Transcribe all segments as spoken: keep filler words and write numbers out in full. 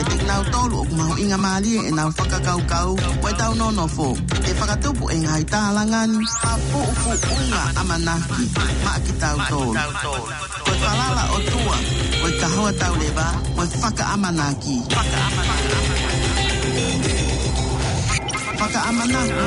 Kinautolu ʻoku mahuʻinga mālie ʻenau fakakaukau mo ʻetau nonofo. ʻE fakatupu e ngaahi tālanga ni ha puʻupuʻunga ʻamanaki maʻa kitautolu. Ko e falala ʻOtua, ko e kahoa tauleva, ko e fakaʻamanaki. Fakaʻamanaki.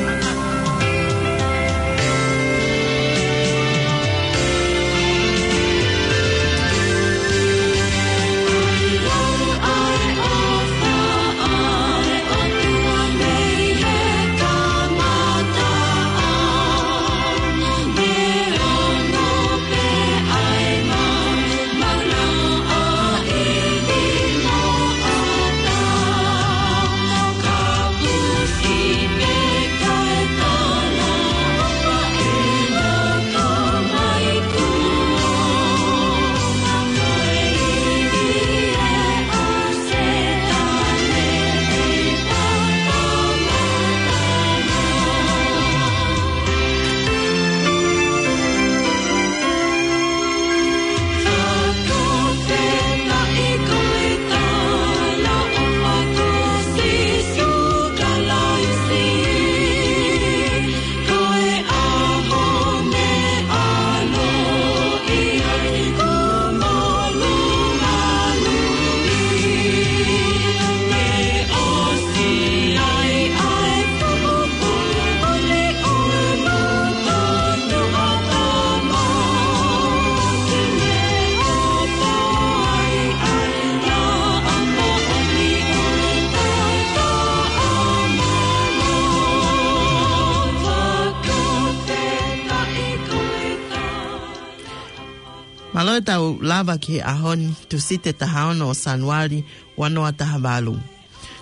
Mālō e tau lava ki he ʻaho ni, Tūsite taha ono ʻo Sānuali, ua noa taha valu.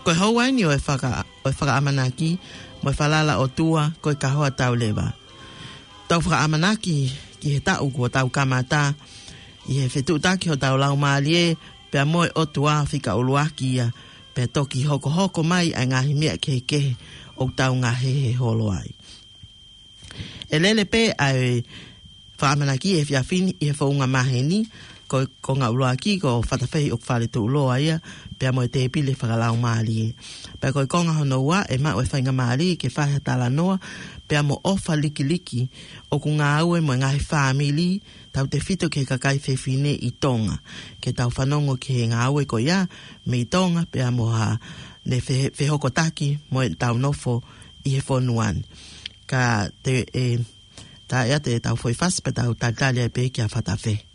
Ko e houa eni ʻo e faka-, ʻo e fakaʻamanaki mo e falala ʻOtua, ko e kahoa tauleva. Tau fakaʻamanaki ki he taʻu kuo tau kamata, ʻi he fetuʻutaki hotau laumālie pea mo e ʻOtua fika ʻuluaki ia, pea toki hokohoko mai ʻa e ngaahi meʻa kehekehe ʻoku tau ngahehe holo ai. ʻE lele pē ʻa e fakaʻamanaki he efiafi ni ʻi he founga maheni, ko e konga ʻuluaki ko Fatafehi ʻOkufale Tuʻuloa ia, pea mo e tēpile fakalaumālie. Pea ko e konga hono ua ʻe maʻu e faingamālie ke fai ha talanoa pea mo ʻofa likiliki ʻoku ngāue mo e ngaahi fāmili, tautefito ki he kakai fefine ʻi Tonga. Ke tau fanongo ki he ngāue ko ia mei Tonga pea mo haʻane fe-, fehokotaki mo ʻetau nofo ʻi he fonua ni. Ka te, ē, tā ia te tau foʻi fasi pea tau talitali ai pē kia Fatafehi.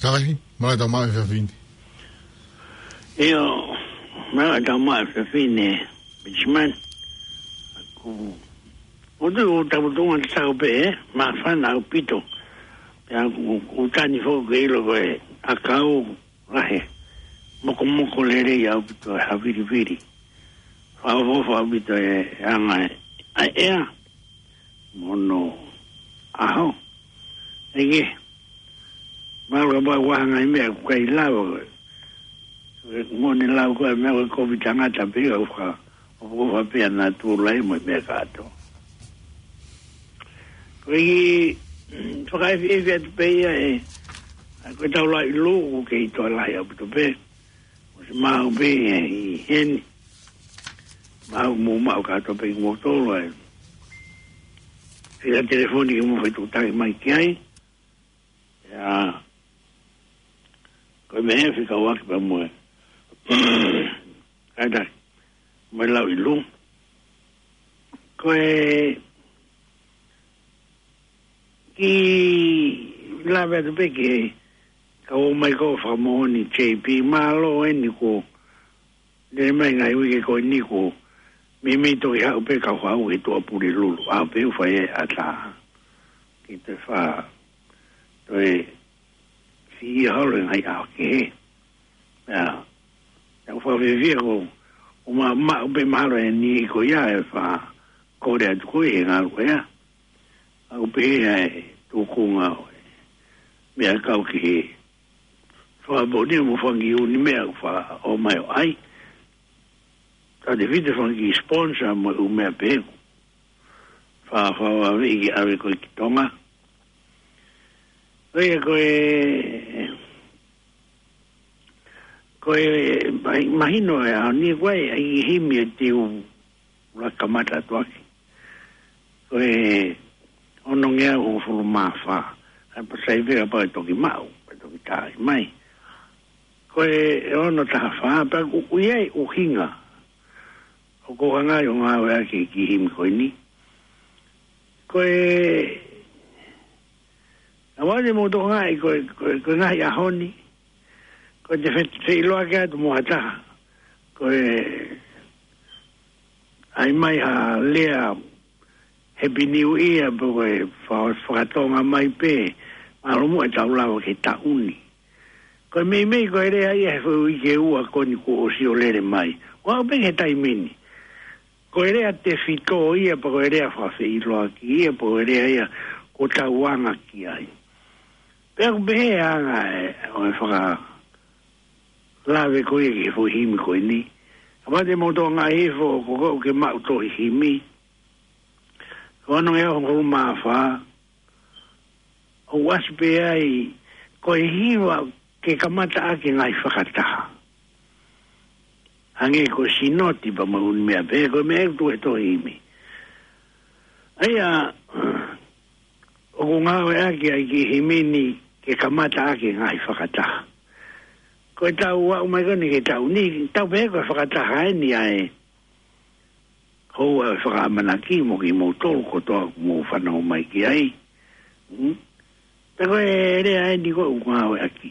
Kalahi, mālō e tau maʻu e efiafi ni. ʻIo, mālō e tau maʻu e efiafi ni, Benjamin. Ko, ʻoku ou tau tuʻunga te tau pē, ē, māfana ʻaupito. Pea ʻoku, ʻoku tani foki ke ʻilo ko e ʻakau lahi. Mokomoko lelei ʻaupito e havilivili. Fakaʻofoʻofa ʻaupito e anga e, ʻa e ʻea. Mo hono ʻaho. ʻEiki, mālō ka pau ʻoku ʻi ai ha ngaahi meʻa ʻoku ʻikai lava ko ē. Ko e moʻoni lau ko e meʻa ko e kovi tangata pē ia ʻoku faka, ʻoku fakapeana atu lahi mo e meʻa kātoa. Ko e kiʻi fakaefiefi atu pē ia ē, ʻa ko e tau lauʻi lū ʻoku kei toe lahi ʻaupito pē. Mo se maʻu pē ʻi heni. Maʻu mo maʻu kātoa pē kimoutolu ē. Fika telefoni ke mou fetuʻutaki mai ki ai. ʻIa, ko e meʻa ē fika uaki pē mo e. Kātaki, mo e lauʻi lū. Ko e kiʻi lave atu pē ki he kau ō mai ko e fakamoʻoni J P, mālō eni ko lele mai ngaahi uike ko eni ko meimei toki haʻu pē kau haʻu he Tuʻapulelulu. ʻAho pē ʻoku fai ai e ʻatā. Ke toe fa, toe fiʻia holo e ngaahi ʻaho kehe. ʻIa, ʻoku ou fakafiefia ko, ʻoku ma, maʻu pē mahalo e niʻihi ko ia e fakakole atu ko ē he ngalu ko ia. ʻOku pehē ʻa e tuʻunga ʻo e meʻa kau ki he fakamoʻoni mo e fanga kiʻi ʻū meʻa ʻoku faʻa ō mai ʻo ʻai. Tau tefito e fanga kiʻi sponsor mo e ʻū meʻa pehē. Fa, fa, fa, ʻi ke ʻave ko ē ki Tonga. Ko ia ko e, ko e, ma, mahino e ʻaho ni ko e, ʻa e himi ʻe teu ʻuluaki kamata atu ʻaki. Ko e onongeau hongofulu mā fā. ʻA e pasai pē kapau ʻe toki maʻu, ʻe toki tā mai. Ko e ono taha fā, pea ʻoku ʻi ai e ʻuhinga. ʻOku ou hanga ʻo ngāueʻaki e kiʻi himi ko eni. Ko e, ʻa vale mo tokangaʻi ko e, ko e, ko e ngaahi ʻaho ni. Ko e te fe, feʻiloaki atu mo ha taha. Ko e, ʻai mai ha lea Happy New Year, pe ko e fa, fakatonga mai pē, mālō muʻa e tau lava ke taʻu ni. Ko e meimei ko e lea ia he foʻi uike ua ko eni kuo ʻosi ʻo lele mai. ʻOku aʻu pē ki he taimi ni. Ko e lea tefito ia, pe ko e lea fakafeʻiloaki ia, pe ko e lea ia ʻoku tau anga ki ai. Pea ʻoku pehē anga e, ʻo e fakalave ko ia ki he foʻi himi ko eni. Kapau te mou tokangaʻi hifo, ko koe ʻoku ke maʻu tohi himi. Ko e onongeau hongofulu mā fā, ʻoku ʻasi pē ai, ko e hiva ke kamata ʻaki e ngaahi fakataha. Hangē ko e sinoti pea mo e ʻū meʻa pehē, ko e meʻa ʻoku tuʻu he tohi himi. ʻA ia, ʻoku ngāueʻaki ʻa e kiʻi himi ni ke kamata ʻaki e ngaahi fakataha. Ko e tau aʻu mai ko eni ki he taʻu ni, tau pehē ko e fakataha eni ʻa e houa ʻo e fakaʻamanaki mo kimoutolu kotoa ʻoku mou fanongo mai ki ai. Hmm? Pea ko e lea eni ko ē ʻoku ngāueʻaki.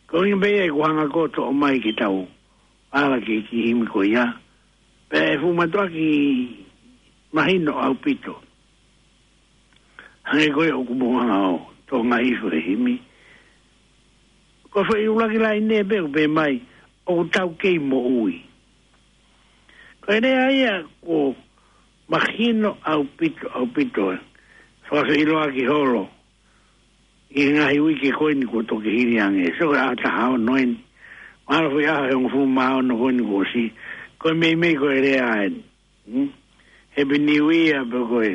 Ko e ʻuhinga pē ia ʻoku hanga ko ē ʻo toʻo mai ke tau ala ki he kiʻi himi ko ia. Pea ʻe fuʻu mātuʻaki mahino ʻaupito. Hangē ko ia ʻoku mou hanga ʻo tokangaʻi hifo he himi. Ko e foʻi ʻuluaki laine pē ʻoku pehē mai, ʻoku tau kei moʻui. Ko e lea ia ʻoku mahino ʻaupito, ʻaupito. Fakafeʻiloaki holo. ʻI he ngaahi uike ko eni kuo toki hili ange. So ko e ʻaho taha ono eni. Mahalo foʻi ʻaho ʻe hongofulu mā ono ko eni kuo ʻosi. Ko e meimei ko e lea eni. Hmm? Happy New Year, pe ko e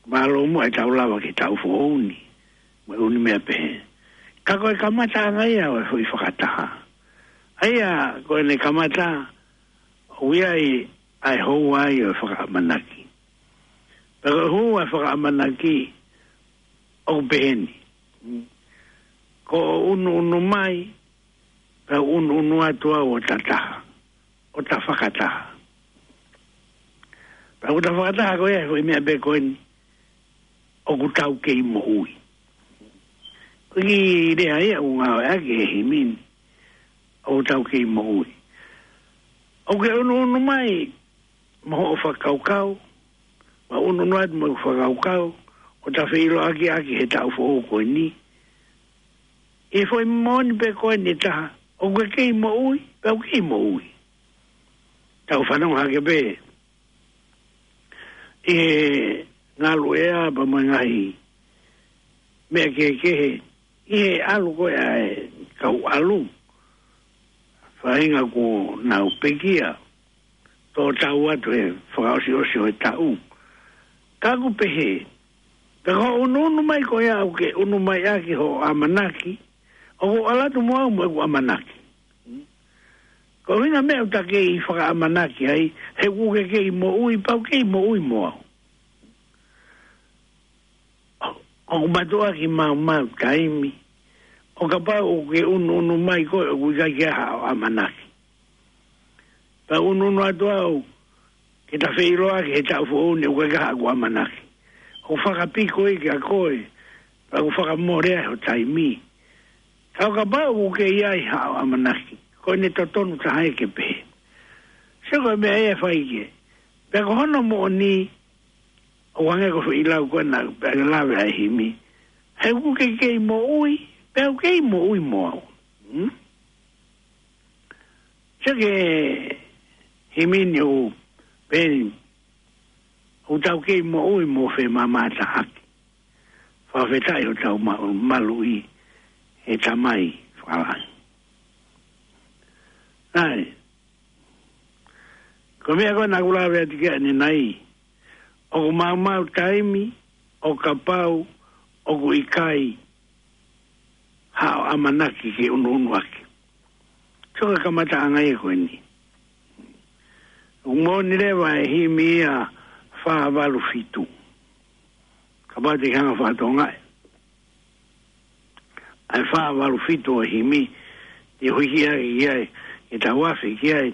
mālō muʻa e tau lava ke taʻu foʻou ni. Mo e ʻū meʻa pehē. Ka ko e kamataʻanga ia ʻo e foʻi fakataha. ʻA ia, ko ʻene kamata, ʻoku ʻi ai ʻa e houa ai ʻo e fakaʻamanaki. Pea ko e houa e fakaʻamanaki, ʻoku pehē ni. Ko e ʻunuʻunu mai, pea ʻunuʻunu atu au ʻo ta taha, ʻo ta fakataha. Pea ʻoku ta fakataha ko ia he foʻi meʻa pē ko eni, ʻoku tau kei moʻui. ʻOku ʻi ai e lea ia ʻoku ngāueʻaki he himi ni, ʻoku tau kei moʻui. ʻOku ke ʻunuʻunu mai mo hoʻo fakakaukau, mo ʻunuʻunu atu mo hoʻo fakakaukau, ʻo ta feʻiloaki ʻaki he taʻu foʻou ko eni. ʻI he foʻi moʻoni pē ko eni ʻe taha, ʻoku ke kei moʻui, pea ʻoku kei moʻui. Tau fanongo hake pē ʻi he ngalu ʻea pea mo e ngaahi meʻa kehekehe, ʻi he ʻalu ko ē ʻa e kau ʻalu, faʻahinga kuo nau pekia, tō tau atu he fakaʻosiʻosi ʻo e taʻu. Ka ʻoku pehē, ka ko hoʻo ʻunuʻunu mai ko ia ʻoku ke ʻunu mai ʻaki hoʻo ʻamanaki, ʻoku ou ʻalu atu mo au mo ʻeku ʻamanaki. Ko e ʻuhinga meʻa ʻoku ta kei fakaʻamanaki ai, he ʻoku ke kei moʻui, pea ʻoku kei moʻui mo au. ʻOku mātuʻaki maumau taimi, ʻo kapau ʻoku ke ʻunuʻunu mai koe ʻoku ʻikai ke ʻi ai haʻo ʻamanaki. Pea ʻunuʻunu atu au, ke ta feʻiloaki he taʻu foʻou ni ʻoku ʻikai ke ʻi ai haʻaku ʻamanaki. ʻOku fakapiko ia kia koe, pea ʻoku fakamole ai ho taimi. Ka ʻo kapau ʻoku ke ʻi ai haʻo ʻamanaki, ko ʻene totonu taha ia ke pehē. Sio ko e meʻa ia ʻe fai ki ai. Pea ko hono moʻoni, ʻoku hangē ko e foʻi lau ko ena, pea ke lave ai himi. He ʻoku ke kei moʻui, pea ʻoku kei moʻui mo au. Hmm? Sio ki he himi ni ʻoku pehē ni, ʻoku tau kei moʻui mo femamataʻaki. Fakafetaʻi hotau ma-, maluʻi he Tamai fakalangi. ʻAi. Ko e meʻa ko ena ʻoku lave atu ki ai ʻanenai. ʻOku maumau taimi, ʻo kapau ʻoku ʻikai haʻo ʻamanaki ke ʻunuʻunu ʻaki. Sio ki he kamataʻanga ia ko eni. ʻOku moʻoni leva e himi ia fā valu fitu. Kapau te ke hanga ʻo fakatokangaʻi ʻa e fā valu fitu ʻo e himi, te u hiki ʻaki ki ai, ke tau afe ki ai.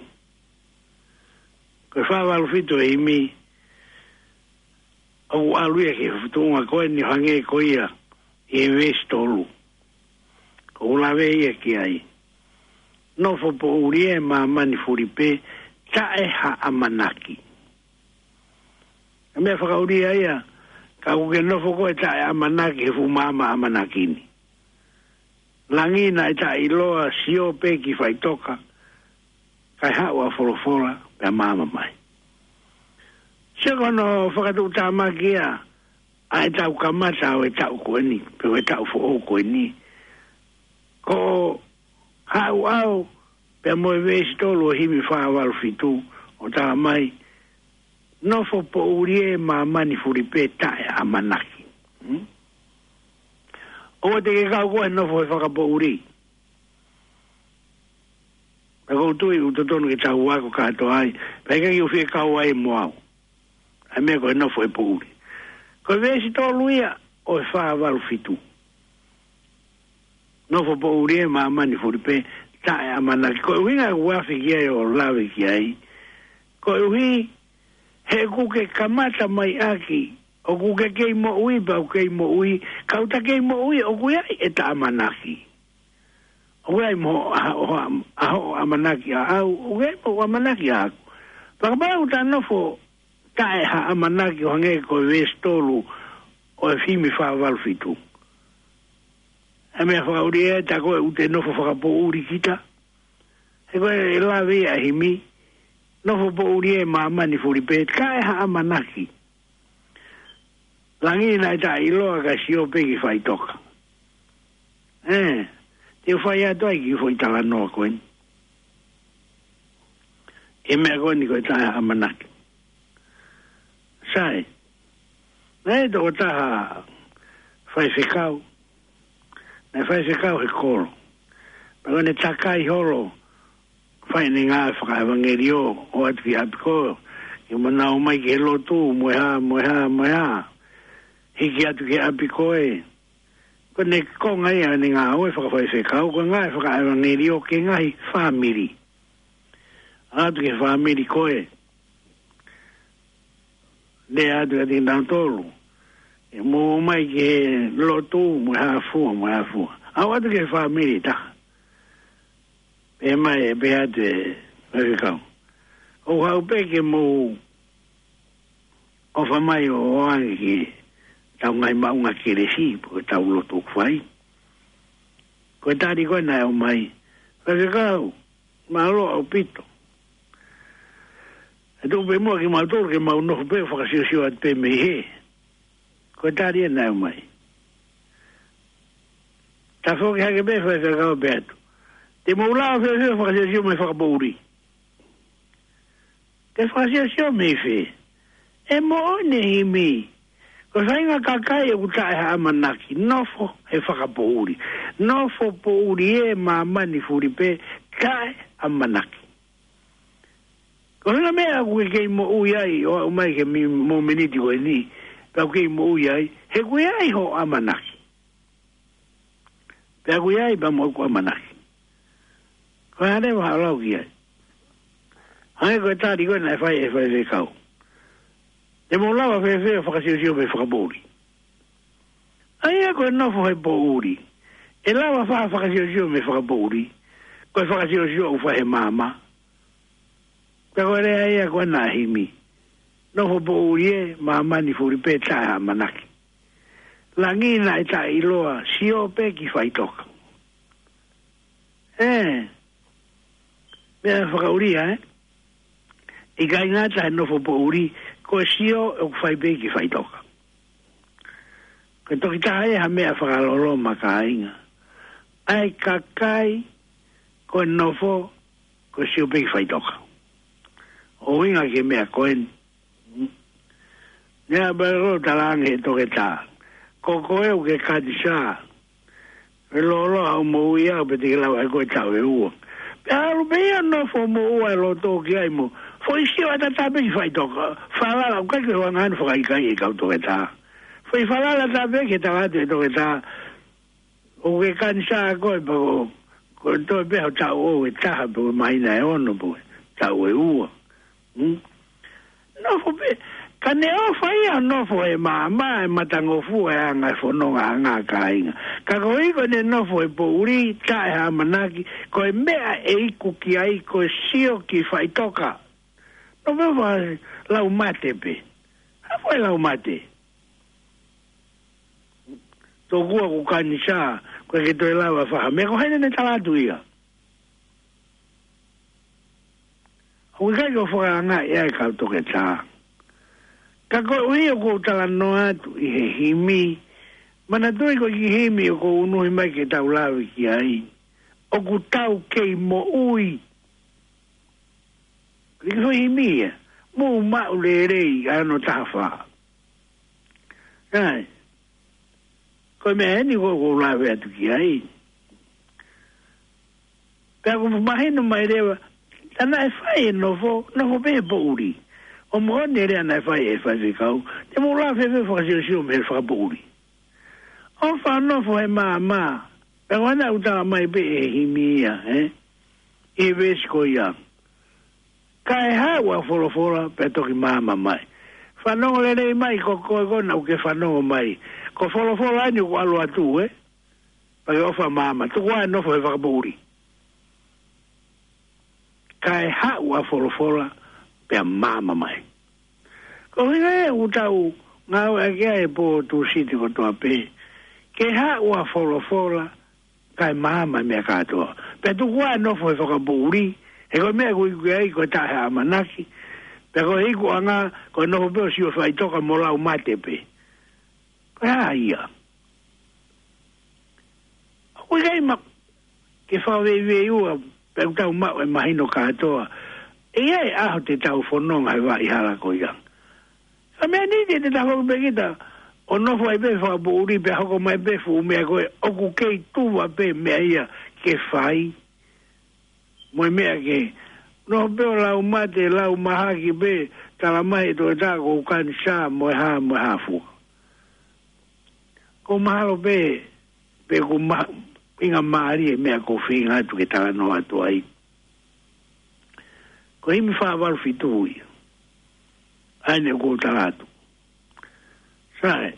Ko e fā valu fitu ʻo e himi, ʻoku ʻalu ia ki he tuʻunga ko eni ʻo hangē ko ia ʻi he veesi tolu. ʻOku lave ia ki ai. Nofo poʻuli ʻi māmani fuli pē, taʻe ha ʻamanaki. Ko e meʻa fakaʻuli ia, ka ʻoku ke nofo koe taʻe ʻamanaki he fuʻu maama ʻamanaki ni. Langi naʻe taʻeʻiloa, sio pē ki faʻitoka, kae haʻu ʻa Folofola, pea maama mai. Sio ko hono fakatuʻutāmaki ia, ʻa ʻetau kamata ʻo e taʻu ko eni, pe ʻo e taʻu foʻou ko eni. Ko haʻu au, pea mo e veesi tolu ʻo e himi fā valu fitu, ʻo talamai, nofo poʻuli ʻi māmani fuli pē taʻe ʻamanaki. Hmm? ʻOua te ke kau koe he nofo he fakapoʻuli. Pea ʻoku ou tui ʻoku totonu ke tau ako kātoa ai, pea ʻikai ke u fie kau ai mo au. ʻA e meʻa ko e nofo he poʻuli. Ko e veesi tolu ia ʻo e fā valu fitu. Nofo poʻuli ʻi māmani fuli pē taʻe ʻamanaki. Ko e ʻuhinga ʻoku ou afe ki ai ʻo lave ki ai. Koeʻuhi, he ʻoku ke kamata mai ʻaki, ʻoku ke kei moʻui, pea ʻoku kei moʻui, ka ʻoku ta kei moʻui, ʻoku ʻi ai ʻeta ʻamanaki. ʻOku ʻi ai mo hoʻo, ʻa, ʻa, ʻa hoʻo ʻamanaki ʻaʻau, ʻoku ʻi ai mo hoʻo ʻamanaki ʻaʻaku. Pea kapau ʻoku ta nofo taʻe ha ʻamanaki ʻo hangē ko e veesi tolu ʻo e himi fā valu fitu. ʻA e meʻa fakaʻuli ē, tā ko ē ʻoku te nofo fakapoʻuli kita. He ko e lave ia ʻa e himi, nofo poʻuli ʻi māmani fuli pē, taʻe ha ʻamanaki. Langi naʻe taʻeʻiloa kae sio pē ki faʻitoka. Ē, te u fai atu ai kiʻi foʻi talanoa ko eni. ʻI he meʻa ko eni ko e taʻe ha ʻamanaki. Sai, naʻe tokotaha faifekau, naʻe faifekau he kolo. Pea ko ʻene takai holo, fai ʻene ngāue fakaʻevangeliō, ʻoatu ki ʻapi ko ē, ke mo nau ō mai ki he lotu, mo e hā, mo e hā, mo e hā. Hiki atu ki ʻapi ko ē. Ko ʻene konga ia ʻene ngāue fakafaifekau, ko e ngāue fakaʻevangeliō ki he ngaahi fāmili. ʻAlu atu ki he fāmili ko ē. Lea atu kiate kinautolu. Mou ō mai ki he lotu, mo e hā fua, mo e hā fua. ʻAlu atu ki he fāmili ʻe taha. Pehē mai, pehē atu e faifekau, ʻoku ou haʻu pē ke mou ʻofa mai ʻo ʻoange ki heʻetau ngaahi maʻunga kelesi, pe ko ʻetau lotu ʻoku fai. Ko e tali ko ē naʻe ʻomai: Faifekau, mālō ʻaupito. ʻE tuku pē muʻa kimautolu ke mau nofo pē ʻo fakasiosio atu pē mei hē. Ko e tali ē naʻe ʻomai. Tafoki hake pē faifekau, pehē atu: Te mou lava fēfē ʻo fakasiosio mei he fakapoʻuli? Ke fakasiosio mei fē? ʻE moʻoni e himi: Ko e faʻahinga kakai ʻoku taʻe ha ʻamanaki, nofo he fakapoʻuli. Nofo poʻuli ē, māmani fulipē, taʻe ʻamanaki. Ko e ʻuhinga meʻa ʻoku ke kei moʻui ai, ʻo aʻu mai ki he mi-, mōmeniti ko eni, pea ʻoku kei moʻui ai, he ʻoku ʻi ai hoʻo ʻamanaki. Pea ʻoku ʻi ai pē mo hoku ʻamanaki. Ko e hā leva haʻo lau ki ai? Hangē ko e tali ko ē naʻe fai ʻe he faifekau: Te mou lava fēfē ʻo fakasiosio mei he fakapoʻuli? ʻA ia ko e nofo he poʻuli, ʻe lava fai ha fakasiosio mei he fakapoʻuli? Ko e fakasiosio ʻoku fai he maama. Ka ko e lea ia ko ē naʻe himi: Nofo poʻuli ē, māmani fulipē, taʻe ha ʻamanaki. Langi naʻe taʻeʻiloa, sio pē ki faʻitoka. Ē, meʻa fakaʻulia, ē? ʻIkai ngata he nofo poʻuli, ko e sio ʻoku fai pē ki faʻitoka. Ko e toki taha ia ha meʻa fakaloloma, kāinga. ʻA e kakai, ko e nofo, ko e sio pē ki faʻitoka. ʻO ʻuhinga ki he meʻa ko eni. Naʻe ʻalu pē ʻo talaange ʻe he toketā: Ko koe ʻoku ke kanisā. Feloloa hoʻo moʻui au pea te ke lava ʻe koe taʻu ʻe ua. Pea ʻalu pē ia ʻo nofo ʻo moʻua e loto ki ai mo foʻi sio ʻatā pē ki faʻitoka. Falala, ʻoku ʻikai ke ʻi ai hano fakaʻikaiʻi ʻe he kau toketā. Foʻi falala ʻatā pē ke tala atu ʻe he toketā: ʻOku ke kanisā koe pea ko, ko e toe pē hoʻo taʻu ʻe taha pe ko e māhina ʻe ono pe ko e taʻu ʻe ua. Hmm? Nofo pē, ka ne ʻofa ia ʻo nofo he maama, ʻe matangofua e anga e fononga ʻa e kāinga. Ka koeʻuhi ko ʻene nofo he poʻuli, taʻe ha ʻamanaki, ko e meʻa ʻe iku ki ai ko e sio ki faʻitoka. Nofo he fakalaumate pē. Hā fua e laumate? Tokua ʻoku kanisā, ʻoku ʻikai ke toe lava fai ha meʻa, ko hai naʻa ne tala atu ia? ʻOku ʻikai ke u fakaangaʻi ʻa e kau toketā. Ka koeʻuhi ʻoku ou talanoa atu ʻi he himi, manatuʻi ko e kiʻi himi ʻoku ou unuhi mai ke tau lave ki ai. ʻOku tau kei moʻui. Ko e kiʻi foʻi himi ia. Mou maʻu lelei, ʻa hono taha fā. ʻAi. Ko e meʻa eni ʻoku ou lave atu ki ai. Pea ʻoku mahino mai leva, tā naʻe fai e nofo, nofo pē he poʻuli. ʻO moʻoni e lea naʻe fai ʻe he faifekau: Te mou lava fēfē ʻo fakasiosio mei he fakapoʻuli? ʻOfa ʻo nofo he maama. Pea ko ena ʻoku tala mai pē ʻe he himi ia, ē? ʻI he veesi ko ia: Kae haʻu ʻa e folofola pea toki maama mai. Fanongo lelei mai, ko koe ko ena ʻoku ke fanongo mai. Ko e folofola eni ʻoku ʻalu atu, ē? Pea ke ʻofa maama. Tuku ā e nofo he fakapoʻuli. Kae haʻu ʻa e folofola pea maama mai. Ko e ʻuhinga ia ʻoku tau ngāueʻaki ai e pō Tūsite kotoa pē. Ke haʻu ʻa e folofola, kae maama e meʻa kātoa. Pea tuku ā e nofo he fakapoʻuli, he ko e meʻa ʻoku iku ai ko e taʻe ha ʻamanaki. Pea ko e ikuʻanga, ko e nofo pē ʻo sio faʻitoka mo laumate pē. Ko e hā ia? ʻOku ʻikai ma-, ke fakaveiveiua, pea ʻoku tau maʻu e mahino kātoa. ʻE ʻi ai e ʻaho te tau fononga he vaʻa hala ko ia. Ka meʻa ni te, te tau hoko pē kita ʻo nofo ai pē he fakapoʻuli pea hoko mai pē fuʻu meʻa ko ē ʻoku kei tuva pē meʻa ia ke fai. Mo e meʻa ke nofo pē ʻo laumate, lau mahaki pē, tala mai ʻe he toketā ʻoku ou kanisā mo e hā, mo e hā fua. ʻOku mahalo pē, pe ʻoku ma-, ʻuhinga mālie e meʻa ʻoku ou feinga atu ke talanoa atu ai. Ko e himi fā valu fitu ia. ʻA eni ʻoku ou tala atu. Sai,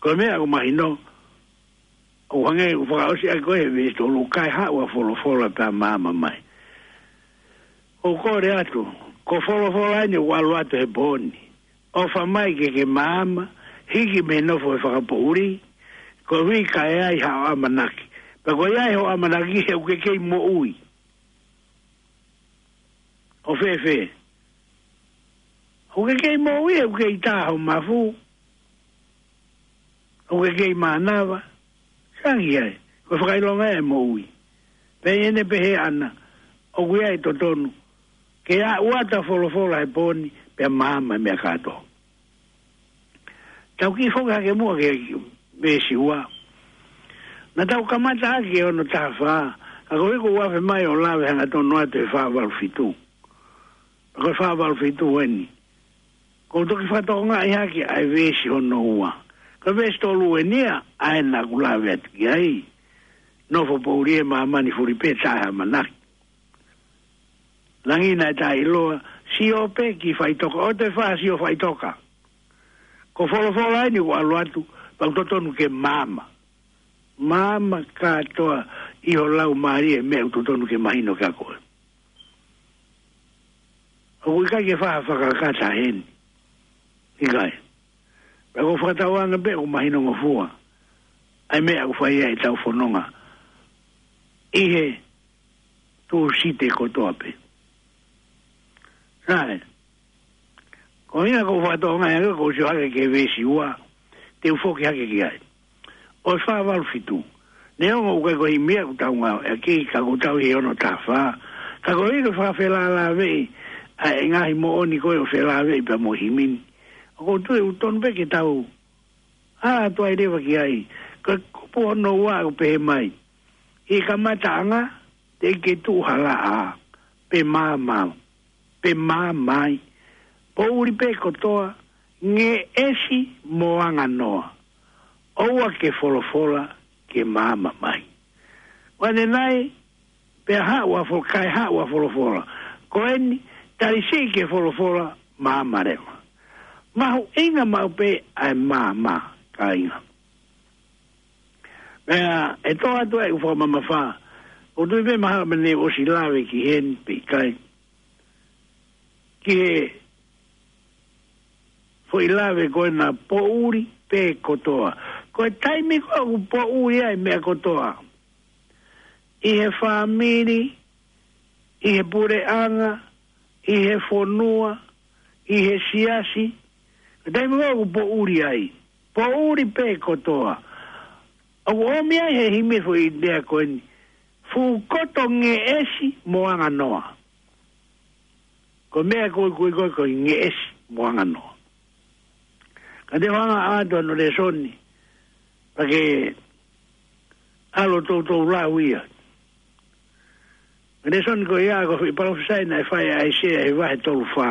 Ko e meʻa ʻoku mahino, ʻoku hangē ʻoku fakaʻosi ʻaki ko e he veesi tolu, kae haʻu ʻa Folofola pea maama mai. ʻOku ou kole atu, ko Folofola eni ʻoku ʻalu atu he pō ni. ʻOfa mai ke ke maama, hiki mei he nofo ʻo e fakapoʻuli, koeʻuhi ka ʻi ai haʻo ʻamanaki. Pea ko ia ʻi hoʻo ʻamanaki he ʻoku ke kei moʻui. ʻO fēfē? ʻOku ke kei moʻui, ʻoku kei tā ho mafu. ʻOku ke kei mānava. Sai ange ai, ko e fakaʻilonga ia ʻo e moʻui. Pea ʻi heʻene pehē ʻana, ʻoku ʻi ai e totonu ke aʻu atu ʻa Folofola he pō ni, pea maama e meʻa kātoa. Tau kiʻi foki hake muʻa ki he veesi ua. Naʻa tau kamata ʻaki e ono taha fā, ka ko e ʻuhi ʻoku ou afe mai ʻo lave hangatonu atu he fā valu fitu. Ko e fā valu fitu eni. ʻOku ou toki fakatokangaʻi hake ʻa e veesi hono ua. Ko e veesi tolu eni ia, ʻa ē naʻa ku lave atu ki ai. Nofo poʻuli ʻi māmani, fuli pē taʻe ʻamanaki. Langi naʻe taʻeʻiloa, sio pē ki faʻitoka, ʻoua te ke faʻa sio faʻitoka. Ko Folofola eni ʻoku ʻalu atu, pea ʻoku totonu ke maama. Maama kātoa ʻi ho laumālie e meʻa ʻoku totonu ke mahino kia koe. ʻOku ʻikai ke faʻa fakakata heni. ʻIkai. Pea ʻoku ou fakatauange pē ʻoku mahinongofua ʻa e meʻa ʻoku fai ai ʻetau fononga ʻi he Tūsite kotoa pē. Sai. Ko ia ʻoku ou fakatokangaʻi ange ʻoku ou sio hake ki he veesi ua, te u foki hake ki ai. ʻO e fā valu fitu. Neongo ʻoku ʻikai ko e himi ia ʻoku tau ngāueʻaki, ka ʻoku tau ʻi he ono taha fā. Ka ko e ʻikai fakafelālāveʻi ʻa e ngaahi moʻoni ko ē ʻo felāveʻi pea mo e himi ni. ʻOku ou tui ʻoku tonu pē ke tau ʻalu atu ai leva ki ai. Ko e kupu hono ua ʻoku pehē mai, ʻi he kamataʻanga, teʻeki ke tuʻu ha laʻā, pe maama, pe maama ai. Poʻuli pē kotoa, ngeʻesi mo anganoa. ʻOua ke folofola ke maama mai. Anaanei, pea haʻu ʻa Fo-, kae haʻu ʻa Folofola. Ko eni, tali siʻi ki he Folofola, maama leva. Mahuʻinga maʻu pē ʻa e maama, kāinga. Pea, ʻe toʻo atu ʻeku fakamamafa, ʻoku ou tui pē mahalo naʻa ne ʻosi lave ki heni pe ʻikai. Ki he foʻi lave ko ena poʻuli pē kotoa. Ko e taimi ko ē ʻoku poʻuli ai e meʻa kotoa. ʻI he fāmili, ʻi he puleʻanga, ʻi he fonua, ʻi he siasi. Ko e taimi ko ē ʻoku poʻuli ai. Poʻuli pē kotoa. ʻOku ʻomi ai he himi foʻi lea ko eni. Fuʻu koto, ngeʻesi mo anganoa. Ko e meʻa ko ē, ko ē, ko ē, ko e ngeʻesi mo anganoa. Ka te u hanga ʻo ʻoatu hono lēsoni, pea ke ʻalu ʻo toutou lau ia. Ko e lēsoni ko ia ko e foʻi palōfisai naʻe fai ʻe ʻAisea he vahe tolu fā.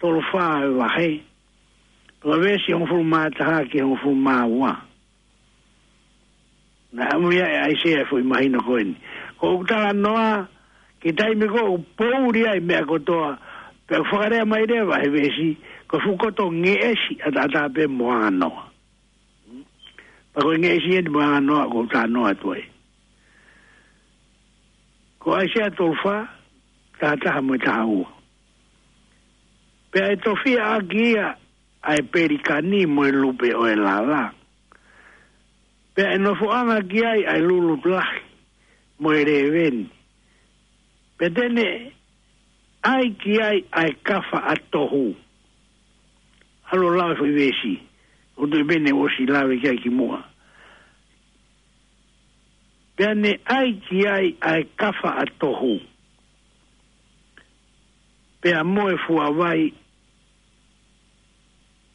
Tolu fā e vahe. Ko e veesi hongofulu mā taha ki he hongofulu mā ua. Naʻe ʻomai ʻe ʻAisea e foʻi mahino ko eni. Ko ʻeku talanoa ki he taimi ko ē ʻoku poʻuli ai e meʻa kotoa, pea ʻoku fakalea mai leva he veesi, ko e fuʻu koto, ngeʻesi ʻataʻatā pē mo anganoa. Pea ko e ngeʻesi eni mo anganoa ʻoku ou talanoa atu ai. Ko ʻAisea tolu fā, taha taha mo e taha ua. Pea ʻe tofiʻa ʻaki ia ʻa e pelikani mo e lupe ʻo e lala. Pea ʻe nofoʻanga ki ai ʻa e lulu lahi mo e lēveni. Pea te ne ʻai ki ai ʻa e kafa ʻa tohu. ʻAlu ʻo lau e foʻi veesi. ʻOku ou tui pē naʻe ʻosi lave ki ai kimuʻa. Pea ne ʻai ki ai ʻa e kafa ʻa tohu. Pea mo e fuavai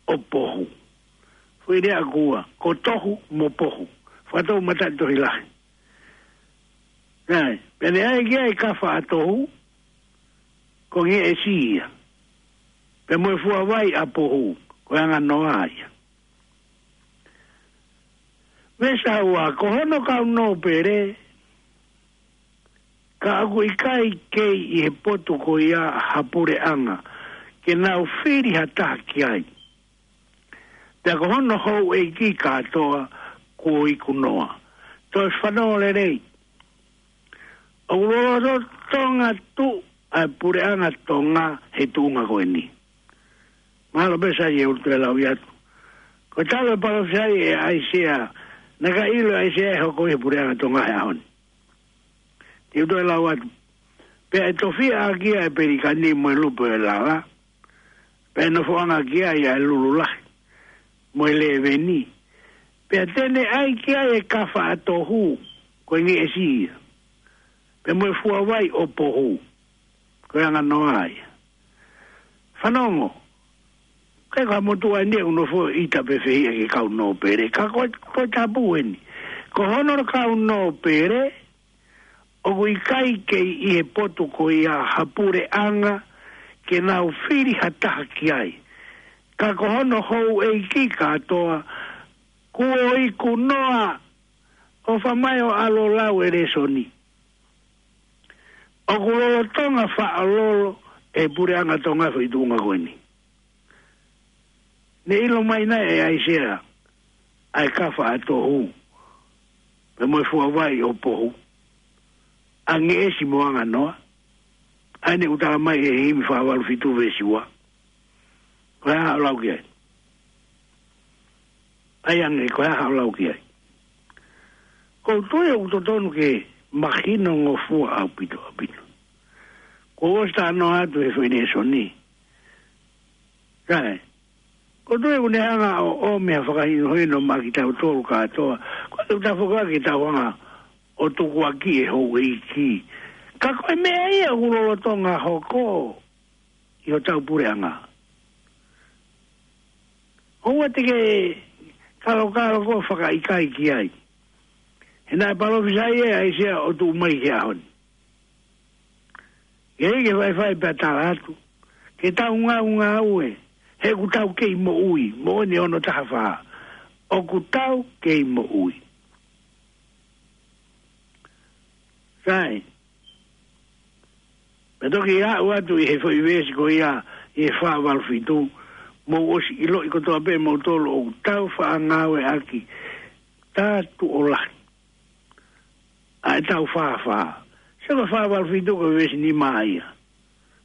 ʻo pohu. Foʻi lea ʻe ua, ko tohu mo pohu. Fakatoumataʻi tohi lahi. Sai, pea ne ʻai ki ai e kafa ʻa tohu, ko e ngeʻesi ia. Pea mo e fuavai ʻa pohu, ko e anganoa ia. Veesi ua, ko hono kau nōpele, ka ʻoku ʻikai kei ʻi he potu ko ia ha puleʻanga, ke nau fili ha taha ki ai. Pea ko hono houʻeiki kātoa kuo ikunoa. Toe fanongo lelei. ʻOku lolotonga tuʻu ʻa e puleʻanga Tonga he tuʻunga ko eni. Mahalo pē sai e ʻuluaki lau atu. Ko e talu e palōfisai ʻe ʻAisea, naʻe ʻikai ʻilo ʻe ʻAisea ʻe hoko ia he puleʻanga Tonga he ʻaho ni. Te u toe lau atu. Pea ʻe tofiʻa ʻaki ia ʻa e pelikani mo e lupe ʻo e lala. Pea ʻe nofoʻanga ki ai ʻa e lulu lahi mo e lēveni. Pea te ne ʻai ki ai e kafa ʻa Tohu, ko e ngeʻesi ia. Pea mo e fuavai ʻo Pohu, ko e anga noa ia. Fanongo, ʻikai ko ha motuʻa eni ʻoku nofo ʻita pe fehiʻa ki he kau nōpele. Ka ko e, ko e Tohi Tapu eni. Ko hono kau nōpele, ʻoku ʻikai kei ʻi he potu ko ia ha puleʻanga ke nau fili ha taha ki ai. Ka ko hono houʻeiki kātoa kuo ikunoa. ʻOfa mai ʻo ʻalu ʻo lau e lēsoni. ʻOku lolotonga faʻalolo e puleʻanga Tonga he foʻi tuʻunga ko eni. Ne ʻilo mai nai ʻe ʻAisea ʻa e kafa ʻa Tohu, pea mo e fuavai ʻo Pohu, ʻa ngeʻesi mo anga noa, ʻa eni ʻoku tala mai ʻe he himi fā valu fitu veesi ua? Ko e hā haʻo lau ki ai? ʻAi ange, ko e hā haʻo lau ki ai? ʻOku ou tui ʻoku totonu ke mahinongofua ʻaupito, ʻaupito. Kuo u ʻosi talanoa atu he foʻi lēsoni. Sai. ʻOku ou tui ʻoku ne hanga ʻo, ʻo meʻa fakahinohino maʻa kitautolu kātoa. Ko e tafoka ke tau hanga ʻo tukuakiʻi e houʻeiki. Ka ko e meʻa ia ʻoku lolotonga hoko ʻi hotau puleʻanga. ʻOua te ke kalokalo koe fakaʻikaiʻi ai. He naʻe palōfisai ʻe ʻAisea ʻo tuʻu mai ki he ʻaho ni. Ke ʻi ai ke faifai pea tala atu, ke tau ngaungaue, he ʻoku tau kei moʻui, moʻoni hono taha fā. ʻOku tau kei moʻui. Sai. Pea toki aʻu atu ʻi he foʻi veesi ko ia ʻi he fā valu fitu, mou ʻosi ʻiloʻi kotoa pē moutolu ʻoku tau faʻa ngāueʻaki tā tuʻo lahi ʻa e tau fāfā. Sai, ko e fā valu fitu ko e veesi nima ia.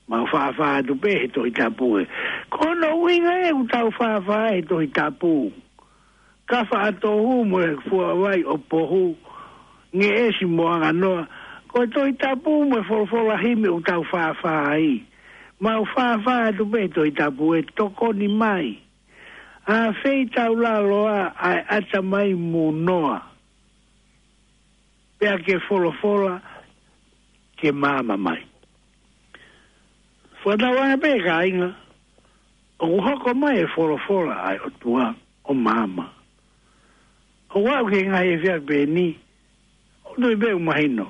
Mau fāfā atu pē he Tohi Tapu ē. Ko hono ʻuhinga ē ʻoku tau fāfā he Tohi Tapu. Kafa ʻa Tohu mo e fuavai ʻo Pohu, ngeʻesi mo anga noa. Ko e Tohi Tapu mo e folofola himi ʻoku tau fāfā ai. Mau fāfā atu pē he Tohi Tapu ē, tokoni mai. ʻAfeʻi taulaloa ʻa e ʻatamai mūnoa, pea ke folofola ke maama mai. Fakatauange pē kāinga, ʻoku hoko mai e folofola ʻa e ʻOtua ʻo maama. ʻOku aʻu ki he ngaahi efiafi pehē ni, ʻoku ou tui pē ʻoku mahino.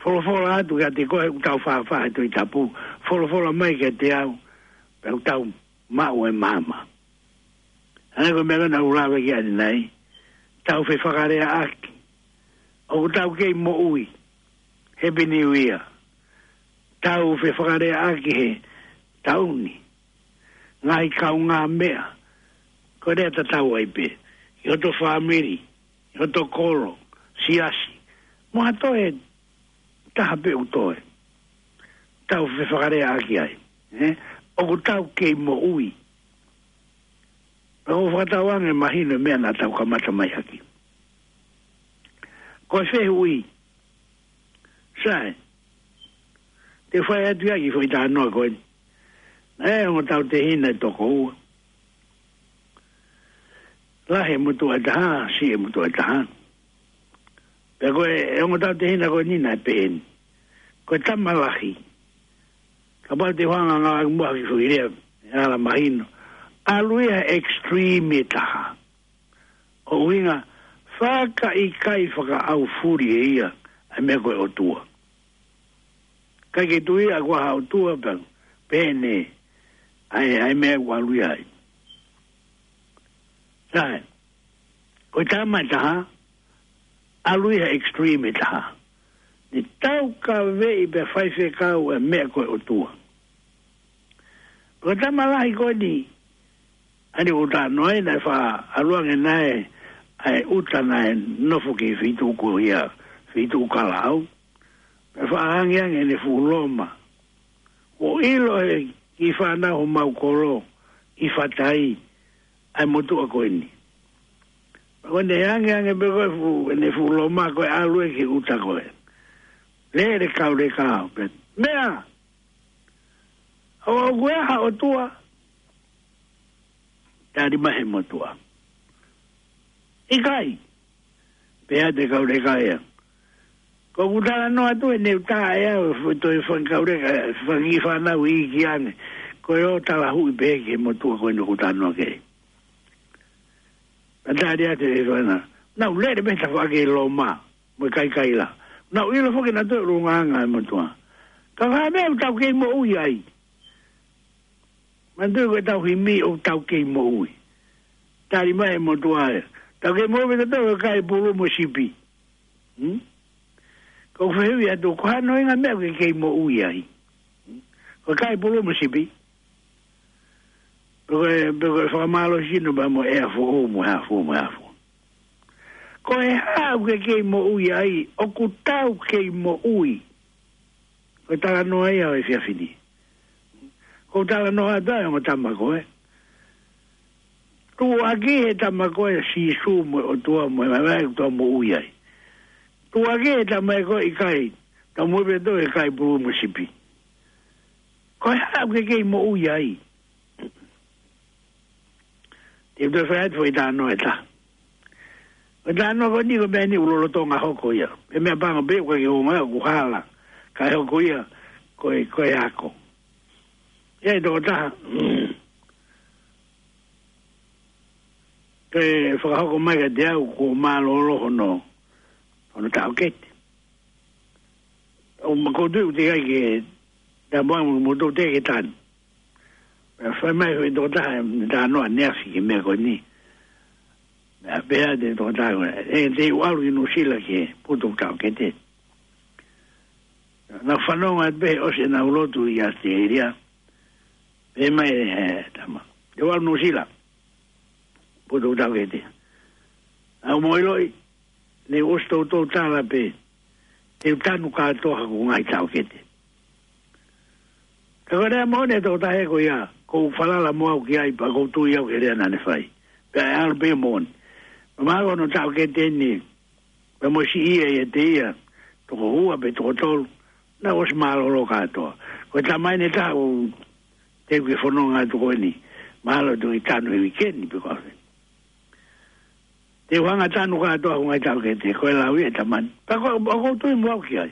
Folofola atu kiate koe ʻoku tau fāfā he Tohi Tapu. Folofola mai kiate au, pea ʻoku tau maʻu e maama. Hangē ko e meʻa naʻa ku lave ki ai ʻanenai, tau fefakaleaʻaki. ʻOku tau kei moʻui. Happy New Year. Tau fefakaleaʻaki he taʻu ni. Ngaahi kaungāmeʻa. Ko e lea tatau ai pē. ʻI hoto fāmili, ʻi hoto kolo, siasi. Mo ha toe taha pē ʻoku toe. Tau fefakaleaʻaki ai. Ē? ʻOku tau kei moʻui. Pea ʻoku fakatauange mahino e meʻa naʻa tau kamata mai ʻaki. Ko e fehuʻi. Sai. Te u fai atu ia ki he foʻi talanoa ko eni. Naʻe ongo tautehina ʻe toko ua. Lahi e motuʻa ʻe taha, siʻi e motuʻa ʻe taha. Pea ko e, e ongo tautehina ko eni naʻe pehē ni. Ko e tama lahi. Kapau te u hanga ʻo ngāueʻaki muʻa ha kiʻi foʻi lea, ʻe ala mahino. ʻAlu ia he extreme ʻe taha. ʻO ʻuhinga, fakaʻikaiʻi fakaʻaufuli ʻe ia ʻa e meʻa ko e ʻOtua. ʻIkai ke tui ia ʻoku ʻi ai ha ʻOtua pea pehē ni ʻa e, ʻa e meʻa ʻoku ʻalu ia ai. Sai, ko e tama ʻe taha, ʻalu ia he extreme ʻe taha. Ne taukaveʻi pea faifekau e meʻa ko e ʻOtua. Ko e tama lahi ko eni, Ani ʻuta noa ina e fa aluange nae, ʻa e ʻuta nae nofo ki he feituʻu ko ia, feituʻu kalaʻau. Pea fa angeange ʻene fuʻu loma. ʻO ʻilo he kiʻi fānau homau kolo ʻi Fatai, ʻa e motuʻa ko eni. Pea ko ʻene angeange pē ko e fuʻu, ʻene fuʻu loma ko e ʻalu ē ki he ʻuta ko ē. Lele Kauleka, pea meʻa, ʻoku ʻi ai ha ʻotua? Tali mai he motuʻa, ʻikai. Pea te Kauleka ia. Ko ʻeku talanoa atu ʻe ne u tā ʻe au, fu-, toe fanga Kauleka, fanga kiʻi fānau iiki ange. Ko e ō talahuʻi pē ki he motuʻa ko eni ʻoku ou talanoa ki ai. Pea tali atu e fānau. Nau lele pē he tafaʻaki loma mo e kaikaila. Nau ʻilo foki nautolu e ʻulungaanga e motuʻa. Ka ko e hā e meʻa ʻoku tau kei moʻui ai? Manatuʻi ko e tau himi ʻoku tau kei moʻui. Tali mai e motuʻa ia. Tau kei moʻui pē tautolu he kai pulu mo sipi. Hmm? Ko e fehuʻi atu, ko e hā hono ʻuhinga e meʻa ʻoku ke kei moʻui ai? Ko e kai pulu mo sipi. Pe ko e, pe ko e fakamālohisino pea mo e ʻea foʻou mo e hā fua mo e hā fua. Ko e hā ʻoku ke kei moʻui ai, ʻoku tau kei moʻui. Ko e talanoa ia ʻo e efiafi ni. Ko e talanoa atu ai ʻo e ongo tama ko ē. Tuʻuaki he tama ko ē Sīsū mo e ʻOtua mo e vaivai ʻoku tau moʻui ai. Tuʻuaki he tama ko ē ʻikai, tau moʻui pē tautolu he kai pulu mo sipi. Ko e hā ʻoku ke kei moʻui ai? Te u toe fai atu foʻi talanoa ʻe taha. Ko e talanoa ko eni ko e meʻa ni ʻoku lolotonga hoko ia. Ko e meʻa pango pē ʻoku ke ongoʻi ʻoku hala. Kae hoko ia ko e, ko e ako. ʻI ai e tokotaha ke fakahoko mai kiate au kuo mālōlō hono, hono taʻokete. ʻO ma ko tu te kai ke tamoa mo, mo tō te ke tanu. Pea fai mai e tokotaha e talanoa ʻaneafi ki he meʻa ko eni. Pea pehē atu e tokotaha ko ē, ʻe te u ʻalu ki Nuʻusila ki he putu taʻokete. Naʻa ku fanongo atu pē he ʻosi ʻenau lotu ʻi ʻAositelēlia. Pehē mai e tama, te u ʻalu Nuʻusila, putu taʻokete. ʻOku mou ʻiloʻi, ne u ʻosi toutou tala pē te u tanu kātoa haku ngaahi taʻokete. Ka ko e lea moʻoni e tokotaha ko ia, ʻoku ou falala mo au ki ai pea ʻoku ou tui au ki he lea naʻa ne fai. Pea ʻe ʻalu pē moʻoni. Pea mahalo ko hono taʻokete eni, pea mo siʻi ia ʻiate ia, toko ua pe toko tolu, naʻa ʻosi mālōlō kātoa. Ko e tama eni ʻe taha ʻoku teʻeki ke fononga atu ko eni, mahalo te u tanu he uike ni pe ko e hā fē. Te u hanga tanu kātoa hoku ngaahi taʻokete, ko e lau ia e tama ni. Pea ko, ʻoku ou tui mo au ki ai.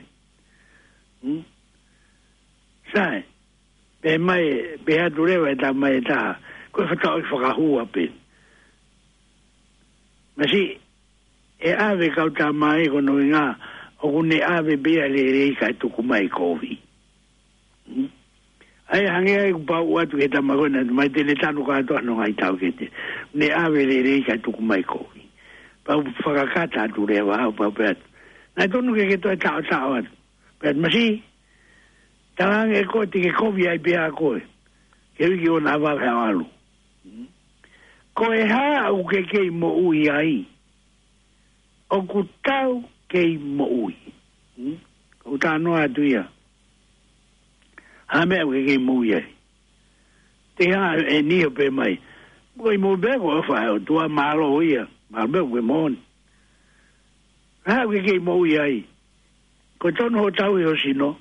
Hmm? Sai, pehē mai, pehē atu leva e tama ʻe taha, ko e fataʻoki fakahua pē. Masiʻi, ʻe ʻave kau tama ē ko hono ʻuhinga, ʻoku ne ʻave pē ia lelei kae tuku mai kovi. Hmm? ʻA ia hangē ai kuo pau atu ki he tama ko ē naʻe mai te ne tanu kātoa hono ngaahi taʻokete. Ne ʻave lelei kae tuku mai kovi. Pau fakakata atu leva au pau pē atu. Naʻe tonu ke ke toe taʻotaʻo atu. Pea masiʻi, talaange ʻe koe te ke kovi ai pē ʻa koe. Ke uiki ʻo na vave ha ʻalu. Ko e hā ʻoku ke kei moʻui ai? ʻOku tau kei moʻui. Hmm? ʻOku talanoa atu ia. Hā e meʻa ʻoku ke kei moʻui ai? Te hā e niʻihi ʻo pehē mai, ko e moʻui pē ko e ʻofa ʻa e ʻOtua, mālō ia, mālō pē ko e moʻoni. Hā ʻoku ke kei moʻui ai? Ko e tonu hoʻo tauhi ho sino,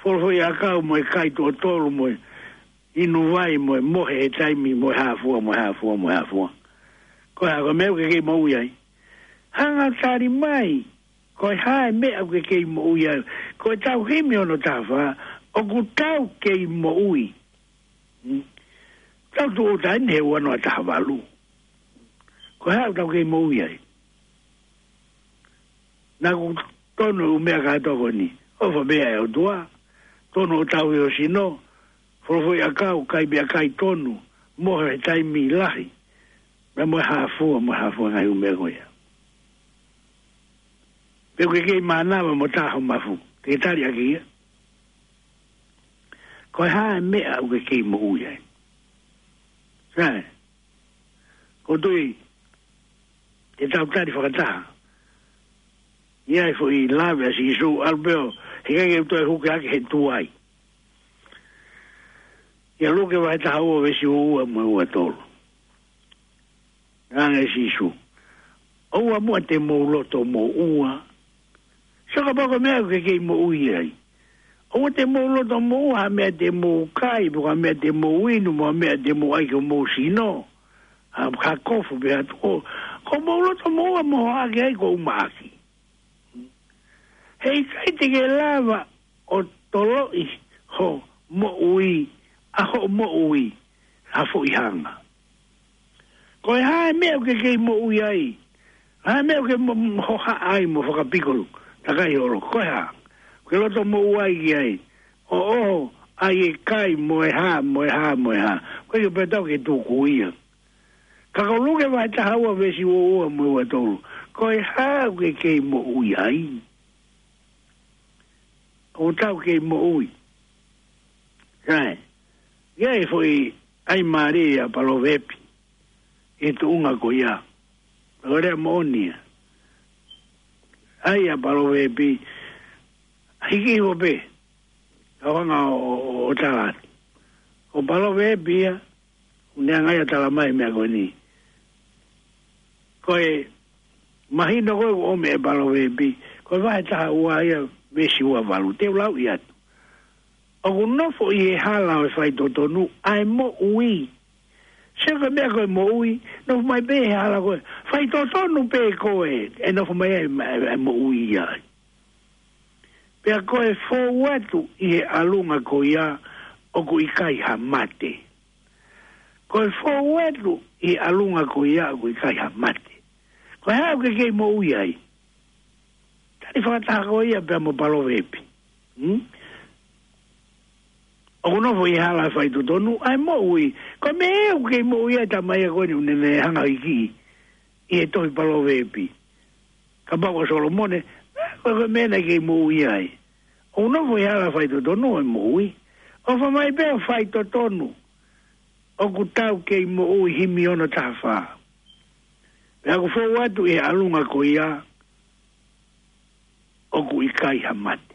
folofoʻi ʻakau mo e kai tuʻo tolu mo e inu vai mo e mohe he taimi mo e hā fua, mo e hā fua, mo e hā fua. Ko e hā, ko e meʻa ʻoku ke kei moʻui ai? Hanga tali mai, ko e hā e meʻa ʻoku ke kei moʻui ai? Ko e tau himi hono taha fā, ʻoku tau kei moʻui. Hmm? Tau tuʻu taini he ua noa taha valu. Ko e hā ʻoku tau kei moʻui ai? Naʻa ʻoku tonu e ʻū meʻa kātoa ko eni. ʻOfa pē ʻa e ʻOtua. Tonu hoʻo tauhi ho sino. Folofoʻi ʻakau, kai meʻakai tonu. Mohe he taimi lahi. Pea mo e hā fua, mo e hā fua ngaahi ʻū meʻa ko ia. Pe ʻoku ke kei mānava mo tā ho mafu. Te ke tali ʻaki ia. Ko e hā e meʻa ʻoku ke kei moʻui ai? Sai. ʻOku ou tui, te tau tali fakataha. ʻI ai e foʻi lave ʻa Sīsū, ʻalu pē ʻo, heʻikai ke u toe huke hake he tuai. ʻIa Luke vahe taha ua veesi ua ua mo e ua tolu. Talaange ʻe Sīsū: ʻOua muʻa te mou loto moʻua. Sio kapau ko e meʻa ʻoku ke kei moʻui ai. ʻOua te mou loto moʻua ha meʻa te mou kai, pe ko ha meʻa te mou inu, mo ha meʻa te mou ʻai ki homou sino. Ha, ha kofu pe ha tuʻo. Ko hoʻomou loto moʻua mo hoʻo ʻaki ai ko uma ʻaki. Heʻikai te ke lava ʻo toloʻi ho moʻui, ʻa hoʻo moʻui, ha foʻi hanga. Ko e hā e meʻa ʻoku ke kei moʻui ai? Hā e meʻa ʻoku ke mo-, mo-, hohaʻa ai mo fakapikopiko takai holo? Ko e hā? ʻOku ke loto moʻua ai ki ai? ʻO, ʻo, ʻai e kai mo e hā, mo e hā, mo e hā. Ko e pē tau ke tuku ia. Ka ko Luke vahe taha ua veesi ua ua mo e ua tolu. Ko e hā ʻoku ke kei moʻui ai? ʻOku tau kei moʻui. Sai. ʻI ai e foʻi ʻai mālie ʻa e Palovepi ʻi he tuʻunga ko ia. Ko e lea moʻoni ia. ʻAi ʻa e Palovepi, hiki hifo pē. Ka u hanga ʻo, ʻo, ʻo tala atu. Ko e Palovepi ia, ʻoku ne hanga ia ʻo tala mai e meʻa ko eni. Ko e mahino ko ē ʻoku ʻomi ʻe he Palovepi, ko e vahe taha ua ia veesi ua valu, te u lauʻi atu. ʻOku nofo ʻi he hala ʻo e faitotonu ʻa e moʻui. Sio ki he meʻa ko e moʻui, nofo mai pē he hala ko ē. Faitotonu pē ko ē, ʻe nofo mai ai e, e, e moʻui ia. Pea ko e fou atu ʻi he ʻalunga ko ia ʻoku ʻikai ha mate. Ko e fou atu ʻi he ʻalunga ko ia ʻoku ʻikai ha mate. Ko e hā ʻoku ke kei moʻui ai? Tali fakataha ko ia pea mo e Palovepi. Hmm? ʻOku nofo ʻi he hala ʻo e faitotonu ʻa e moʻui. Ko e meʻa ʻoku kei moʻui ai e tama ia ko eni ʻoku ne, ne hanga ʻo hiki ʻi he tohi Palovepi. Kapau ko Solomone, ko e, ko e meʻa naʻe kei moʻui ai. ʻOku nofo ʻi he hala ʻo e faitotonu ʻa e moʻui. ʻOfa mai pē ʻo faitotonu. ʻOku tau kei moʻui, himi ono taha fā. Pea ʻoku fou atu ʻi he ʻalunga ko ia ʻoku ʻikai ha mate.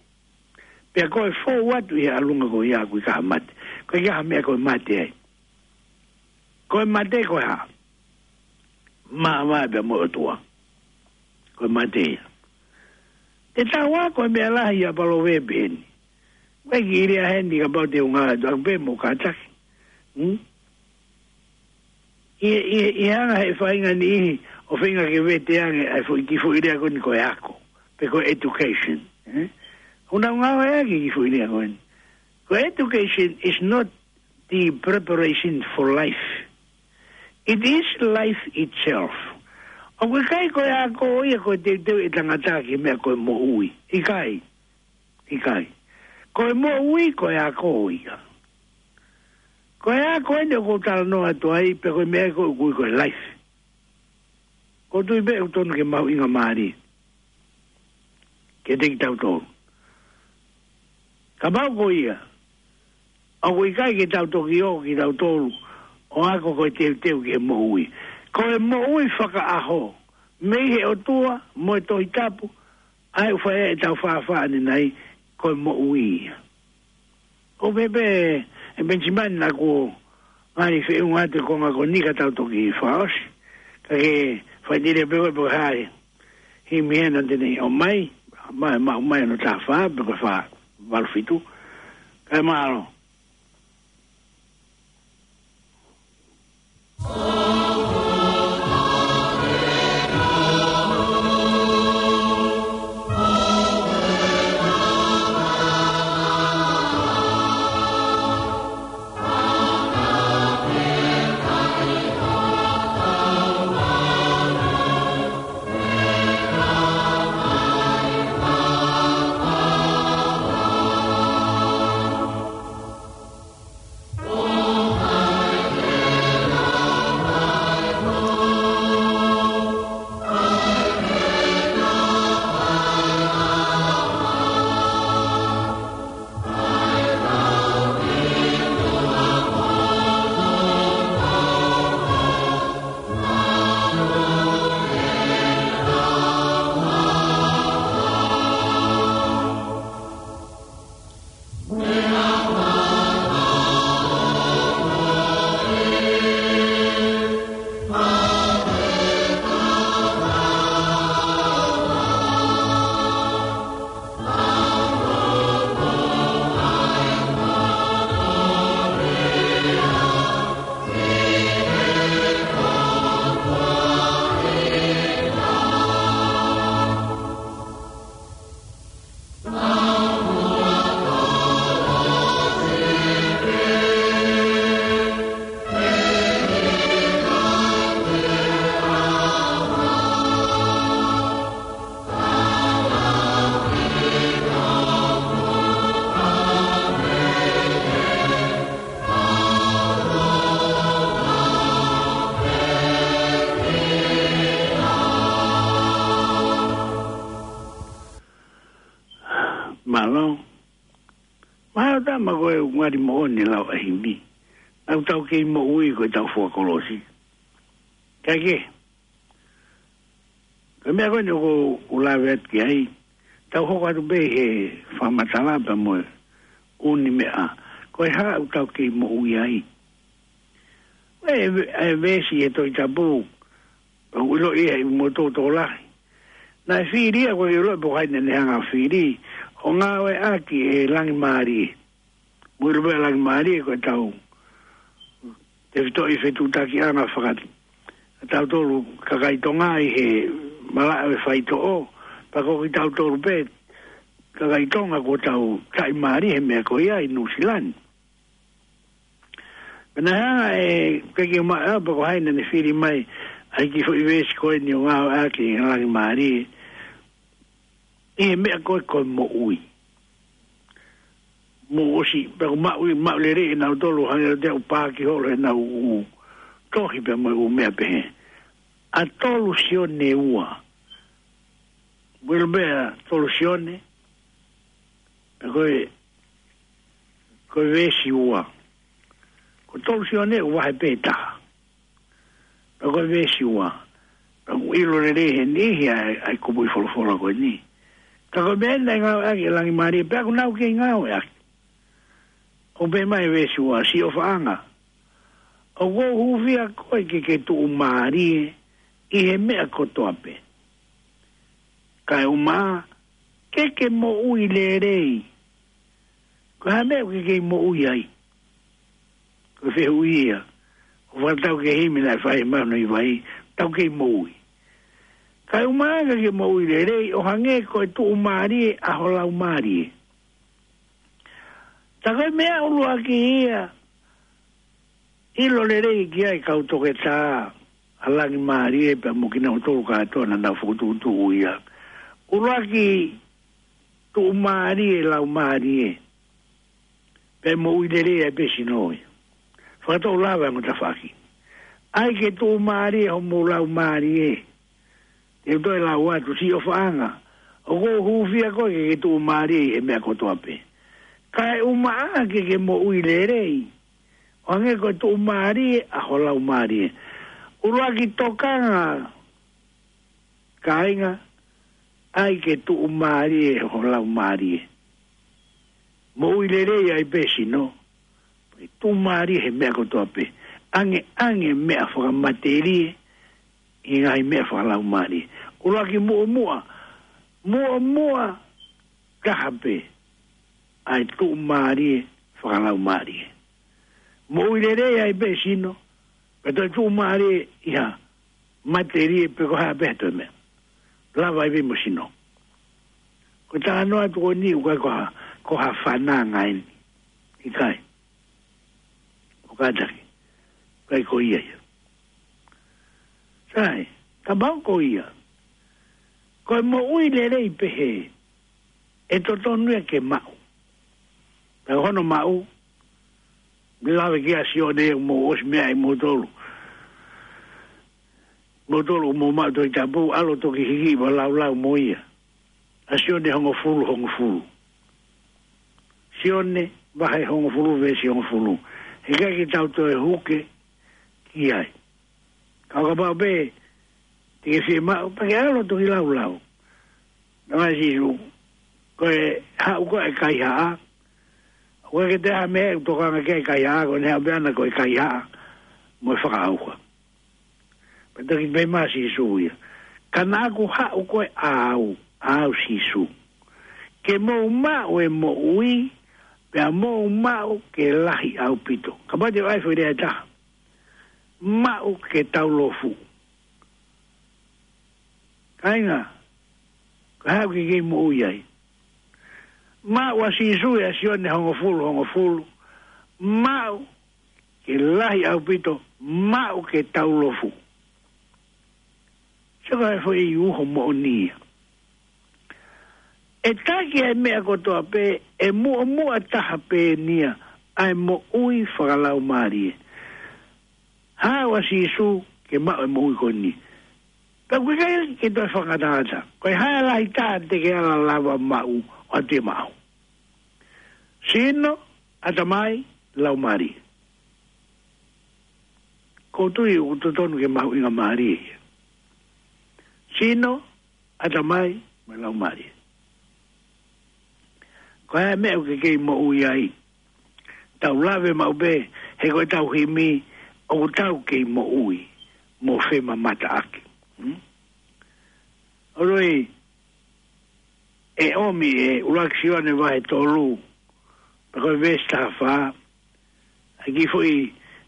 Pea ko e fou atu ʻi he ʻalunga ko ia ʻoku ʻikai ha mate. Ko e hā e meʻa ko e mate ai? Ko e mate ko e hā? Māvae pea mo e ʻOtua. Ko e mate ia. Te tau ako e meʻa lahi ʻa e Palovepi eni. Ko e kiʻi lea heni kapau te u ngāueʻaki pē mo kātaki. Hmm? ʻI, ʻi, ʻi he anga ʻe he faʻahinga niʻihi ʻoku feinga ke vete ange ʻa e foʻi, kiʻi foʻi lea ko eni ko e ako. Pe ko e education. Eh? ʻOku nau ngāueʻaki e kiʻi foʻi lea ko eni. Ko e education is not the preparation for life. It is life itself. ʻOku ʻikai ko e ako ia ko e teuteu ʻa e tangata ki he meʻa ko e moʻui. ʻIkai. ʻIkai. Ko e moʻui ko e ako ia. Ko e ako eni ʻoku ou talanoa atu ai, pe ko e meʻa ko ē ʻoku ui ko e life. ʻOku ou tui pē ʻoku totonu ke mahuʻinga mālie kiate kitautolu. Kapau ko ia, ʻoku ʻikai ke tau toki ō kitautolu ʻo ako ko e teuteu ki he moʻui. Ko e moʻui fakaʻaho, mei he ʻOtua, mo e Tohi Tapu, ʻa ia ʻoku fai ai ʻetau fāfā ʻanenai, ko e moʻui ia. ʻOku pehē pē ʻe Penisimani naʻa kuo ngali feʻunga atu e konga ko eni ka tau toki fakaʻosi. Ka ke fai tele pē koe pe ko e hā e himi ena te ne ʻomai, mai, mai, mai ʻo taha fā, pe ko e fā valu fitu. Kae mālō. Tama ko e ngali moʻoni lau ʻa e himi. Naʻa tau kei moʻui ko e tau fua kolosi. Kae kehe, ko e meʻa ko eni ʻoku ou lave atu ki ai, tau hoko atu pē he fakamatala pea mo e ʻū meʻa. Ko e hā ʻoku tau kei moʻui ai? ʻE, ʻe veesi he Tohi Tapu, ʻoku ʻiloʻi ʻe he motu tokolahi. Naʻe fili ia, ko e ʻiloʻi pe ko hai naʻa ne hanga fili, ʻo ngāueʻaki e langimālie. Mui lupe langimālie ko e tau tefitoʻi fetuʻutakiʻanga fakati. Tautolu kakai Tonga ʻi he malaʻe faitoʻo, pea ko kitautolu pē kakai Tonga ko tau taʻimālie he meʻa ko ia ʻi Nuʻusila ni. Pea naʻe hanga ʻe, ke ke maʻa pe ko hai naʻa ne fili mai ʻa e kiʻi foʻi veesi ko eni ʻo ngāueʻaki e langimālie ʻi he meʻa ko e ko e moʻui. Mou ʻosi, pea ko e maʻu, maʻu lelei ʻe nautolu hangē ʻoku te u paaki holo ʻenau ʻū tohi pea mo e ʻū meʻa pehē. ʻA tolu Sione ua. Mui lupe ʻa tolu Sione, pea ko e, ko e veesi ua. Ko tolu Sione ʻoku vahe pē taha. Pea ko e veesi ua. Pea ʻoku ʻilo lelei he niʻihi ʻa e, ʻa e kupuʻi folofola ko eni. Ka ko e meʻa naʻe ngāueʻaki e langimālie, pea ʻoku nau kei ngāueʻaki. ʻOku pehē mai veesi ua, Siʻofaʻanga, ʻoku ou hūfia koe ke ke tuʻumālie ʻi he meʻa kotoa pē. Kae ʻumaʻā ke ke moʻui lelei. Ko e hā e meʻa ʻoku ke kei moʻui ai? Ko e fehuʻi ia ʻoku fakatau ki he himi naʻe fai he mahino ʻi vai, tau kei moʻui. Kae ʻumaʻā ke ke moʻui lelei, ʻo hangē ko e tuʻumālie ʻa ho laumālie. Tā ko e meʻa ʻuluaki ia, ʻilo lelei ki ai kau toketā ʻa langimālie pea mo kinautolu kātoa naʻa nau fokotuʻutuʻu ia. ʻUluaki, tuʻumālie laumālie. Pea moʻui lelei ai pē sino ia. Fakatau lava e ongo tafaʻaki. ʻAi ke tuʻumālie homou laumālie. Te u toe lau atu, Siʻofaʻanga, ʻoku ou hūfia koe ke ke tuʻumālie ʻi he meʻa kotoa pē. Kae ʻumaʻā ke ke moʻui lelei, ʻo hangē ko e tuʻumālie ʻa ho laumālie. ʻUluaki tokanga, kāinga, ʻai ke tuʻumālie ho laumālie. Moʻui lelei ai pē sino, tuʻumālie he meʻa kotoa pē. ʻAngeʻange meʻa fakamatelie ʻi he ngaahi meʻa fakalaumālie. ʻUluaki muʻomuʻa, muʻomuʻa taha pē ʻa e tuʻumālie fakalaumālie. Moʻui lelei ai pē sino, pea toe tuʻumālie ʻi ha matelie pe ko e hā pē ha toe meʻa. Lava ai pē mo sino. Ko e talanoa atu ko eni ʻoku ʻikai ko ha, ko ha fananga eni. ʻIkai. ʻO kātaki. ʻIkai ko ia ia. Sai, kapau ko ia, ko e moʻui lelei pehē, ʻe totonu ia ke maʻu. Pea hono maʻu, mei lave ki ai ʻa Sione, mou ʻosi meaʻi moutolu. Moutolu mou maʻu Tohi Tapu, ʻalu toki hiki ʻo laulau mo ia. ʻA Sione hongofulu, hongofulu. Sione, vahe hongofulu, veesi hongofulu. Heʻikai ke tau toe huke ki ai. Ka ʻo kapau pē te ke fiemaʻu, pea ke ʻalu toki laulau. Naʻe ʻai ʻe Sīsū, ko e haʻu ko ē ʻa e kaihaʻa, ʻoku ʻikai ke toe ʻi ai ha meʻa ʻe tokanga ki ai e kaihaʻa, ko ʻene haʻu pē ʻana ko e kaihaʻa mo e fakaʻauha. Pea toki pehē mai ʻa Sīsū ia, ka naʻa ku haʻu ko ē ʻa au, ʻa au Sīsū, ke mou maʻu e moʻui, pea mou maʻu ke lahi ʻaupito. Kapau te u ʻai e foʻi lea ʻe taha, maʻu ke taulofu. Kāinga, ko e hā ʻoku ke kei moʻui ai? Maʻu ʻa Sīsū ʻia Sione hongofulu, hongofulu. Maʻu ke lahi ʻaupito, maʻu ke taulofu. Sio ko e foʻi uho moʻoni ia. ʻE taki ʻa e meʻa kotoa pē, ʻe muʻomuʻa taha pē eni ia ʻa e moʻui fakalaumālie. Haʻu ʻa Sīsū ke maʻu e moʻui ko eni. Pea ʻoku ʻikai ke toe fakangatangata. Ko e hā e lahi taha te ke ala lava maʻu ʻo ʻatu ia maʻau? Sino, ʻatamai, laumālie. ʻOku ou tui ʻoku totonu ke mahuʻingamālie ia. Sino, ʻatamai, mo e laumālie. Ko e hā e meʻa ʻoku ke kei moʻui ai? Tau lave maʻu pē, he ko ʻetau himi, ʻoku tau kei moʻui mo femamataʻaki. Hmm? ʻOku ou tui, ʻe ʻomi ʻe ʻuluaki Sione vahe tolu, pea ko e veesi taha fā, ʻa e kiʻi foʻi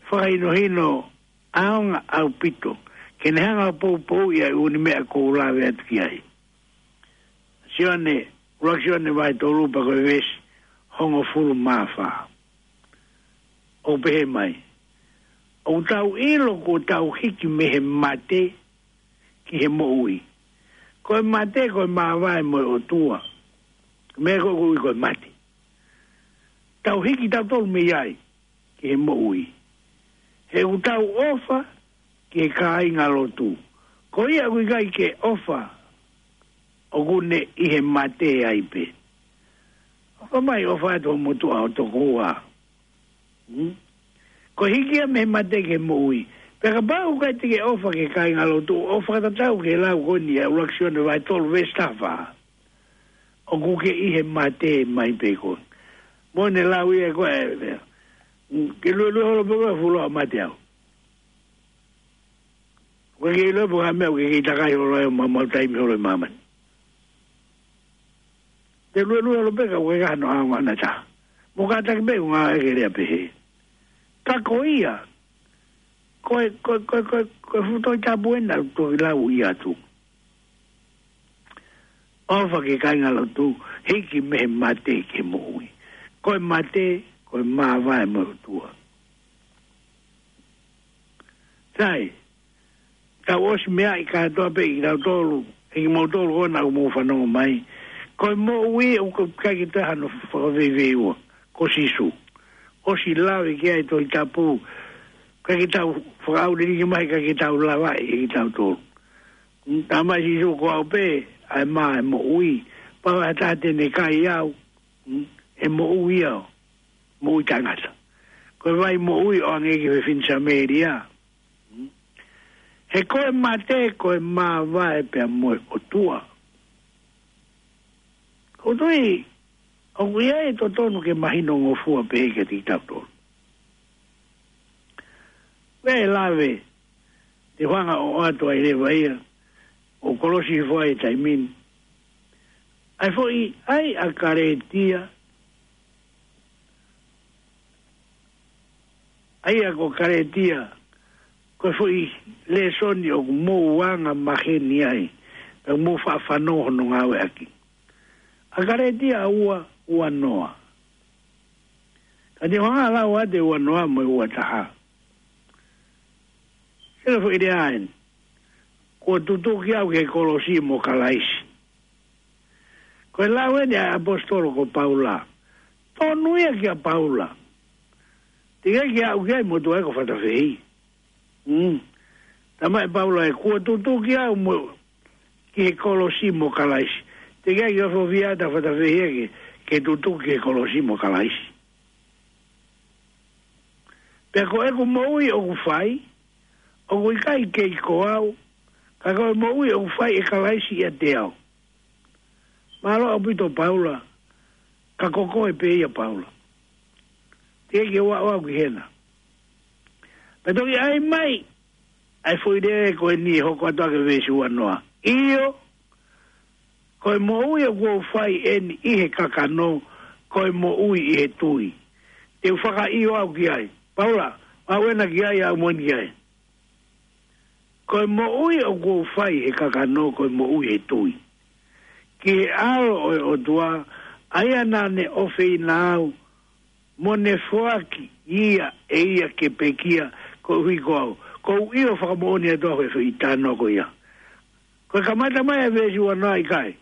fakahinohino ʻaonga ʻaupito, ke ne hanga ʻo poupouʻi ʻa e ʻū meʻa ʻoku ou lave atu ki ai. Sione, ʻuluaki Sione vahe tolu pea ko e veesi hongofulu mā fā. ʻOku pehē mai: ʻOku tau ʻilo kuo tau hiki mei he mate ki he moʻui. Ko e mate, ko e māvae mo e ʻOtua. Meʻa ko ē ʻoku ui ko e mate. Tau hiki tautolu mei ai ki he moʻui. He ʻoku tau ʻofa ki he kāingalotu. Ko ia ʻoku ʻikai ke ʻofa, ʻoku ne ʻi he mate ai pē. ʻOka mai ʻofa atu ho motuʻa ʻo tokoua. Hmm? Ko e hiki ia mei he mate ki he moʻui. Pea kapau ʻoku ʻikai te ke ʻofa ki he kāingalotu, ʻo fakatatau ki he lau ko eni ʻa e ʻuluaki Sione vahe tolu veesi taha fā, ʻoku ke ʻi he mate mai pē koe. Mo ne lau ia ko e, ke luelue holo pē koe, fuoloa mate au. ʻOku ke ʻilo pē ko e hā e meʻa ʻoku ke kei takai holo ai ʻo maumau taimi holo ʻi māmani. Te luelue holo pē ka ʻoku ʻikai hano ʻaonga ʻe taha. Mo kātaki pē ʻoku ngāueʻaki e lea pehē. Ka ko ia, ko e, ko e, ko e, ko e, ko e fuʻu Tohi Tapu ena ʻoku toki lau ia atu. ʻOfa ki he kāingalotu, hiki mei he mate ki he moʻui. Ko e mate, ko e māvae mo e ʻOtua. Sai, tau ʻosi meaʻi kātoa pē ʻe kitautolu, ʻe kimoutolu ko ena ʻoku mou fanongo mai. Ko e moʻui ʻoku ʻikai ke toe hano fakaveiveiua, ko Sīsū. ʻOsi lave ki ai e Tohi Tapu, ʻikai ke tau fakaʻauliliki mai, ʻikai ke tau lavaʻi ʻe kitautolu. Mm, talamai ʻe Sīsū, ko au pē ʻa e mā ʻo e moʻui. Pau ʻe ha taha te ne kai au, mm, ʻe moʻui ia, moʻui taʻengata. Ko e vai moʻui ʻo hangē ki he fefine Samēlia. Mm. He ko e mate, ko e māvae pea mo e ʻOtua. ʻOku ou tui, ʻoku ʻi ai e totonu ke mahinongofua pē kiate kitautolu. Pea ʻe lave, te u hanga ʻo ʻoatu ai leva ia, ʻo kolosi hifo ai e taimi ni. ʻA e foʻi ʻai ʻa Kalētia, ʻa ia ko Kalētia, ko e foʻi lēsoni ʻoku mou anga maheni ai, pea mou faʻa fanongo hono ngāueʻaki. ʻA Kalētia ua, ua noa. Ka te u hanga ʻo lau atu e ua noa mo e ua taha. Sio ki he foʻi lea eni. Kuo tutuki au ki he kolosi mo Kalaisi. Ko e lau eni ʻa e ʻaposetolo ko Paula. Tonu ia kia Paula. Teʻeki ai ke aʻu ki ai e motuʻa ko Fatafehi. Mm. Talamai ʻe Paula ē, kuo tutuki au mo, ki he kolosi mo Kalaisi. Teʻeki ai ke ofiofi atu ʻa Fatafehi ia ke, ke tutuki ki he kolosi mo Kalaisi. Pea ko ʻeku moʻui ʻoku fai, ʻoku ʻikai kei ko au, ka ko e moʻui ʻoku fai ʻe Kalaisi ʻiate au. Mālō ʻaupito Paula, ka ko koe pē ia Paula. Teʻeki ke u aʻu au ki hena. Pea toki ʻai mai ʻa e foʻi lea ko eni ʻe hoko atu ʻaki e veesi ua noa. ʻIo, ko e moʻui ʻoku ou fai eni ʻi he kakano, ko e moʻui ʻi he tui. Te u fakaʻio au ki ai. Paula, aʻu ena ki ai, aʻu mo eni ki ai. Ko e moʻui ʻoku ou fai he kakano, ko e moʻui he tui ki he ʻAlo ʻo e ʻOtua, ʻa ia naʻa ne ʻofeina au, mo ne foaki ia ʻe ia ke pekia koeʻuhi ko au. ʻOku ou ʻio fakamoʻoni atu au he foʻi talanoa ko ia. Ko e kamata mai ʻa e veesi ua noa ʻikai.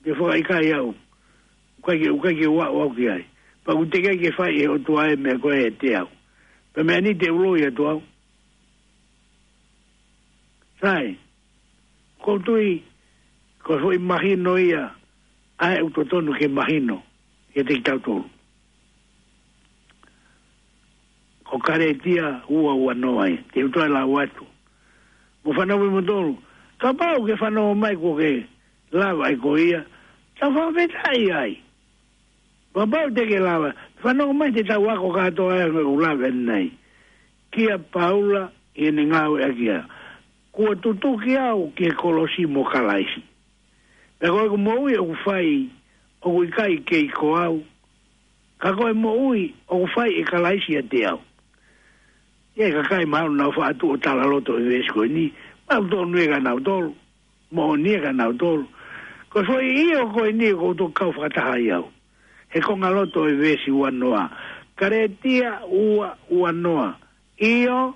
Te u fakaʻikaiʻi au. ʻOku ʻikai ke, ʻoku ʻikai ke u aʻu au ki ai. Pea ʻoku teʻeki ai ke fai ʻe he ʻOtua e meʻa ko ē ʻiate au. Pea meʻa ni te u loi atu au. Sai, ʻoku ou tui, ko e foʻi mahino ia, ʻa ē ʻoku totonu ke mahino, kiate kitautolu. ʻo Kalētia ua ua noa ia. Te u toe lau atu. Mou fanongo mo tolu. Kapau ʻoku ke fanongo mai kuo ke lava ʻa e ko ia, tau fakafetaʻi ai. Kapau te ke lava, fanongo mai te tau ako kātoa ai ʻoku lava ʻanenai. Kia Paula ʻi heʻene ngāueʻaki ia. Kuo tutuki au ki he kolosi mo Kalaisi. Pea ko ʻeku moʻui ʻoku fai, ʻoku ʻikai kei ko au. Ka ko e moʻui ʻoku fai ʻe Kalaisi ʻiate au. ʻI he kakai mahalo naʻa nau faʻa tuʻu ʻo talaloto he veesi ko eni, maʻu tonu ia kia nautolu, moʻoni ia kia nautolu. Ko e foʻi ʻio ko eni ʻoku ou toki kau fakataha ai au. He konga loto ʻo e veesi ua noa. Kalētia ua ua noa. ʻIo,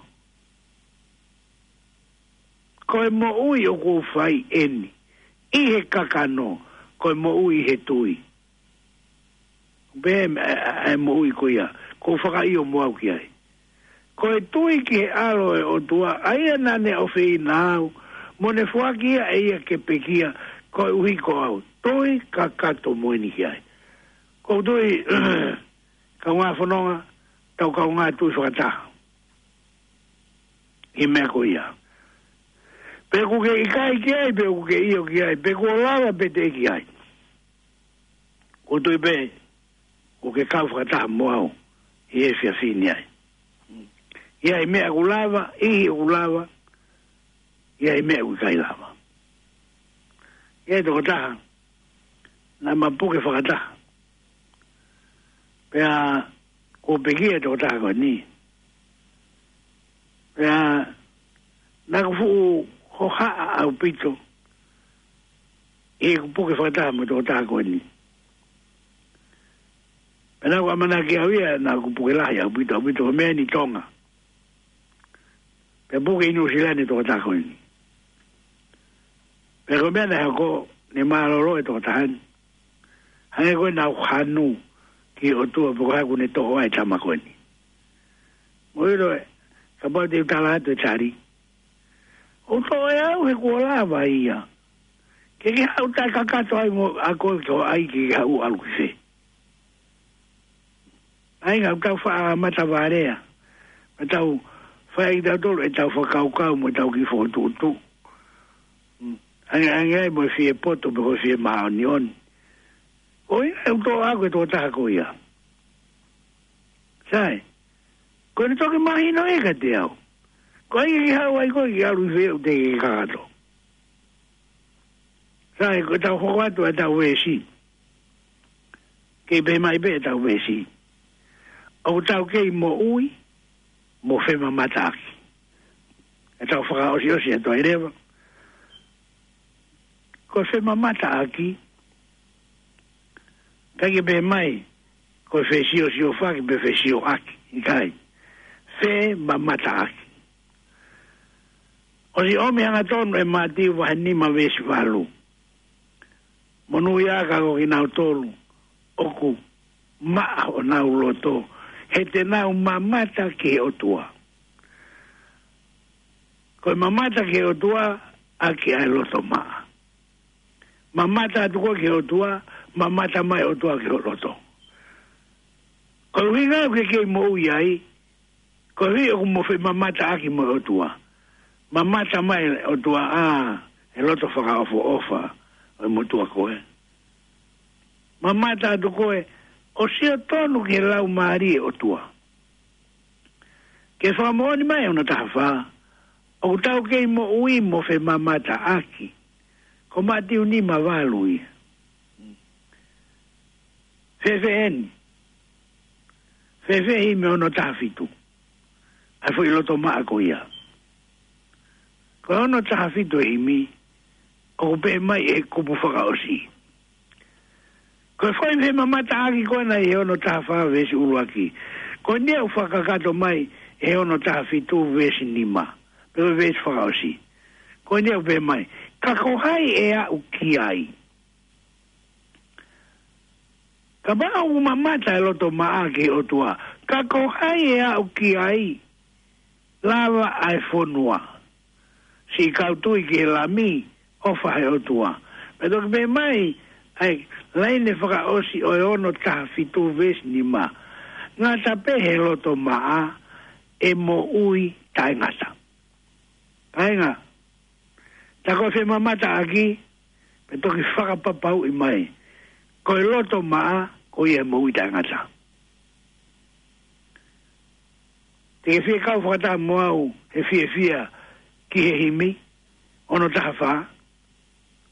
ko e moʻui ʻoku ou fai eni ʻi he kakano, ko e moʻui ʻi he tui. Pea ʻe, ʻe, ʻe moʻui ko ia, ʻoku ou fakaʻio mo au ki ai. Ko e tui ki he ʻAlo ʻo e ʻOtua, ʻa ia naʻa ne ʻofeina au, mo ne foaki ia ʻe ia ke pekia, koeʻuhi ko au. Tui kakato mo eni ki ai. ʻOku ou tui, kaungā fononga, tau kaungā tui fakataha ʻi he meʻa ko ia. Pe ʻoku ke ʻikai ki ai, pe ʻoku ke ʻio ki ai, pe kuo lava pe teʻeki ai. ʻOku ou tui pē, ʻoku ke kau fakataha mo au ʻi he efiafi ni ai. ʻI ai meʻa ʻoku lava, ʻi ai ʻoku lava, ʻi ai meʻa ʻoku ʻikai lava. ʻI ai tokotaha, naʻa ma puke fakataha. Pea kuo pekia e tokotaha ko eni. Pea naʻa ku fuʻu hohaʻa ʻaupito ʻi heʻeku puke fakataha mo e tokotaha ko eni. Pea naʻa ku ʻamanaki au ia naʻa ku puke lahi ʻaupito, ʻaupito ko e meʻa ni Tonga. Pea puke ʻi Nuʻusila ni e tokotaha ko eni. Pea ko e meʻa naʻe hoko, ne mālōlō e tokotaha ni. Hangē ko e naʻa ku hanu ki he ʻOtua pe ko e hā ʻoku ne toʻo ai e tama ko eni. Mou ʻilo ē, kapau te u tala atu e tali. ʻOku toʻo ʻe au he kuo lava ia. Ke ke haʻu taʻe kakato ai mo a koe ke ʻai ke ke haʻu ʻalu ki fē. ʻAi ngā tau faʻa matavalea. Mo tau fai tautolu e tau fakakaukau mo tau kiʻi fokotuʻutuʻu. Mm. Ange, ange ai mo e fie poto pe ko e fie māʻoniʻoni. Ko ia ʻoku toʻo au ko e tokotaha ko ia. Sai. Ko ʻene toki mahino ē kiate au. Ko ai ke haʻu ai koe ke ʻalu ki fē ʻoku te ke kakato. Sai, ko e tau hoko atu e tau veesi. Kei pehē mai pē e tau veesi. ʻOku tau kei moʻui, mo femamataʻaki. E tau fakaʻosiʻosi atu ai leva. Ko e femamataʻaki, ʻikai ke pehē mai, ko e fesiosiofaki pe fesioʻaki, ʻikai. Femamataʻaki. ʻOsi ʻomi hangatonu ʻe Mātiu vahe nima veesi valu. Monūʻia ka ko kinautolu ʻoku maʻa honau loto, he te nau mamata ki he ʻOtua. Ko e mamata ki he ʻOtua, ʻaki ʻa e loto maʻa. Mamata atu koe ki he ʻOtua, mamata mai ʻOtua ki ho loto. Ko e ʻuhinga ʻoku ke kei moʻui ai, koeʻuhi ʻoku mo femamataʻaki mo e ʻOtua. Mamata mai ʻOtua ʻa e loto fakaʻofoʻofa ʻo e motuʻa ko ē. Mamata atu koe ʻo sio tonu ki he laumālie ʻo e ʻOtua. Ke fakamoʻoni mai hono taha fā, ʻoku tau kei moʻui mo femamataʻaki. Ko Mātiu nima valu ia. Fēfē eni? Fēfē himi hono taha fitu? ʻA e foʻi loto maʻa ko ia. Ko hono taha fitu e himi, ʻoku pehē mai e kupu fakaʻosi. Ko e foʻi femamataʻaki ko ena ʻi he ono taha fā veesi ʻuluaki. Ko eni ʻoku fakakakato mai he ono taha fitu veesi nima. Pe ko e veesi fakaʻosi. Ko eni ʻoku pehē mai. Ka ko hai ʻe aʻu ki ai? Kapau ʻoku mamata e loto maʻa ki he ʻOtua. Ka ko hai ʻe aʻu ki ai? Lava ʻa e fonua. Siʻi kau tui ki he Lami, ʻofa he ʻOtua. Pea toki pehē mai, ʻa e laine fakaʻosi ʻo e ono taha fitu veesi nima. Ngata pē he loto maʻa, ʻe moʻui taʻengata. Kāinga, tā ko e femamataʻaki, pea toki fakapapauʻi mai, ko e loto maʻa, ko ia ʻe moʻui taʻengata. Te ke fie kau fakataha mo au he fiefia ki he himi, ono taha fā,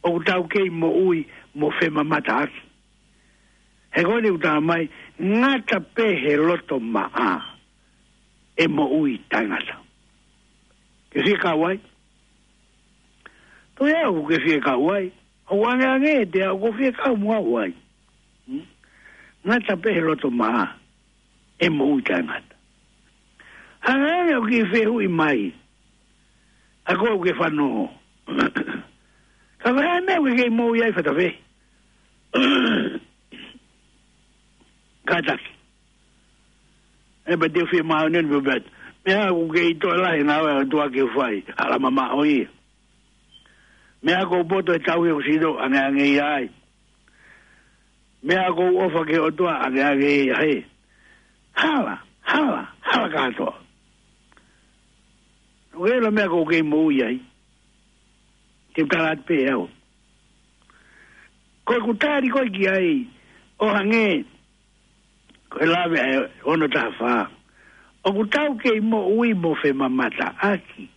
ʻoku tau kei moʻui mo femamataʻaki. He ko eni ʻoku tala mai, ngata pē he loto maʻa, ʻe moʻui taʻengata. Ke fie kau ai? Toe au ke fie kau ai. ʻOku angeange ʻiate au, ʻoku fie kau mo au ai. Hmm? Ngata pē he loto maʻa, ʻe moʻui taʻengata. Hanga ange ʻo ke fehuʻi mai, ʻa koe ʻoku ke fanongo. Ka ko e hā e meʻa ʻoku ke kei moʻui ai, Fatafē? Kātaki. ʻE pea te u fie māʻoniʻoni pē pea. Meʻa ʻoku kei toe lahi e ngāue ʻa e ʻOtua ke u fai, hala mamaʻo ia. Meʻa ʻoku ou poto he tauhi ʻoku sino, angeange ia ai. Meʻa ʻoku ou ʻofa ki he ʻOtua, angeange ia ai. Hala, hala, hala kātoa. ʻOku ʻi ai ha meʻa ʻoku ke kei moʻui ai? Te u tala atu pē au. Ko ʻeku tali ko ē ki ai, ʻo hangē ko e lave ʻa e ono taha fā, ʻoku tau kei moʻui mo femamataʻaki.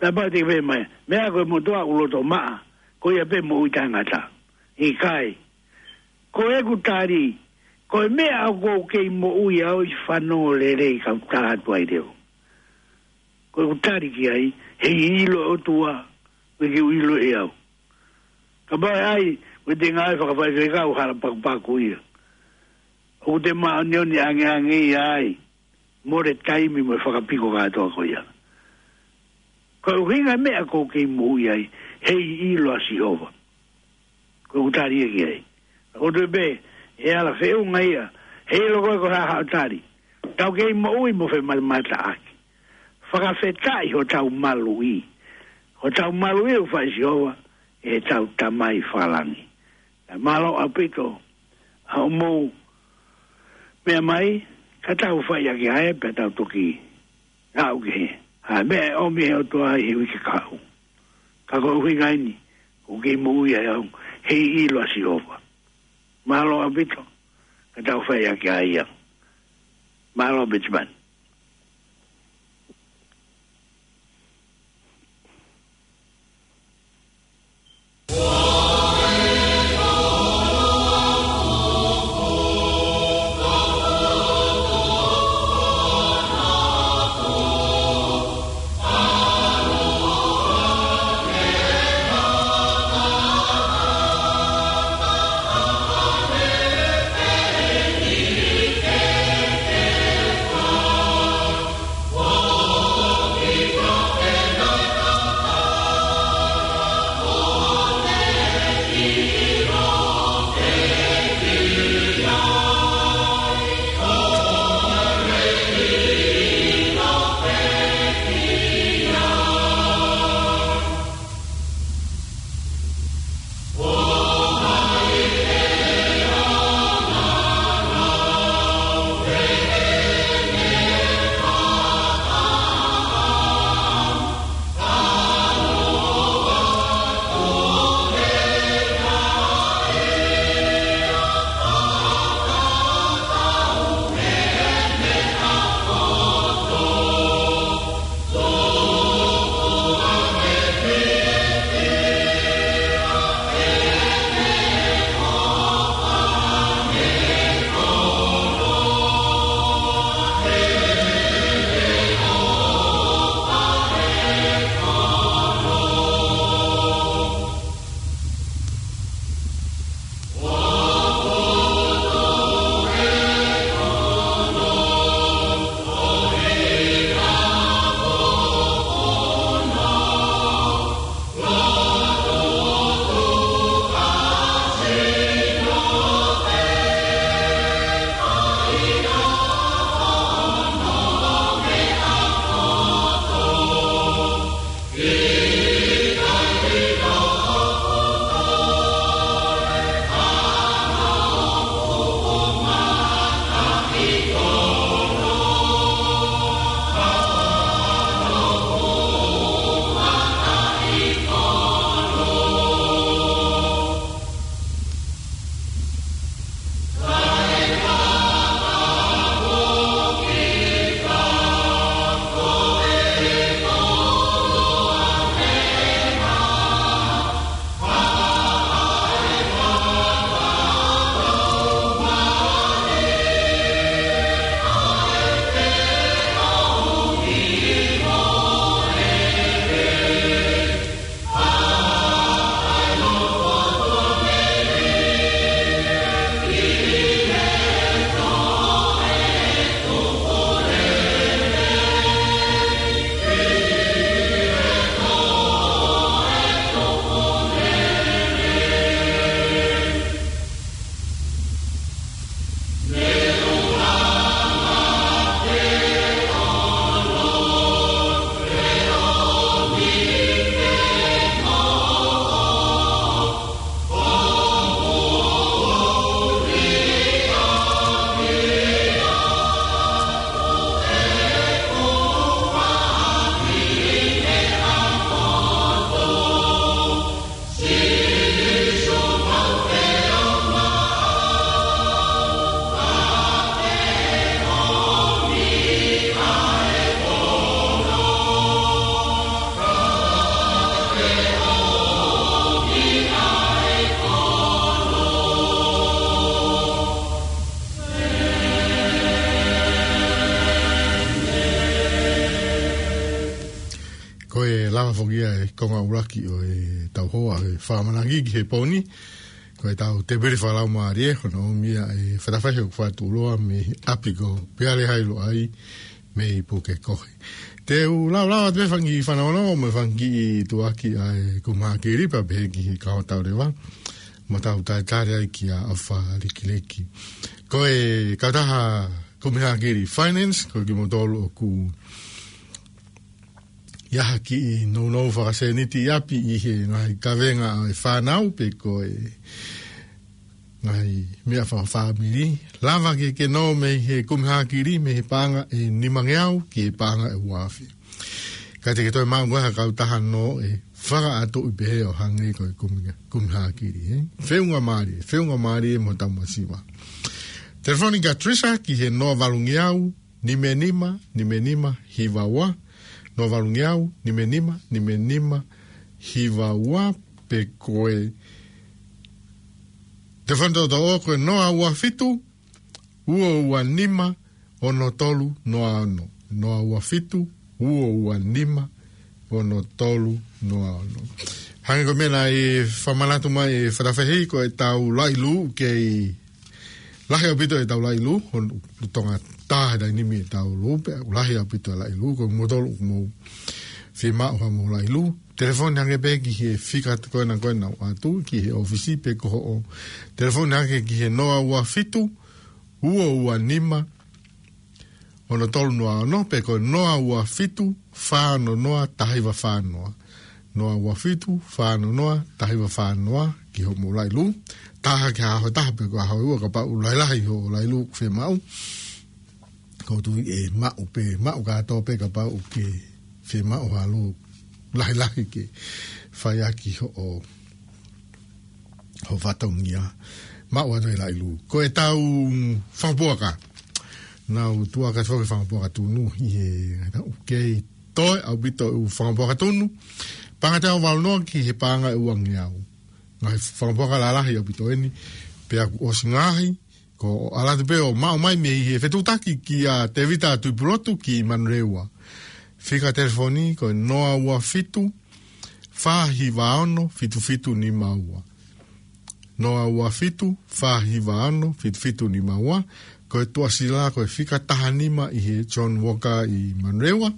Tāpau te ke pehē mai, meʻa ko e motuʻa ʻoku loto maʻa, ko ia pē moʻui taʻengata. ʻIkai. Ko ʻeku tali, ko e meʻa ʻoku ou kei moʻui au, ʻi fanongo lelei ka u tala atu ai leva. Ko ʻeku tali ki ai, heiʻilo ʻOtua, ʻoku ke ʻilo ʻe au. Kapau ʻe ʻai, ko e te ngāue fakafaifekau, hala pakupaku ia. ʻOku te māʻoniʻoni angeange ia ai, mole taimi mo e fakapiko kātoa ko ia. Ko e ʻuhinga e meʻa ʻoku ou kei moʻui ai, heiʻilo ʻa Sihova. Ko ʻeku tali ia ki ai. ʻOku ou tui pē, ʻe ala feʻunga ia, heiʻilo ko e ko e hā haʻo tali. Tau kei moʻui mo femamataʻaki. Fakafetaʻi hotau maluʻi. Hotau maluʻi ʻoku fai ʻe Sihova, ʻe heʻetau Tamai fakalangi. Mālō ʻaupito, ʻa hoʻomou meʻa mai, ka tau fai ʻaki ʻa e pea tau toki aʻu ki he, ʻa e meʻa ʻe ʻomi ʻe he ʻOtua ʻi he uike kahaʻu. Ka ko e ʻuhinga eni, ʻoku kei moʻui ai au, heiʻilo ʻa Sihova. Mālō ʻaupito, ka tau fai ʻaki ʻa ia. Mālō Petimani. Ko e lava foki ia e konga ʻuluaki ʻo e tau hoa ʻo e fakamanaki ki he pō ni. Ko e tau tēpile fakalaumālie, hono ʻomi ia e fetafehe ʻoku fakatūloa mei he ʻapi ko Peale Hailoʻai mei Pukekohe. Te u laulava te fanga kiʻi fanongonongo mo e fanga kiʻi tuʻuaki ʻa e kumi hākili pea pehē ki he kau tau leva. Mo tau talitali ai kia ʻOfa Likiliki. Ko e kautaha kumi hākili Finance, ko kimoutolu ʻoku ʻi ai ha kiʻi nounou fakasēniti ʻi ʻapi ʻi he ngaahi kavenga ʻa e fānau pe ko e ngaahi meʻa fakafāmili. Lava ke ke nō mei he kumi hākili, mei he paʻanga ʻe nimangeau ki he paʻanga ʻe uaafe. Ka te ke toe maʻu ko e ha kautaha nō ʻe fakaʻatuʻi pehē ʻo hangē ko e kumi, kumi hākili, ē? Feʻunga mālie, feʻunga mālie mo tau masiva. Telefoni kia Trisa ki he noa valungeau, nime nima, nime nima, hiva ua, noa valungeau, nime nima, nime nima, hiva ua, pe ko e telefoni toʻotoʻo ko e noa ua fitu, ua ua nima, ono tolu, noa ono. Noa ua fitu, ua ua nima, ono tolu, noa ono. Hangē ko e meʻa naʻe fakamanatu mai ʻe Fatafehi, ko e tau laʻi lū kei lahi ʻaupito e tau laʻi lū, ʻoku tonga taha taimi e tau lū, pea ʻoku lahi ʻaupito e laʻi lū, ko kimoutolu ʻoku mou fiemaʻu haʻamou laʻi lū. Telefoni hake pē ki he fika ko ena ko ena ʻoatu, ki he ʻōfisi pe ko hoʻo telefoni hake ki he noa ua fitu, ua ua nima, ono tolu noa ono, pe ko e noa ua fitu, fā ono noa, taha hiva fā noa. Noa ua fitu, fā ono noa, taha hiva fā noa, ki hoʻomou laʻi lū. Taha ki he ʻaho ʻe taha pe ko e ʻaho ʻe ua kapau ʻoku lahilahi hoʻo laʻi lū ʻoku fiemaʻu. Ko e tui ʻe maʻu pē, maʻu kātoa pē kapau ʻoku ke fiemaʻu ha lū lahilahi ke fai ʻaki hoʻo, hoʻo fatongia. Maʻu atu e laʻi lū. Ko e tau fakapuaka. Naʻa ku tuʻu ʻaki atu foki e fakapuaka tunu ʻi he, naʻa ku kei toe ʻaupito e ʻū fakapuaka tunu. Paʻanga ʻe teau valu noa ki he paʻanga ʻe uangeau. Ngaahi fakapuaka lalahi ʻaupito eni. Pea kuo ʻosi ngaahi, ko e ʻalu atu pē ʻo maʻu mai mei he fetuʻutaki kia Tevita Tuʻipulotu ki Manurewa. Fika telefoni ko e noa ua fitu, fā hiva ono, fitu fitu nima ua. Noa ua fitu, fā hiva ono, fitu fitu nima ua. Ko e tuʻasila ko e fika taha nima ʻi he John Walker ʻi Manurewa.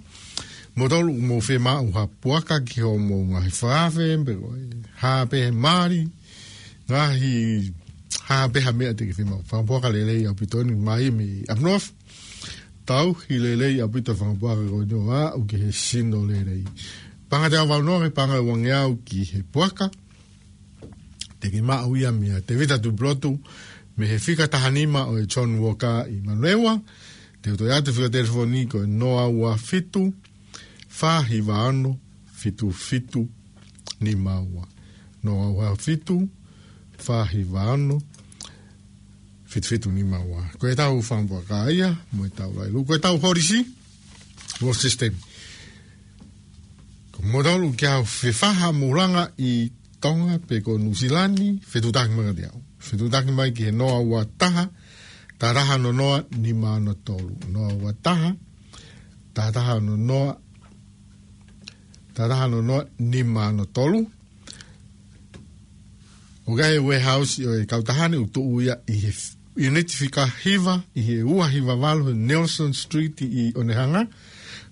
Kimoutolu ʻoku mou fiemaʻu ha puaka ki hoʻomou ngaahi fakaafe, pe ko e hā pē ha mali, ngaahi hā pē ha meʻa te ke fiemaʻu. Fakapuaka lelei ʻaupito eni mai mei ʻApinov. Tauhi lelei ʻaupito e fakapuaka ko eni ʻo aʻu ki he sino lelei. Paʻanga ʻe teau valu noa ki he paʻanga ʻe uangeau ki he puaka. Te ke maʻu ia meia Tevita Tuʻipulotu, mei he fika taha nima ʻo e John Walker ʻi Manurewa. Te u toe ʻoatu e fika telefoni ko e noa ua fitu, fā hiva ono, fitu fitu nima ua. Noa ua fitu, fā hiva ono, fitu fitu nima ua. Ko e tau fakapuaka ia, mo e tau laʻi lū. Ko e tau holisi, World System. Ko moutolu ʻoku ke ʻalu ʻo fefakamoʻulanga ʻi Tonga pe ko Nuʻusila ni, fetuʻutaki mai kiate au. Fetuʻutaki mai ki he noa ua taha, taha taha ono noa, nima ono tolu. Noa ua taha, taha taha ono noa, taha taha ono noa, nima ono tolu. ʻOku ʻi ai e warehouse ʻo e kautaha ni ʻoku tuʻu ia ʻi he f-, unit fika hiva, ʻi he ua hiva valu Nelson Street ʻi ʻOnehunga.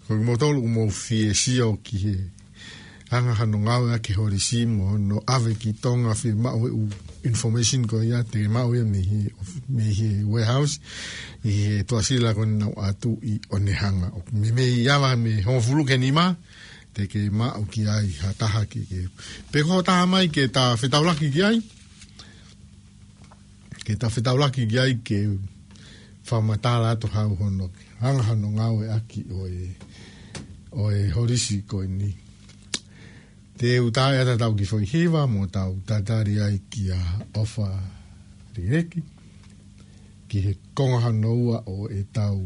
Ko kimoutolu ʻoku mou fie sio ki he anga hono ngāueʻaki e holisi mo hono ʻave ki Tonga, fiemaʻu e ʻū information ko ia, te ke maʻu ia mei he, mei he warehouse, ʻi he tuʻasila ko eni naʻa ku ʻoatu ʻi ʻOnehunga. ʻOku meimei ava mei he hongofulu ki he nima, te ke maʻu ki ai ha taha ke ke. Pe ko ha taha mai ke ta fetaulaki ki ai, ke ta fetaulaki ki ai ke fakamatala atu hau hono, anga hono ngāueʻaki ʻo e, ʻo e holisi ko eni. Te u tā ʻe ʻatā ʻetau kiʻi foʻi hiva mo tau tatali ai kia ʻOfa Likiliki ki he konga hono ua ʻo ʻetau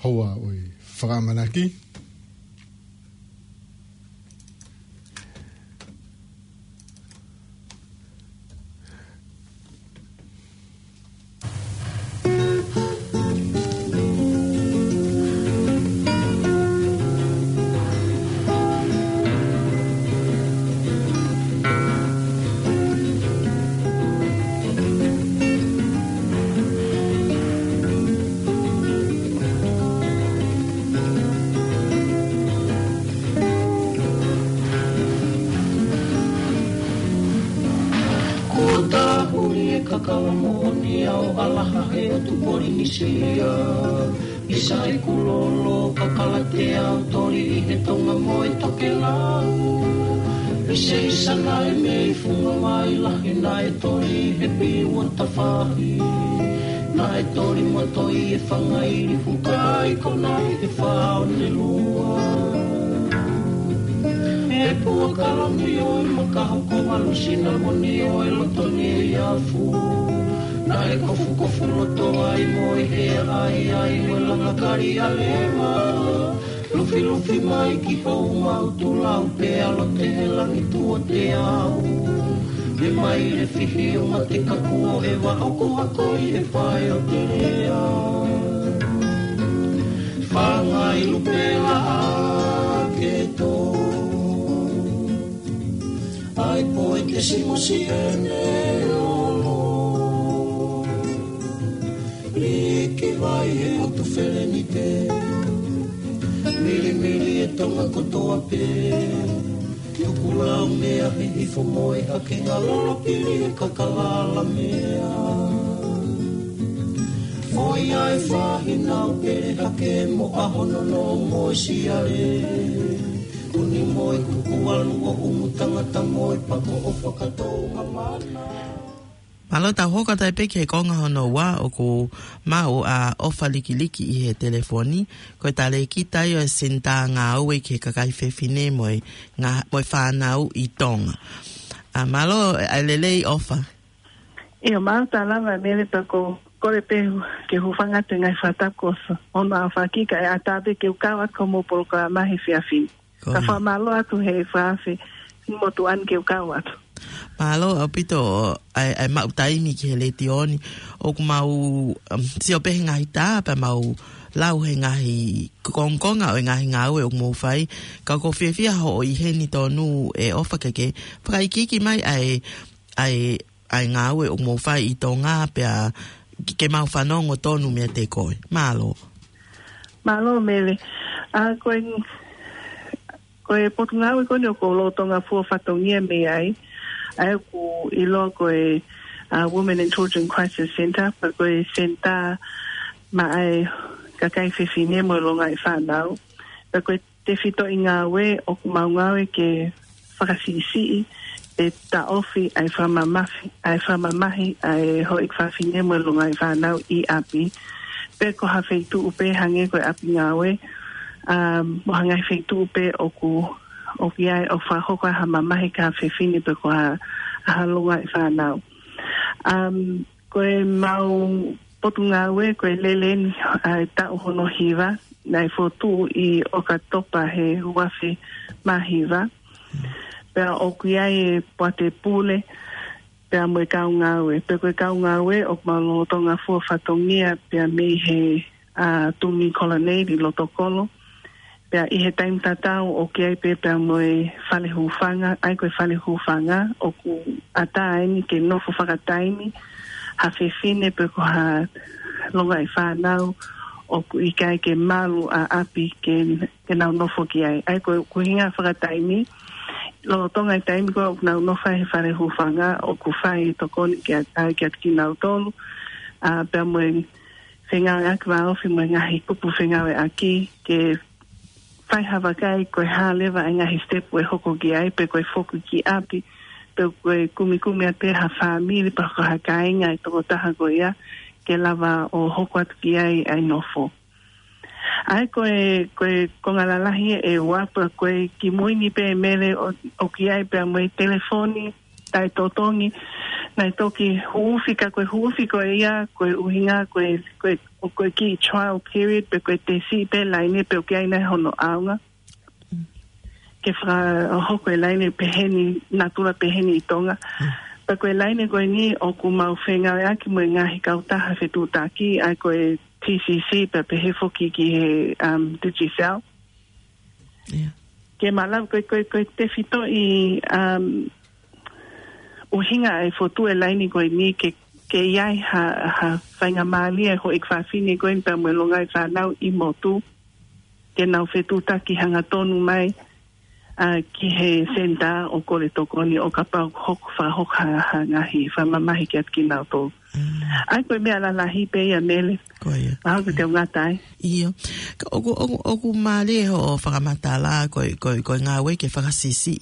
houa ʻo e fakaʻamanaki. Laha he ʻotu Polinisia, ʻi Saikulolo, Kakalatea, ʻo Toli ʻi he Tonga mo e Tokelau. ʻI Seisana ʻi mei Fungavai Lahi naʻe toli he piua tafahi. Naʻe toli mo toi e fanga ʻili fuka ʻi Kona ʻi he Faʻonelua. He pua kaloni ʻo e makaho ko valu sinamoni ʻo e loto ni ʻi afu. Naʻe kofukofu loto ai mo e hea ʻaiʻai ʻo e langa kali ʻa Lema. Lufilufi mai ki Houmaʻutulau pea lote he langi tuʻa te au. He mai le fihi ʻo mate kaku ʻo e vaho ko hako ʻi he fae ʻo te lea. Fanga ʻi Lupela ʻa ke tō. ʻAi poe ke simosi ʻene olo. Liki vai he ʻotu Felenite. Milimili e Tonga kotoa pē. Tukulau mea he hifo mo e hake ngalolo pili e kakalala mea. Foʻi ʻa e fahi nau pele hake mo ʻaho nono mo e siale. Kuni mo e kuku alu ʻo umu tangata mo e pako ʻo fakatou mamana. Mālō, tau hoko atu pē ki he konga hono ua ʻoku maʻu ʻa ʻOfa Likiliki ʻi he telefoni. Ko e talēkita ia ʻo e Senitā Ngāue ki he Kakai Fefine mo e ngā-, mo e Fānau ʻi Tonga. ʻA, mālō, ʻa e lelei ʻOfa. ʻIo, mālō, tau lava Mele pea ko e kole pē ke u hūfanga atu he ngaahi fakatapu ko hono ʻaho fakakika ʻe ʻatā pē ke u kau atu ki hoʻomou polokalama he efiafi ni. Ka fakamālō atu he fakaafe motuʻa ni ke u kau atu. Mālō ʻaupito ʻa e, ʻa e maʻu taimi ki he letiō ni. ʻOku mau, um, sio pē he ngaahi tā, pea mau lau he ngaahi kongokonga ʻo e ngaahi ngāue ʻoku mou fai. Ka ʻoku ou fiefia hoʻo ʻi heni tonu ʻe ʻOfa ke ke fakaikiiki mai ʻa e, ʻa e ʻa e ngāue ʻoku mou fai ʻi Tonga pea ke, ke mau fanongo tonu meiate koe. Mālō. Mālō Mele. ʻA, ko e, ko e potungāue ko eni ʻoku ou lolotonga fua fatongia mei ai. ʻA ia ʻoku ʻiloa ko e, ʻa, Women and Children Crisis Centre, pea ko e senitā maʻa e kakai fefine mo e longaʻi fānau. Pea ko e tefitoʻi ngāue ʻoku mau ngāue ke fakasiʻisiʻi pe taʻofi ʻa e fakamamahi, ʻa e fakamamahi ʻa e houʻeiki fafine mo e longaʻi fānau ʻi ʻapi. Pe ko ha feituʻu pē hangē ko e ʻapi ngāue, um, mo ha ngaahi feituʻu pē ʻoku, ʻoku ʻi ai ʻoku fakahoko ai ha mamahi ki ha fefine pe ko ha, ha longaʻi fānau. Um, Ko e mau potungāue, ko e lele eni ʻa e taʻu hono hiva, naʻe fotu ʻi ʻOkatopa he uafe mā hiva. Pea ʻoku ʻi ai e poate pule, pea mo e kau ngāue. Pea ko e kau ngāue, ʻoku mau lolotonga fua fatongia, pea mei he, ʻa, Tumi Colonnade ʻi Lotokolo. Pea ʻi he taimi tatau ʻoku ʻi ai pē pea mo e fale hūfanga, ʻa ia ko e fale hūfanga, ʻoku ʻatā eni ke nofo fakataimi, ha fefine pe ko ha longaʻi fānau, ʻoku ʻikai ke malu ʻa ʻapi ke, ke nau nofo ki ai. ʻA ia ko e ʻuhinga fakataimi, lolotonga e taimi ko ē ʻoku nau nofo ai he fale hūfanga, ʻoku fai e tokoni ki a, ʻa, kiate kinautolu, ʻa, pea mo e fengāueʻaki vāofi mo e ngaahi kupu fengāueʻaki, ke fai ha vakai ko e hā leva e ngaahi step ʻe hoko ki ai, pe ko e foki ki ʻapi, pe ko e kumikumi atu pē ha fāmili, pe ko ha kāinga e tokotaha ko ia, ke lava ʻo hoko atu ki ai ʻa e nofo. ʻA ia ko e, ko e konga lalahi ʻe ua, pea ko e kimui ni pē Mele ʻo, ʻoku ʻi ai pea mo e telefoni, taʻetotongi, naʻe toki huufi ka ko e huufi ko ia, ko e ʻuhinga, ko e, ko e, ko e kiʻi trial period, pe ko e tesi pē laine pe ʻoku ʻi ai nai hono ʻaonga. Ke fakahoko e laine peheni, natula peheni ʻi Tonga. Pe ko e laine ko eni ʻoku mau fengāueʻaki mo e ngaahi kautaha fetuʻutaki, ʻa ia ko e T C C, pea pehē foki ki he, um, Digicel. Ke malava ko e, ko e, ko e tefitoʻi, um, ʻuhinga ʻa e fotu e laine ko eni ke, ke ʻi ai ha, ha faingamālie houʻeiki fafine ko eni pea mo e longaʻi fānau ʻi motu, ke nau fetuʻutaki hangatonu mai, ʻa, ki he senitā ʻo kole tokoni ʻo kapau ʻoku hoko, fakahoko ha, ha ngaahi fakamamahi kiate kinautolu. Mm. ʻA ia ko e meʻa lalahi pē ia Mele. Ko ia. Mahalo ko te ngata ai. ʻIo. Ka ʻoku, ʻoku, ʻoku mālie hoʻo fakamatala ko e, ko e, ko e ngāue ke fakasiʻisiʻi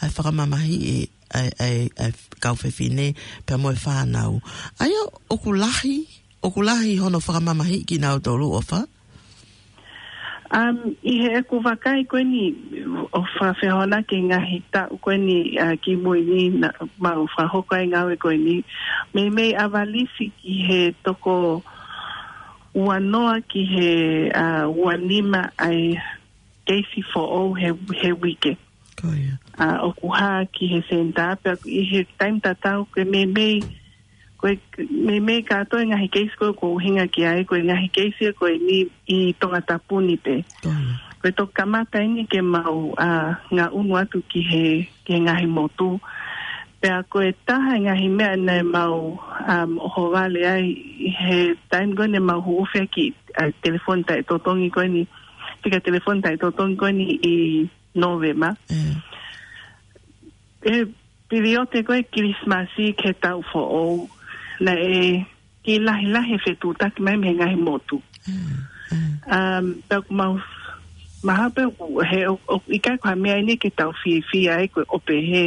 ʻa e fakamamahiʻi ʻa e, ʻa e, ʻa e kau fefine pea mo e fānau. ʻA ia ʻoku lahi, ʻoku lahi hono fakamamahiʻi kinautolu ʻofa? Um, ʻi heʻeku vakai ko eni ʻo fakafehoanaki ki he ngaahi taʻu ko eni, uh, kimui ni naʻa mau fakahoko ai e ngāue ko eni. Meimei ʻavalisi ki he toko ua noa ki he, uh, ua nima ʻa e keisi foʻou he, he uike. Ko ia. Uh, ʻoku hā ki he senitā pea ʻi he taimi tatau ko e meimei ko e, meimei kātoa e ngaahi keisi ko ē ʻoku ʻuhinga ki ai, ko e ngaahi keisi ko eni ʻi Tongatapu ni pē. Ko ia. Ko e toki kamata eni ke mau, uh, ngaʻunu atu ki he, ki he ngaahi motu. Pea ko e taha e ngaahi meʻa naʻa mau, um, ʻohovale ai ʻi he taimi ko eni naʻa mau huufi ai ki, uh, telefoni taʻetotongi ko eni, fika telefoni taʻetotongi ko eni ʻi Nōvema. Mm. E piliote ko e Kilisimasi ki he taʻu foʻou, naʻe kei lahilahi e fetuʻutaki mai mei he ngaahi motu. Mm, mm. Um, pea ʻoku mau, mahalo pē ʻoku, he ʻo, ʻoku ʻikai ko ha meʻa eni ke tau fiefia ai ko e ʻo pehē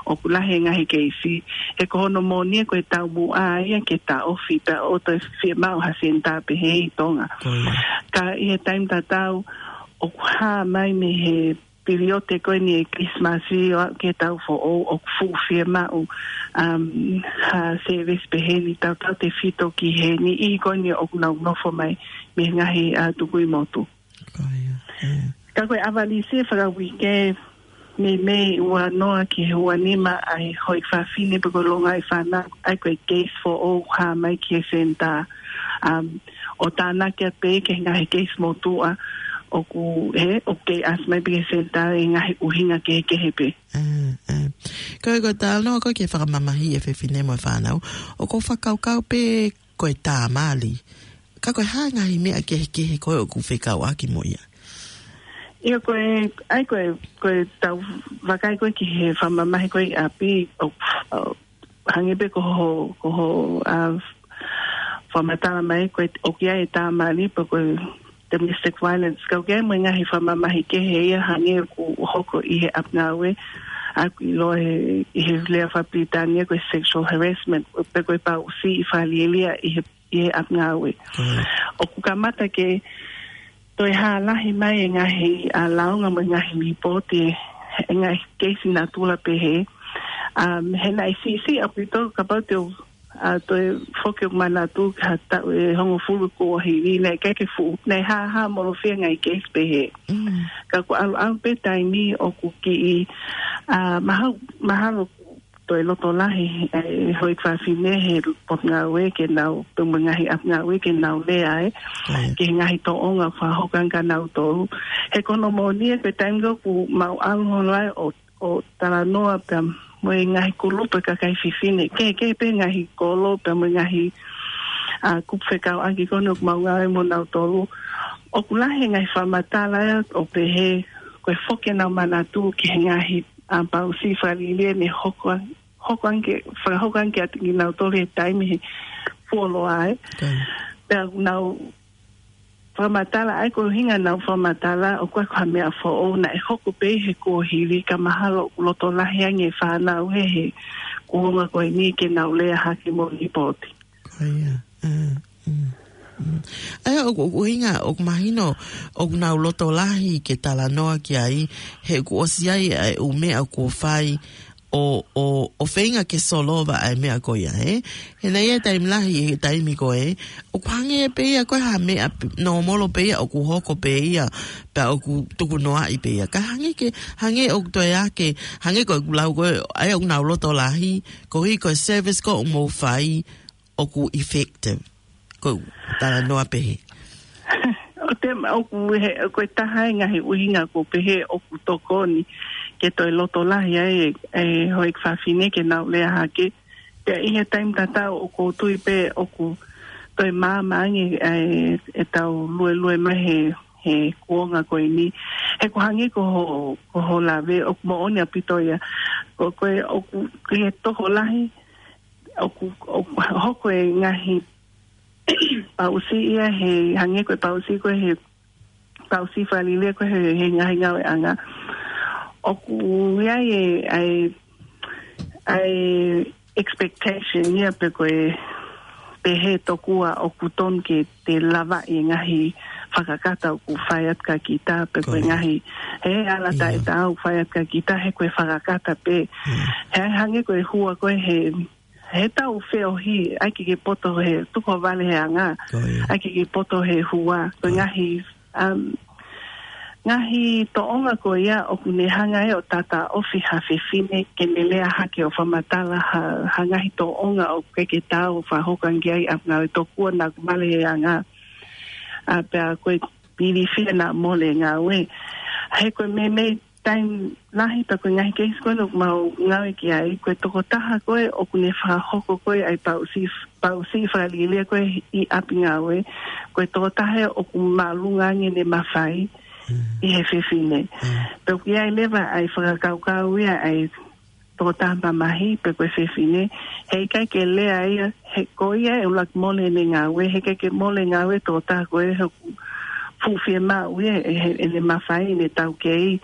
ʻoku lahi e ngaahi keisi. He ko hono moʻoni ia ko e taumuʻa ia ke taʻofi pea ʻoua toe fiemaʻu ha senitā pehē ʻi Tonga. Ko ia. Ka ʻi he taimi tatau, ʻoku hā mai mei he piliote ko eni e Kilisimasi ʻo aʻu ki he taʻu foʻou ʻoku fuʻu fiemaʻu, um, ha service pehē ni tautautefito ki he niʻihi ko eni ʻoku nau nofo mai mei he ngaahi, uh, tukui motu. Ko ia, ia. Ka ko e ʻavalisi e fakauike meimei ua noa ki he ua nima ʻa e houʻeiki fafine pe ko e longaʻi fānau, ʻa ia ko e keisi foʻou hā mai ki he senitā. Um, ʻo tānaki atu pē ki he ngaahi keisi motuʻa ʻoku, he, ʻoku kei ʻasi mai pē ki he senitā ʻi he ngaahi ʻuhinga kehekehe pē. Mm, mm. Ko e, ko e talanoa ko ē ki he fakamamahiʻi e fefine mo e fānau, ʻoku ou fakakaukau pē ko e tā mali. Ka ko e hā e ngaahi meʻa kehekehe ko ē ʻoku fekauʻaki mo ia? ʻIo ko e, ʻa ia ko e, ko e tau vakai ko ē ki he fakamamahi ko ē ʻi ʻapi ʻo, ʻo, hangē pē ko hoʻo, ko hoʻo, uh, fakamatala mai ko e ʻoku ʻi ai e tā mali pe ko e domestic violence. Ka ʻoku ʻi ai mo e ngaahi fakamamahi kehe ia hangē ʻoku hoko ʻi he ʻapi ngāue, ʻa ia ʻoku ʻiloa he, ʻi he lea fakapilitānia ko e sexual harassment, pe ko e pāʻusiʻi fakalielia ʻi he, ʻi he ʻapi ngāue. Mm. ʻOku kamata ke toe hā lahi mai e ngaahi, uh, lāunga mo e ngaahi lipooti, e ngaahi keisi natula pehē. Um, he naʻe siʻisiʻi ʻaupito kapau te u, uh, toe foki ʻo manatu ki ha taʻu ʻe hongofulu kuo hivi, naʻe ʻikai ke fuʻu, naʻe hāhāmolofia e ngaahi keisi pehē. Mm. Ka ʻoku ʻalu ʻalu pē taimi ʻoku kiʻi, uh, mahalo, mahalo toe loto lahi e houʻeiki fafine he potungāue ke nau, pe mo e ngaahi ʻapi ngāue ke nau lea ai, ʻIo. ki he ngaahi tōʻonga fakahoko ange kia nautolu. He ko hono moʻoni ia ko e taimi ko ē ʻoku mau ʻalu holo ai ʻo, ʻo talanoa pea mo e ngaahi kulupu e kakai fefine, kehekehe pē ngaahi kolo pea mo e ngaahi, uh, kupu fekauʻaki ko eni ʻoku mau ngāue mo nautolu. ʻOku lahi e ngaahi fakamatala ia ʻo pehē ko e foki ʻenau manatu ki he ngaahi, um, pāʻusiʻi fakalielia ne hoko, hoko ange, fakahoko ange kiate kinautolu he taimi he fuoloa ai. Kai. Pea nau fakamatala ai ko e ʻuhinga ʻenau fakamatala ʻoku ʻikai ko ha meʻa foʻou, naʻe hoko pē he kuohili ka mahalo ʻoku loto lahi ange e fānau he, he kuonga ko eni ke nau lea hake mo lipooti. Ko ia. Mm, mm, mm. ʻA ia ʻoku, ʻoku ʻuhinga, ʻoku mahino, ʻoku nau loto lahi ke talanoa ki ai, he kuo ʻosi ʻi ai e ʻū meʻa kuo fai ʻo, ʻo, ʻo feinga ke solova ʻa e meʻa ko ia, ē? He naʻe ʻi ai e taimi lahi, he taimi ko ē, ʻoku hangē pē ia ko e hā meʻa p-, nōmolo pē ia, ʻoku hoko pē ia, pea ʻoku tukunoaʻi pē ia. Ka hangē ke, hangē ʻoku toe ake, hangē ko ʻeku lau ko ē, ʻa ia ʻoku nau loto lahi, koeʻuhi ko e service ko ē ʻoku mou fai, ʻoku effective. Ko e talanoa pehē. ʻO te ma-, ʻoku he, ko e taha e ngaahi ʻuhinga ʻoku pehē ʻoku tokoni ke toe loto lahi ai e, e houʻeiki fafine ke nau lea hake. Pea ʻi he taimi tatau ʻoku ou tui pē ʻoku toe maama ange e, e tau luelue mai he, he kuonga ko eni. He ʻoku hangē ko hoʻo, ko hoʻo lave ʻoku moʻoni ʻaupito ia. Ko, ko e ʻoku, ʻi he tokolahi, ʻoku, ʻoku hoko e ngaahi paʻusi ia he, hangē ko e paʻusi ko ē he, paʻusi fakalielia ko ē he, he ngaahi ngāueʻanga. ʻOku ʻi ai e, ʻa e, ʻa e expectation ia pe ko e pehē tokua ʻoku tonu ke te lava e ngaahi fakakata ʻoku fai atu kia kita pe ko e Ko ia. ngaahi, he ala Ia. taʻetaau ʻoku fai atu kia kita he ko e fakakata pē. Mm. He hangē ko e hua ko ē he, he tau feohi, ʻai ke ke poto he tuko vale he anga, Ko ia. ʻai ke ke poto he hua. Ko e Ko ia. ngaahi, um, ngaahi tōʻonga ko ia ʻoku ne hanga ʻe ʻo tātāʻofi ha fefine ke ne lea hake ʻo fakamatala ha, ha ngaahi tōʻonga ʻoku ʻikai ke taau ʻo fakahoko ange ai ʻa e ngāue tokua naʻa ku vale he anga. ʻA pea ko e pilifia naʻa mole ngāue. He ko e meimei taimi lahi pea ko e ngaahi keisi ko ē ʻoku mau ngāue ki ai, ko e tokotaha ko ē ʻoku ne fakahoko ko ē ʻa e paʻusi, paʻusi fakalielia ko ē ʻi ʻapi ngāue, ko e tokotaha ʻoku māʻolunga ange ʻene mafai Mm. ʻi he fefine. Mm. Pea ʻoku ʻi ai leva ʻa e fakakaukau ia ʻa e tokotaha mamahi pe ko e fefine, heʻikai ke lea ia, he ko ia ʻe ʻuluaki mole ʻene ngāue, heʻikai ke mole ngāue tokotaha ko ē he ʻoku fuʻu fiemaʻu ia ʻe he, ʻene mafai, ʻene taukei,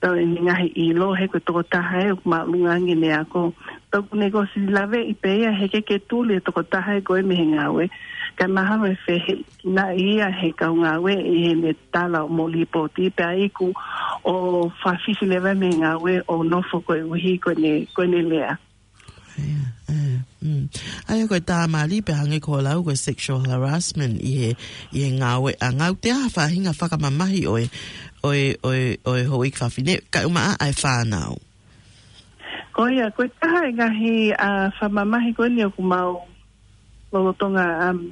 pea ʻene ngaahi ʻilo, he ko e tokotaha ē ʻoku māʻolunga ange ʻene ako. Pea ʻoku ne ʻosi laveʻi pē ia, heʻikai ke tuli e tokotaha ē ko ē mei he ngāue, kae mahalo ʻe fehiʻa kinaʻi ia he kau ngāue ʻi heʻene tala ʻo mo lipooti pea iku ʻo fakafisi leva mei he ngāue ʻo nofo koeʻuhi ko ʻene, ko ʻene lea. Ia, ē, mm. ʻA ia ko e tāmali pē hangē ko hoʻo lau ko e sexual harassment ʻi he, ʻi he ngāueʻanga, ʻoku ʻi ai ha faʻahinga fakamamahi ʻo e, ʻo e, ʻo e, ʻo e houʻeiki fafine, kae ʻumaʻā ʻa e fānau. Ko ia, ko e taha e ngaahi, ʻa, fakamamahi ko eni ʻoku mau lolotonga, um,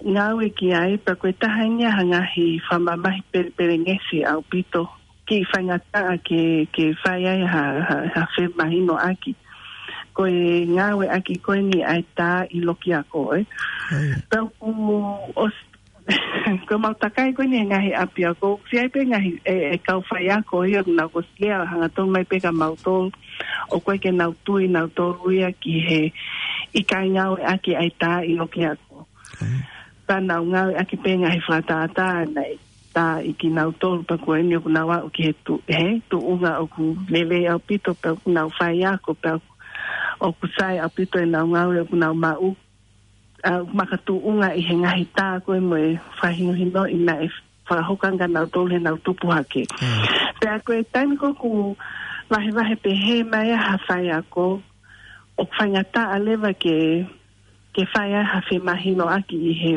ngāue ki ai, pea ko e taha eni ia ha ngaahi fakamamahi pelepelengesi ʻaupito, kiʻi faingataʻa ke, ke fai ai ha, ha, ha femahinoʻaki. Ko e ngāueʻaki ko eni ʻa e tā ʻi loki ako, ē. Ia. Pea ʻoku ʻos-, ko e mau takai ko eni e ngaahi ʻapiako, ʻoku ʻi ai pē ngaahi, e, e kau faiako ia, ʻoku nau ʻosi lea hangatonu mai pē kia mautolu, ʻoku ʻikai ke nau tui nautolu ia ki he ʻikai ngāueʻaki ʻa e tā ʻi loki ako. Ia. Pea nau ngāueʻaki pē ngaahi fakatātā naʻe tā ʻi kinautolu pea ko eni ʻoku nau aʻu ki he tu-, he tuʻunga ʻoku lelei ʻaupito pea ʻoku nau faiako pea ʻoku sai ʻaupito ʻenau ngāue ʻoku nau maʻu. ʻA, makatuʻunga ʻi he ngaahi tā ko ē mo e fakahinohinoʻi naʻe fakahoko ange kia nautolu heʻenau tupu hake. Mm. Pea ko e taimi ko ē ʻoku vahevahe pehē mai ai ha faiako, ʻoku faingataʻa leva ke, ke fai ai ha femahinoʻaki ʻi he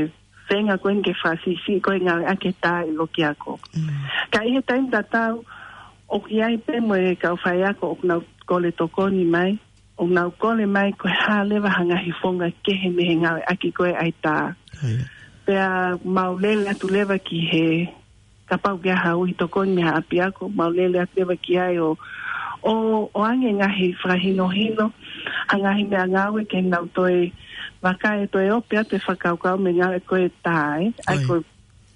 feinga ko eni ke fakasiʻisiʻi ko e ngāueʻaki e tā ʻi loki ako. Mm. Ka ʻi he taimi tatau, ʻoku ʻi ai pē mo e kau faiako ʻoku nau kole tokoni mai, ʻoku nau kole mai ko e hā leva ha ngaahi founga kehe mei he ngāueʻaki ko ē ʻa e tā. Ia. Pea mau lele atu leva ki he, kapau ʻoku ʻi ai ha ui tokoni mei ha ʻapiako, mau lele atu leva ki ai ʻo, ʻo, ʻoange ngaahi fakahinohino, ha ngaahi meʻangāue ke nau toe vakai, toe ope atu e fakakaukau mei he ngāue ko ē tā, ē. ʻA ia Ia. ko e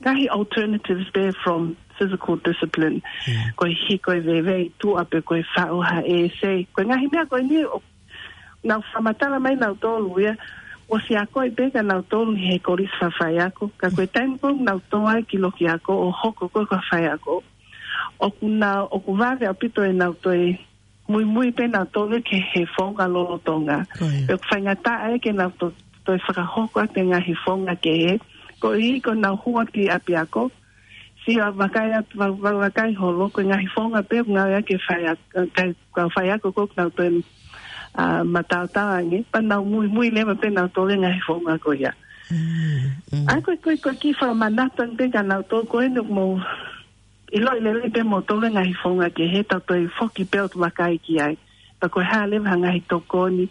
ngaahi alternatives pē from physical discipline. Ia. Ko e hiko e veve ʻi tuʻa pe ko e faʻu ha essay. Ko e ngaahi meʻa ko eni ʻoku nau fakamatala mai nautolu ia, ʻosi akoʻi pē kia nautolu he kolisi fakafaiako. Ka ko e taimi ko ē ʻoku nau tō ai ki loki ako ʻo hoko ko ē ko ha faiako, ʻoku nau, ʻoku vave ʻaupito ʻenau toe muimui pē nautolu ki he founga lolotonga. Ko ia. Pea ʻoku faingataʻa ia ke nau to-, toe fakahoko atu e ngaahi founga kehe. Koeʻuhi ko ʻenau hū atu ki ʻapiako, sio ʻo vakai atu, va-, va-, vakai holo, ko e ngaahi founga pē ʻoku ngāueʻaki e faiako, kau, kau faiako ko ē ʻoku nau toe, ʻa, mataotao ange, pea nau muimui leva pē nautolu he ngaahi founga ko ia. Mm, mm. ʻA ia ko e, ko e, ko e kiʻi fakamanatu ange pē kia nautolu ko eni ʻoku mou ʻiloʻi lelei pē moutolu e ngaahi founga kehe, tau toe foki pē ʻo vakai ki ai. Pea ko e hā leva ha ngaahi tokoni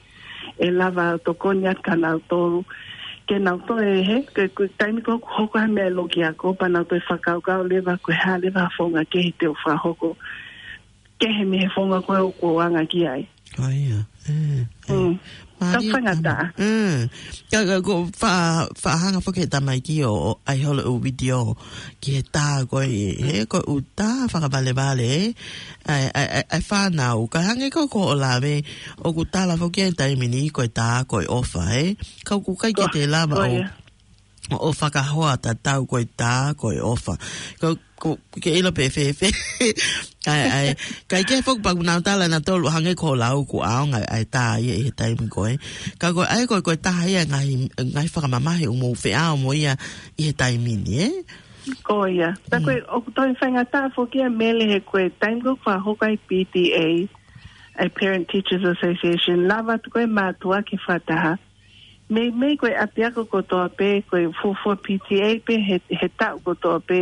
ʻe lava tokoni atu kia nautolu. Ke nau toe, he, ke, ko e taimi ko ē ʻoku hoko ha meʻa ʻi loki ako, pea nau toe fakakaukau leva ko e hā leva ha founga kehe te u fakahoko kehe mei he founga ko ē ʻoku ou anga ki ai. Ko ia, ē, ē. Mm. Mālie. Tau faingataʻa. Ē. Ka, ka, ko fa-, fakahanga foki he tamaiki ʻo, ʻo ʻai holo ʻū video ki he tā ko ē, he ko e ʻū tā fakavalevale, ē. ʻAi, ʻai, ʻai, ʻai fānau, ka hangē ko, ko hoʻo lave, ʻoku tala foki he taimi ni ko e tā ko e ʻofa, ē. Ka ʻoku ʻikai ke te lava ʻo, ʻo fakahoa tatau ko e tā ko e ʻofa. Ko, ko, ke ʻilo pē fēfē. ʻAi, ʻai. ʻIkai ke foki pea ʻoku nau tala ʻe nautolu hangē ko hoʻo lau kuo ʻaonga ʻa e tā ia ʻi he taimi ko ē. Ka ko e ʻai ko e, ko e taha ia ngaahi, ngaahi fakamamahi ʻoku mou feʻao mo ia ʻi he taimi ni, ē? Ko ia. Tā ko e, ʻoku toe faingataʻa foki ia Mele he ko e taimi ko ē ʻoku fakahoko ai P T A, ʻa e Parent Teachers Association, lava atu ko ē mātuʻa ke fakataha. Meimei ko e ʻapiako kotoa pē, ko e fuofua P T A pē, he, he taʻu kotoa pē,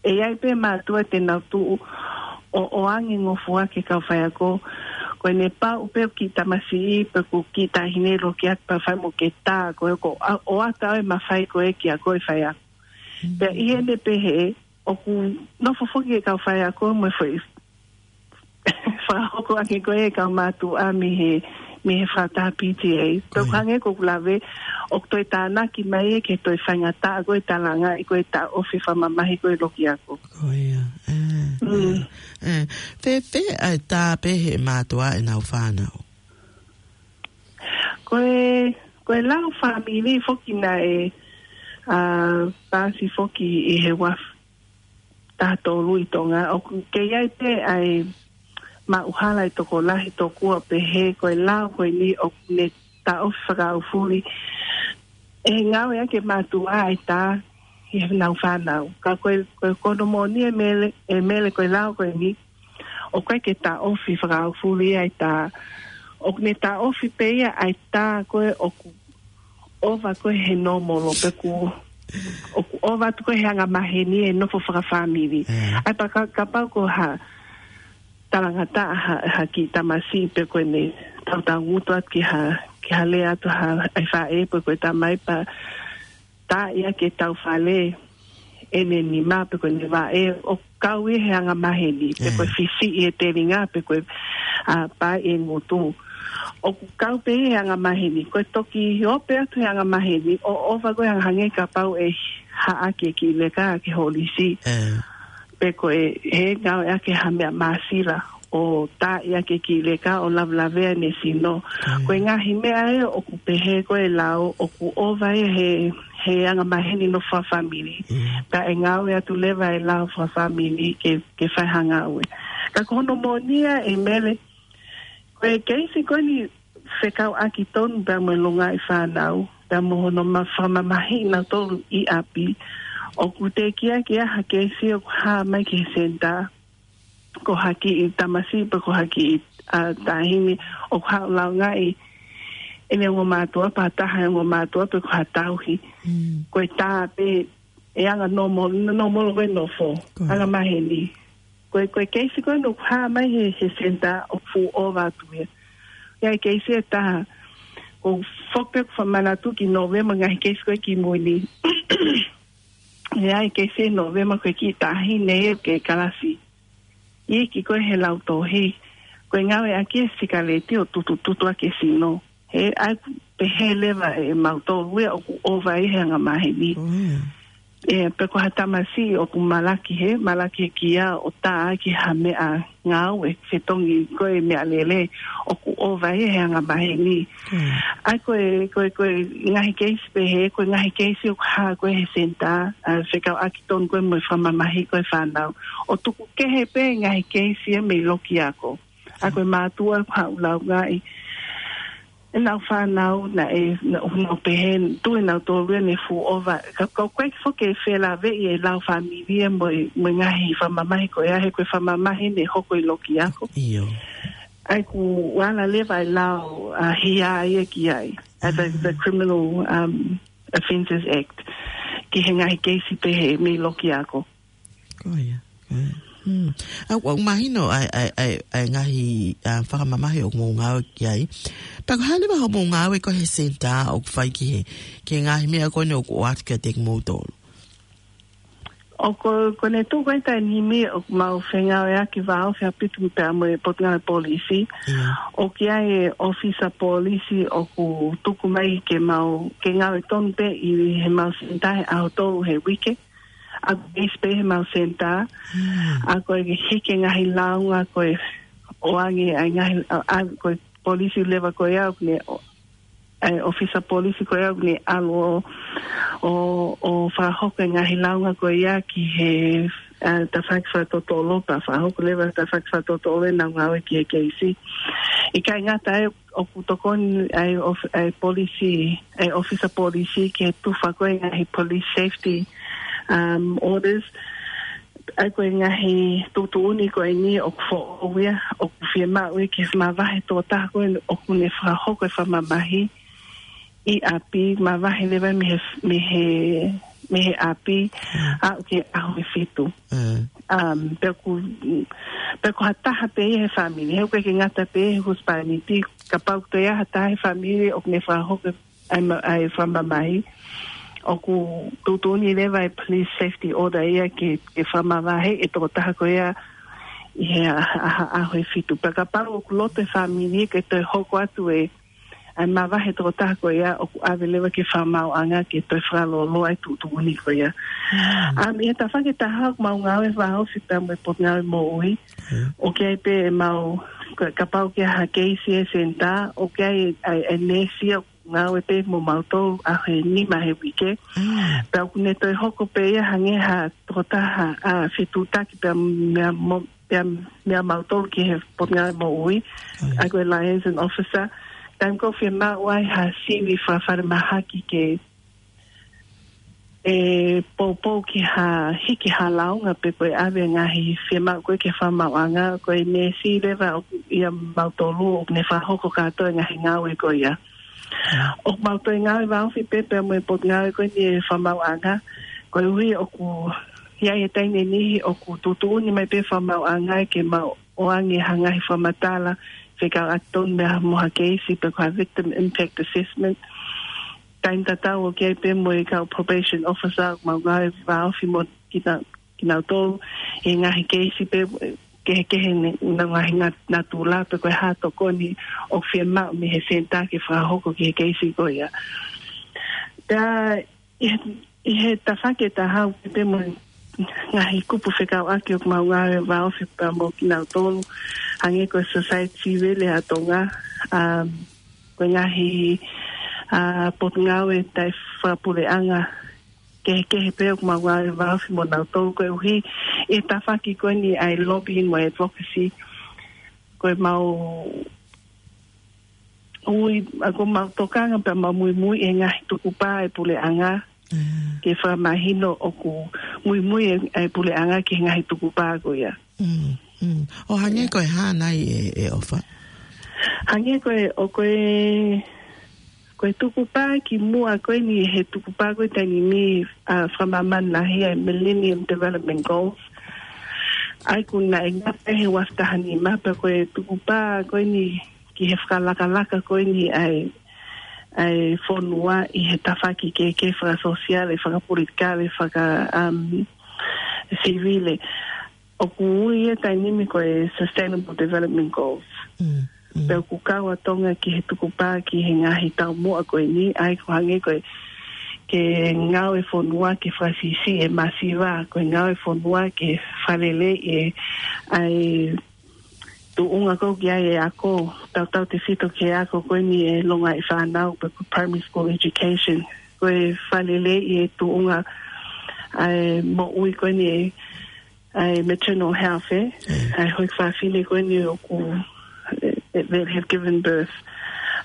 ʻe ʻi ai pē mātuʻa te nau tuʻu ʻo, ʻo ʻoange ngofua ki he kau faiako. Ko ʻene pau pē ʻoku kiʻi tamasiʻi, pe ʻoku kiʻi taʻahine loki atu pea fai mo ke tā, ko e ko, ʻa, ʻoatu ʻa e mafai ko ē kiate koe faiako. Pea ʻi heʻene pehē, ʻoku nofo foki e kau faiako mo e foʻi fakahoko ʻaki ko ē kau mātuʻa mei he, mei he fakataha P T A. Ko ia. Tau hangē ko ʻeku lave, ʻoku toe tānaki mai ē ke toe faingataʻa ko e talangaʻi ko e taʻofi fakamamahi ko e loki ako. Ko ia, ē, ē, ē. Fēfē ʻa e tā pehē ʻe mātuʻa ʻenau fānau? Ko e, ko e lao fāmili foki naʻe, ā, pasi foki ʻi he uafu taha tolu ʻi Tonga, ʻoku kei ʻi ai pē ʻa e maʻuhala ʻa e tokolahi tokua pehē ko e lao ko eni ʻoku ne taʻofi fakaʻaufuli ʻe ngāueʻaki ʻe mātuʻa ʻa e tā ʻi heʻenau fānau. Ka ko e, ko e, ko hono moʻoni ē Mele, ē Mele, ko e lao ko eni ʻoku ʻikai ke taʻofi fakaʻaufuli ʻa e tā. ʻOku ne taʻofi pē ia ʻa e tā ko ē ʻoku ʻova ko ē he nōmolo pe ʻoku, ʻoku ʻova atu ko ē he angamaheni e nofo fakafāmili. ʻAi pea ka, kapau ko ha talangataʻa ha, ha kiʻi tamasiʻi pe ko ʻene tautau ngutu atu ki ha, ki ha lea atu ha, ʻa e faʻē pe ko e tamai pea tā ia ke tau fale ʻene nima pe ko ʻene vaʻe ʻoku kau ia he angamaheni, pe ko e fisiʻi e telinga, pe ko e, ā, paʻi e ngutu. ʻOku kau pē ia he angamaheni, ko e toki ope atu he angamaheni, ʻo ʻova ko ē hangē kapau ʻe haʻaki e kiʻi leka ke holisi. Pe ko e, he ngāueʻaki ha meʻa māsila, ʻo tā ia ke kiʻi leka ʻo lavelavea ʻene sino. Ko e ngaahi meʻa ē ʻoku pehē ko e lao, ʻoku ʻova ia he, he angamaheni nofo fakafāmili. Pea ʻe ngāue atu leva e lao fakafāmili ke, ke fai ha ngāue. Ka ko hono moʻoni ē Mele, ko e keisi ko eni fekauʻaki tonu pea mo e longaʻi fānau, pea mo hono ma-, fakamamahiʻi nautolu ʻi ʻapi. ʻOku teʻeki ai ke ʻi ai ha keisi ʻoku hā mai ki he senitā ko ha kiʻi tamasiʻi pe ko ha kiʻi, ā, taʻahine ʻoku haʻu ʻo laungaʻi ʻene ongo mātuʻa pe ha taha e ongo mātuʻa pe ko ha tauhi. Ko e tā pē e anga nōmo-, nōmolo ko e nofo, angamaheni. Ko e, ko e keisi ko ē ʻoku hā mai he, he senitā ʻoku fuʻu ʻova atu ia. ʻI ai e keisi ʻe taha, ʻoku ou foki pē ʻoku fakamanatu ki Nōvema ngaahi keisi ko ē kimui ni. ʻI ai e keisi ʻi Nōvema ko e kiʻi taʻahine ʻi he kalasi. Iiki ko ē he lautohi, ko e ngāueʻaki e sikaleti ʻo tutututu ʻaki e sino. He ʻai pehē leva ʻe mautolu ia ʻoku ʻova ia he angamaheni. ʻE, pe ko ha tamasiʻi ʻoku malaki he, malaki he kia ʻo tā ki ha meʻa ngāue, fetongi ko e meʻalele ʻoku ʻova ia he angamaheni. ʻAi ko e, ko e, ko e ngaahi keisi pehē, ko e ngaahi keisi ʻoku hā ko ē he senitā, ā, fekauʻaki tonu ko ē mo e fakamamahi ko ē fānau. ʻO tuku kehe pē ngaahi keisi ia mei loki ako. ʻA ko e mātuʻa ʻoku haʻu ʻo laungaʻi ʻenau fānau naʻe, naʻa nau pehē, tuʻu ʻenautolu ia ne fuʻu ʻova. Ka, ka ʻoku ʻikai foki ke felāveʻi e lao fāmili ia mo e, mo e ngaahi fakamamahi ko ia he ko e fakamamahi ne hoko ʻi loki ako. ʻAi kuo ala leva e lao, ā, hia ia ki ai. ʻA the, the Criminal, um, Offences Act. Ki he ngaahi keisi pehē mei loki ako. Ko ia, ko ia. ʻA, ʻoku mahino ʻa e, ʻa e, ʻa e, ʻa e ngaahi, ā, fakamamahi ʻoku mou ngāue ki ai. Pea ko e hā leva hoʻomou ngāue ko ē he senitā ʻoku fai ki he, ki he ngaahi meʻa ko eni ʻoku ʻoatu kiate kimoutolu? ʻOku, ko ʻene tuʻu ko ē taimi ni ʻoku mau fengāueʻaki vāofi ʻaupito pea mo e Potungāue Polisi. ʻOku ʻi ai e ʻōfisa polisi ʻoku tuku mai ke mau, ke ngāue tonu pē ʻi heʻemau senitā he ʻaho tolu he uike. ʻA e keisi pē heʻemau senitā. ʻA ko e hiki e ngaahi lāunga ko e ʻoange ai ngaahi, ʻa, ʻa, ko e polisi leva ko ia ʻoku ne ʻa e ʻōfisa polisi ko ia ʻoku ne ʻalu ʻo, ʻo, ʻo fakahoko e ngaahi lāunga ko ia ki he, ʻa, tafaʻaki fakatotolo pea fakahoko leva tafaʻaki fakatotolo ʻenau ngāue ki he keisi. ʻIkai ngata ai ʻoku tokoni ʻa e ʻōf-, ʻa e polisi, ʻa e ʻōfisa polisi ki he tufa ko ē ngaahi police safety, um, orders. ʻA ia ko e ngaahi tuʻutuʻuni ko eni ʻoku foʻou ia, ʻoku fiemaʻu ia ke mavahe tokotaha ko ē ʻoku ne fakahoko e fakamamahi ʻi ʻapi, mavahe leva mei he, mei he, mei he ʻapi, ʻo aʻu ki he ʻaho ʻe fitu. Um, pea ʻoku, pea ko ha taha pē ia he fāmili, he ʻoku ʻikai ke ngata pē he husepāniti, kapau ʻoku toe ʻi ai ha taha he fāmili ʻoku ne fakahoko ʻa e ma-, ʻa e fakamamahi, ʻoku tuʻutuʻuni leva e police safety order ia ke, ke fakamavahe e tokotaha ko ia ʻi he ʻaho, ʻaho, ʻaho ʻe fitu. Pea kapau ʻoku loto e fāmili ke toe hoko atu e, ʻa e mavahe tokotaha ko ia ʻoku ʻave leva ki he fakamaauʻanga ke toe fakalōloa e tuʻutuʻuni ko ia. Um, ʻi he tafaʻaki ʻe taha ʻoku mau ngāue vāofi pea mo e Potungāue Moʻui. ʻOku ʻi ai pē ʻemau, ka-, kapau ʻoku ʻi ai ha keisi he senitā, ʻoku ʻi ai e, e, e neesi ʻoku ngāue pē mo mautolu ʻaho ʻe nima he uike. Pea ʻoku ne toe hoko pē ia hangē ha tokotaha ʻa fetuʻutaki pea meia mo-, pea meia mautolu ki he Potungāue Moʻui, ʻa ia ko e liaison officer. Taimi ko ē ʻoku fiemaʻu ai ha sivi fakafalemahaki ke ʻe poupou ki ha hiki ha lāunga pe ko e ʻave ngaahi fiemaʻu ko ē ki he fakamaauʻanga, ko e neesi leva ʻoku ʻia mautolu ʻoku ne fakahoko kātoa e ngaahi ngāue ko ia. ʻOku mau toe ngāue vāofi pē pea mo e Potungāue ko eni e Fakamaauʻanga, koeʻuhi ʻoku ʻi ai e taimi ʻe niʻihi ʻoku tuʻutuʻuni mai pē fakamaauʻanga ke mau ʻoange ha ngaahi fakamatala fekauʻaki tonu mo ha keisi pe ko ha victim impact assessment. Taimi tatau ʻoku ʻi ai pē mo e kau probation officer ʻoku mau ngāue vāofi mo kina-, kinautolu he ngaahi keisi pē kehekehe ne, ngaahi nat-, natula pe ko e hā e tokoni ʻoku fiemaʻu mei he senitā ke fakahoko ki he keisi ko ia. Pea ʻi he, ʻi he tafaʻaki ʻe taha ʻoku ʻi ai pē mo e ngaahi kupu fekauʻaki ʻoku mau ngāue vāofi pea mo kinautolu, hangē ko e Society Civil ʻa Tonga, um, ko e ngaahi, ʻa, potungāue taʻefakapuleʻanga kehekehe pē ʻoku mau ngāue vāofi mo nautolu koeʻuhi ʻi he tafaʻaki ko eni ʻa e lobbying mo e advocacy. Ko e mau ui, ʻa, ko e mau tokanga pea mau muimui e ngaahi tukupā e puleʻanga ke fakamahino ʻoku muimui e, e puleʻanga ki he ngaahi tukupā ko ia. ʻO hangē ko e hā nai e, e ʻofa? Hangē ko e, ʻo ko e, ko e tukupā ki muʻa ko eni he tukupā ko e taimi ni, ʻa, fakamāmani lahi ʻa e Millennium Development Goals. ʻA ia ʻoku naʻe ngata he ua afe taha nima pea ko e tukupā ko eni ki he fakalakalaka ko eni ʻa e, ʻa e fonua ʻi he tafaʻaki kehekehe fakasōsiale, fakapolitikale, faka, um, sivile. ʻOku ui ia he taimi ni ko e Sustainable Development Goals. Pea ʻoku kau ʻa Tonga ki he tukupā ki he ngaahi taumuʻa ko eni, ʻa ia ʻoku hangē ko e ke ngāue fonua ke fakasiʻisiʻi e masiva, ko e ngāue fonua ke fakaleleiʻi e, ʻa e tuʻunga ko ē ʻoku ʻi ai e ako, tautautefito ki he ako ko eni e longaʻi fānau pe ko e primary school education. Ko e fakaleleiʻi e tuʻunga ʻa e moʻui ko eni e, ʻa e maternal health, ē? ʻA e houʻeiki fafine ko eni ʻoku, e, e, that have given birth.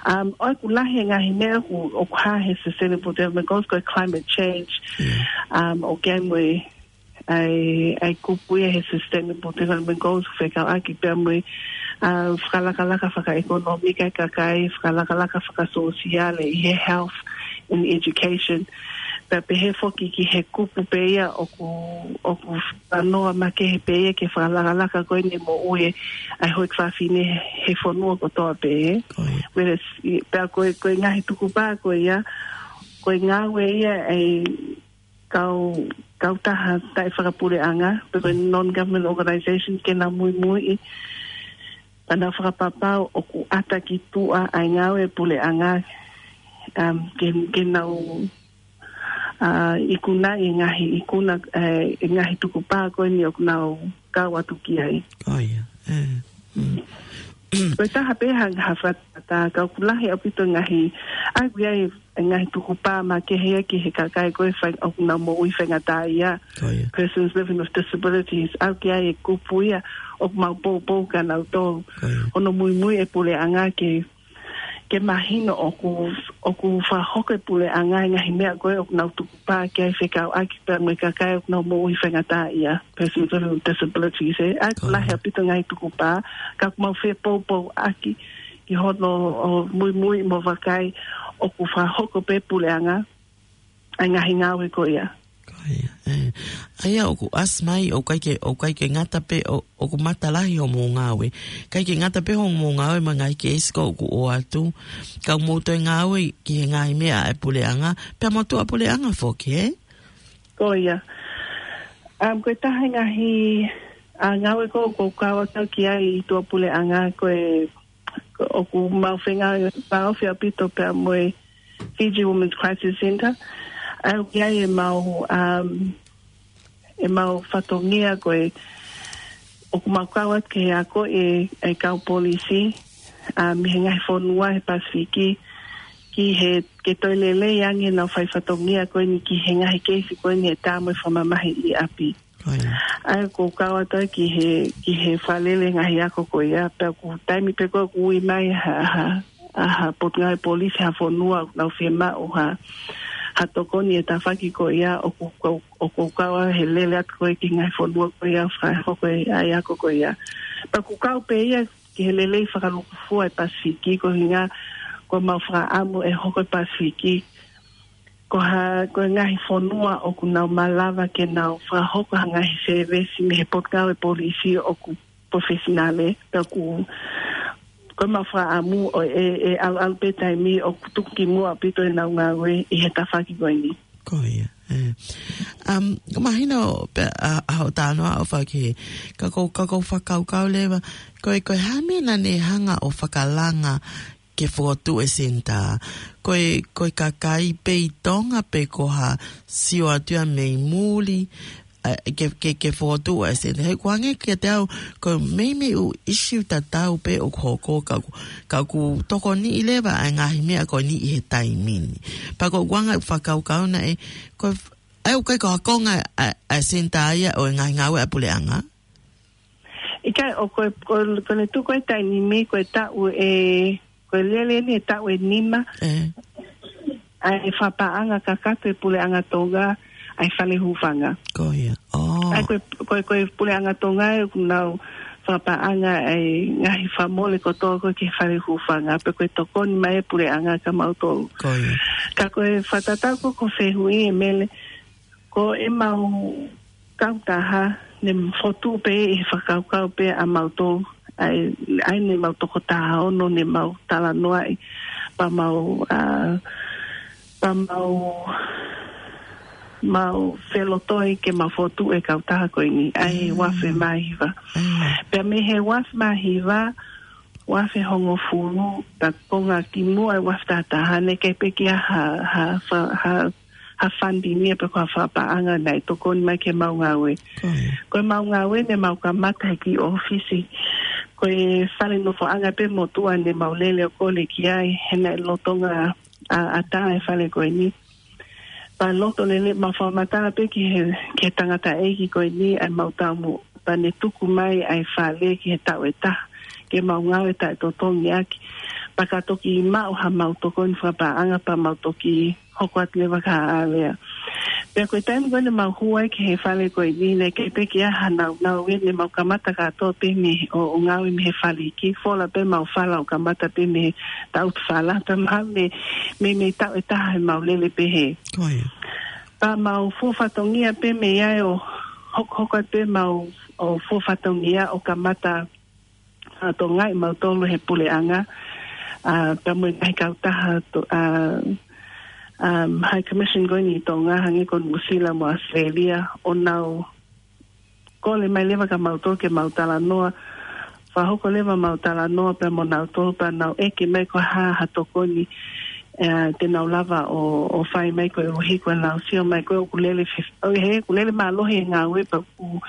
Um, ʻoku lahi e ngaahi meʻa ʻoku, ʻoku hā he Sustainable Development Goals, ko e climate change. Um, ʻoku ʻi ai mo e ʻa e, ʻa e kupu ia he Sustainable Development Goals, fekauʻaki pea mo e, ʻa, fakalakalaka fakaʻekonōmika e kakai, fakalakalaka fakasōsiale ʻi he health and education. Pea pehē foki ki he kupu pē ia ʻoku, ʻoku talanoa makehe pē ia ki he fakalakalaka ko eni moʻui e, ʻa e houʻeiki fafine he, he fonua kotoa pē, ē. Whereas, i, pea ko e, ko e ngaahi tukupā ko ia, ko e ngāue ia ʻa e kau kautaha taʻefakapuleʻanga, pe ko e non-government organization ke nau muimuiʻi, pea nau fakapapau ʻoku ʻata ki tuʻa ʻa e ngāue ʻa e puleʻanga, um, ke, ke nau, uh, ikunaʻi e ngaahi ikuna, eh, e ngaahi tukupā ko eni ʻoku nau kau atu ki ai. Ko ia, ē. Mm. Ko e taha pē ha, ha fakatātā, ka ʻoku lahi ʻaupito e ngaahi, ʻa ia ʻoku ʻi ai e ngaahi tukupā makehe ia ki he kakai ko ē fai, ʻoku nau moʻui faingataʻaʻia. Ko ia. Persons living with disabilities, ʻa ia ʻoku ʻi ai e kupu ia ʻoku mau poupou kia nautolu. Ko ia. Hono muimui e puleʻanga ke, ke mahino ʻoku, ʻoku fakahoko e puleʻanga e ngaahi meʻa ko ē ʻoku nau tukupā ki ai fekauʻaki pea mo e kakai ʻoku nau moʻui faingataʻaʻia, persons living with disabilities, ē. ʻA ia ʻoku Ko ia. lahi ʻaupito e ngaahi tukupā, ka ʻoku mau fepoupouaki ki hono ʻo muimui mo vakai ʻoku fakahoko pē puleʻanga ʻa e ngaahi ngāue ko ia. Ko ia, ē. ʻA ia ʻoku ʻasi mai, ʻoku ʻikai ke, ʻoku ʻikai ke ngata pē, ʻo, ʻoku matalahi hoʻomou ngāue. ʻIkai ke ngata pē hoʻomou ngāue mo e ngaahi keisi ko ē ʻoku ʻoatu. Ka ʻoku mou toe ngāue ki he ngaahi meʻa ʻa e puleʻanga, pea mo tuʻa puleʻanga foki, ē? Ko ia. Um, ko e taha e ngaahi, ʻa, ngāue ko ē ʻoku ou kau atu ki ai ʻi tuʻa puleʻanga ko e, ko ʻoku mau fengāueʻaki ʻaupito pea mo e Fiji Women's Crisis Centre. ʻA ia ʻoku ʻi ai e mau, um, e mau fatongia ko ē ʻoku mau kau atu ke ako e, e kau polisi, um, mei he ngaahi fonua he Pasifiki, ki he, ke toe lelei ange ʻenau fai fatongia ko eni ki he ngaahi keisi ko eni ʻe tā mo e fakamamahi ʻi ʻapi. Ko ia. ʻA ia ʻoku ou kau atu ki he, ki he fakalele ngaahi ako ko ia, pea ʻoku taimi pē ko ē ʻoku ui mai ha, ha, ʻa ha potungāue polisi ha fonua ʻoku nau fiemaʻu ha, ha tokoni he tafaʻaki ko ia, ʻoku, ʻoku, ʻoku ou kau he lele atu ko ē ki he ngaahi fonua ko ia, fakahoko e ngaahi ako ko ia. Pea ʻoku kau pē ia ki he lelei fakalūkufua e Pasifiki, ko e ʻuhinga ʻoku mau fakaʻamu ʻe hoko e Pasifiki ko ha, ko e ngaahi fonua ʻoku nau malava ke nau fakahoko ha ngaahi sēvesi mei he potungāue polisi ʻoku professional, pea ʻoku, ʻoku mau fakaʻamu ʻo e, e ʻalu, ʻalu pē taimi ʻoku tuku ki muʻa ʻaupito ʻenau ngāue ʻi he tafaʻaki ko eni. Ko ia, ē. Um, ʻoku mahino pē ʻa, ʻa hoʻo talanoa ʻo faki, ka ʻoku, ka ʻoku ou fakakaukau leva, ko e, ko e hā e meʻa naʻa ne hanga ʻo fakalanga ke fokotuʻu e senitā. Ko e, ko e kakai pē ʻi Tonga pe ko ha sio atu ia mei muli, ē, ke, ke, ke fokotuʻu e senitā. He ʻoku hangē kiate au, ko e meimei ʻū ʻisiū tatau pē ʻoku hoko ka ʻoku, ka ʻoku tokoniʻi leva ʻa e ngaahi meʻa ko eni ʻi he taimi ni. Pea ʻoku ou hanga ʻo fakakaukau naʻe, ko e, ʻa ia ʻoku ʻikai ko ha konga ʻa, ʻa e senitā ia ʻo e ngaahi ngāue ʻa e puleʻanga? ʻIkai, ʻoku, ko, ko ʻene tuku e taimi ni ko e taʻu ʻe, ko e lele ni e taʻu ʻe nima. Ē. ʻA e fakapaʻanga kakato e puleʻanga Tonga ʻa e fale hūfanga. Ko ia. ʻŌ. ʻA ia ko e, ko e, ko e puleʻanga Tonga ē ʻoku nau fakapaʻanga ʻa e ngaahi fakamole kotoa ko ē ki he fale hūfanga, pea ko e tokoni mai e puleʻanga kia mautolu. Ko ia. Ka ko e fakatatau ko ē ko e fehuʻi ē Mele, ko ʻemau kautaha, ne fotu pē ʻi he fakakaukau pē ʻa mautolu, ʻa ia, ʻa ia ne mau toko taha ono ne mau talanoaʻi, pea mau, ʻa, pea mau, mau felotoi ke mau fotu e kautaha ko eni, ʻa e Mm. uaafe mā hiva. Mm. Pea mei he uaafe mā hiva, uaafe hongofulu, pea konga ki muʻa e uaafe taha taha, naʻe ʻikai pē ke ʻi ai ha, ha, ha, ha, ha funding ia pe ko ha fakapaʻanga naʻe tokoni mai ki heʻemau ngāue. Ko ia. Ko ʻemau ngāue ne mau kamata he kiʻi ʻōfisi. Ko e fale nofoʻanga pē motuʻa ne mau lele ʻo kole ki ai, he naʻe lolotonga ʻa, ʻatā e fale ko eni. Pea loto lelei, mau fakamatala pē ki he, ki he tangataʻeiki ko eni ʻa ʻemau taumuʻa, pea ne tuku mai ʻa e fale ki he taʻu ʻe taha, ke mau ngāue taʻetotongi ʻaki. Pea ka toki maʻu haʻamau tokoni fakapaʻanga pea mau toki hoko atu leva ki ha alea. Pea ko e taimi ko ē ne mau hū ai ki he fale ko eni, naʻe ʻikai pē ke ʻi ai ha nāunau ia, ne mau kamata kātoa pē mei he, ʻo, ʻo ngāue mei he fale iiki, fola pē ʻemau fala ʻo kamata pē mei he tautu fala, pea mahalo mei, mei, mei he taʻu ʻe taha ʻemau lele pē hē. Ko ia. Pea mau fuofua fatongia pē mei ai ʻo hokohoko atu pē ʻemau, ʻo fuofua fatongia ʻo kamata ʻa, tokoniʻi mautolu he puleʻanga, ʻa, pea mo e ngaahi kautaha to-, ʻa, um, High Commission ko eni ʻi Tonga, hangē ko Nuʻusila mo Australia, ʻo nau kole mai leva kia mautolu ke mau talanoa, fakahoko leva mau talanoa pea mo nautolu pea nau ʻeke mai ko e hā ha tokoni, ē, te nau lava ʻo, ʻo fai mai koeʻuhi ko ʻenau sio mai ko ē ʻoku lele fe-, ʻo he ʻoku lele mālohi e ngāue pea ʻoku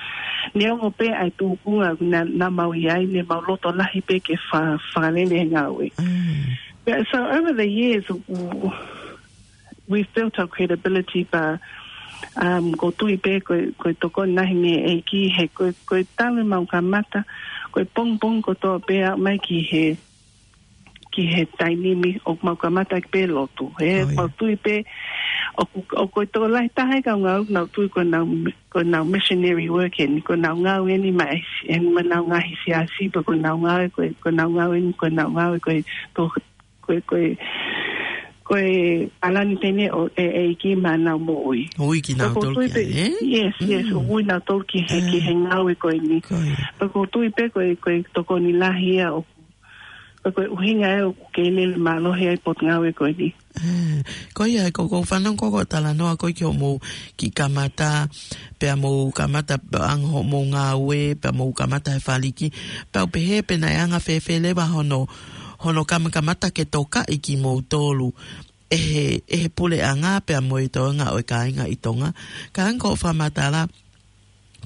neongo pē ʻa e tūkunga naʻa, naʻa mau ʻi ai ne mau loto lahi pē ke fa-, fakalele e ngāue. Mm. But so over the years, ʻoku, we've built our credibility, but, um, ʻoku ou tui pē ko e, ko e tokoni lahi mei he ʻEiki, he ko e, ko e talu ʻemau kamata, ko e pongipongi kotoa pē aʻu mai ki he, ki he taimi ni ʻoku mau kamata pē lotu. He ʻoku ou tui pē, ʻoku, ʻoku, ko e tokolahi taha e kau ngāue ʻoku nau tui ko ʻenau, ko ʻenau missionary work eni, ko ʻenau ngāue eni maʻa e, eni maʻa ʻenau ngaahi siasi, pe ko ʻenau ngāue, ko e, ko ʻenau ngāue eni, ko ʻenau ngāue, ko e to-, ko e, ko e, ko e palani pē eni ʻo e, ʻEiki maʻa ʻenau moʻui. Ui kinautolu ki ai, ē? Yes, yes, ʻoku ui nautolu ki he, ki he ngāue ko eni. Pea ʻoku ou tui pē ko e, ko e tokoni lahi ia ʻoku, ko e, ko e ʻuhinga ē ʻoku kei lele mālohi ai e potungāue ko eni. Ē, ko ia, ʻoku ou fanongo ko e talanoa ko ē ki hoʻomou kiʻi kamata, pea mou kamata pea ʻange hoʻomou ngāue, pea mou kamata he faliki, pea u pehē pe naʻe anga fēfē leva hono, hono kamakamata ke tokaʻi kimoutolu ʻe he, ʻe he puleʻanga pea mo e toenga ʻo e kāinga ʻi Tonga. Ka hangē ko hoʻo fakamatala,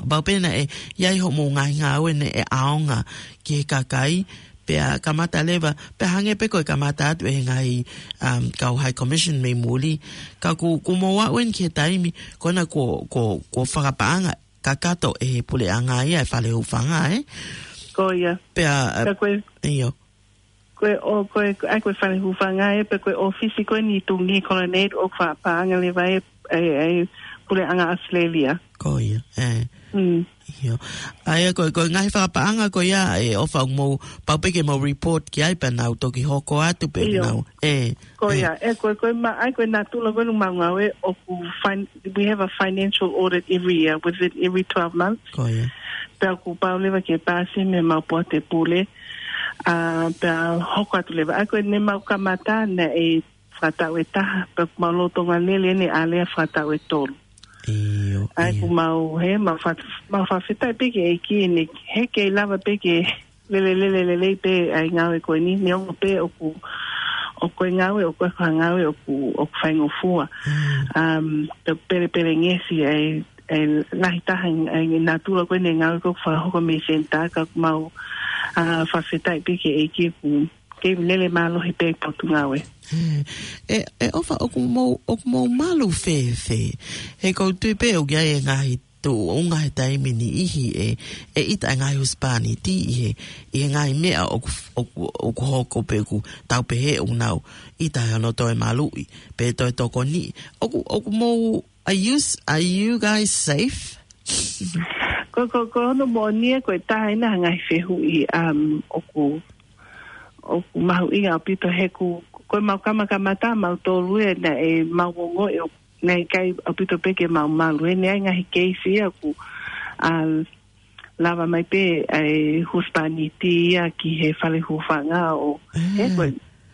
pau pē naʻe ʻi ai hoʻomou ngaahi ngāue naʻe ʻaonga ki he kakai, pea kamata leva, pea hangē pē ko e kamata atu ʻe he ngaahi, um, kau High Commission mei muli. Ka ʻoku, ʻoku mou aʻu eni ki he taimi, ko ena kuo, kuo, kuo fakapaʻanga kakato ʻe he puleʻanga ia e fale hūfanga, ē? Ko ia. Pea, pea ko e, ʻio. Ko e ʻo, ko e, ʻa ia ko e fale hūfanga ē, pe ko e ʻōfisi ko eni ʻi Tungi Colonnade ʻoku fakapaʻanga leva ʻe, ʻe, ʻe puleʻanga Australia. Ko ia, ē. Mm. ʻIo. ʻA ia ko e, ko e ngaahi fakapaʻanga ko ia ē ʻofa ʻoku mou, pau pē ke mou report ki ai pea nau toki hoko atu pē nau, ē. Ko ia, ē, ko e, ko e ma-, ʻa ia ko e natula ko eni ʻemau ngāue ʻoku fin-, we have a financial audit every year, within every twelve months. Ko ia. Pea ʻoku pau leva ke pāsi mei heʻemau poate pule, ā, pea hoko atu leva. ʻA ia ko ʻene mau kamata naʻe fakataʻu ʻe taha, pea ʻoku mau lolotonga lele eni ʻa e alea fakataʻu ʻe tolu. ʻIo, ʻa ia ʻoku mau, he, mau fa-, mau fakafetaʻi pē ki he ʻEiki eni, he kei lava pē ke lele, lele, lele pē ʻa e ngāue ko eni, neongo pē ʻoku, ʻoku ʻi ai e ngāue, ʻoku ʻi ai e ngāue ʻoku, ʻoku faingofua. Mm. Um, pe-, pelepelengesi ʻa e, ʻa e lahi taha ʻa e natula ko eni e ngāue ʻoku fakahoko mei he senitā ka ʻoku mau, ā, fakafetaʻi pē ki he ʻEiki ʻoku kei lele mālohi pē e potungāue. Ē, ē, ʻofa ʻoku mou, ʻoku mou malu fēfē. He ʻoku ou tui pē ʻoku ʻi ai e ngaahi tuʻunga he taimi ni ʻi he, ē, ʻe ʻita e ngaahi husepāniti ʻi he, ʻi he ngaahi meʻa ʻoku, ʻoku, ʻoku hoko pe ʻoku tau pehē ʻoku nau ʻita he ʻenau toe maluʻi, pe toe tokoniʻi. ʻOku, ʻoku mou, are you s-, are you guys safe? Ko, ko, ko hono moʻoni ē ko e taha eni ha ngaahi fehuʻi, um, ʻoku, ʻoku mahuʻinga ʻaupito he ʻoku, ko ʻemau kamakamata mautolu ē naʻe mau ongoʻi ʻoku naʻe ʻikai ʻaupito pē ke mau malu. He naʻe ʻi ai e ngaahi keisi ia ʻoku, um, lava mai pē ʻa e husepāniti ia ki he fale hūfanga ʻo, he ko e,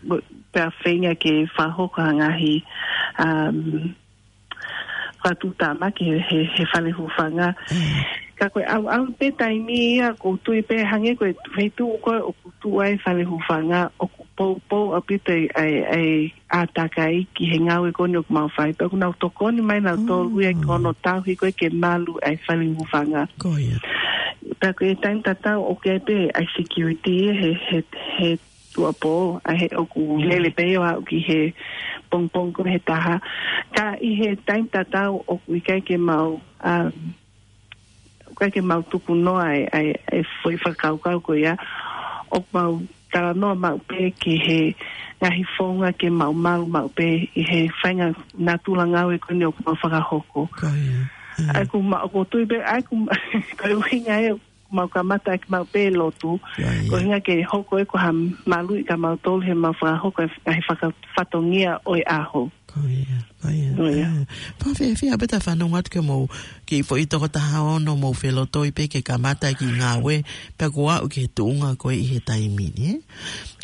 ko e, pea feinga ke fakahoko ha ngaahi, um, fakatuʻutāmaki he, he, he fale hūfanga. Ka ko e ʻau, ʻau pē taimi ia ʻoku ou tui pē hangē ko e feituʻu ko ē ʻoku tuʻu ai e fale hūfanga ʻoku poupou ʻaupito ʻa e, ʻa e, ʻa e ʻātakai ki he ngāue ko eni ʻoku mau fai. Pea ʻoku nau tokoni mai nautolu ia ki hono tauhi ko ē ke malu ʻa e fale hūfanga. Ko ia. Pea ko e taimi tatau ʻoku ʻi ai pē ʻa e security he, he, he tuʻuapō, ʻa ia he ʻoku lele pē ʻo aʻu ki he pongipongi ko ē he taha. Ka ʻi he taimi tatau ʻoku ʻikai ke mau, um, ʻikai ke mau tuku noa ʻa e, ʻa e, ʻa e foʻi fakakaukau ko ia, ʻoku mau talanoa maʻu pē ki he ngaahi founga ke mau malu maʻu pē ʻi he faʻahinga natula ngāue ko eni ʻoku mau fakahoko. Ko ia. Mm. ʻA ia ʻoku ma-, ʻoku ou tui pē, ʻa ia ʻoku ma-, ko e ʻuhinga ē ʻoku mau kamata ʻaki maʻu pē lotu. Ko ia, ia. Ko e ʻuhinga ke hoko ē ko ha maluʻi kia mautolu heʻemau fakahoko e f-, ngaahi faka-, fatongia ʻo e ʻaho. Ko ia, ko ia. Ko ia. Ē, pea fēfē ʻa pē ta fanongo atu ki hoʻomou, ki he foʻi toko taha ono mou felotoi pē ke kamata ki he ngāue, pea kuo aʻu ki he tuʻunga ko ē ʻi he taimi ni, ē?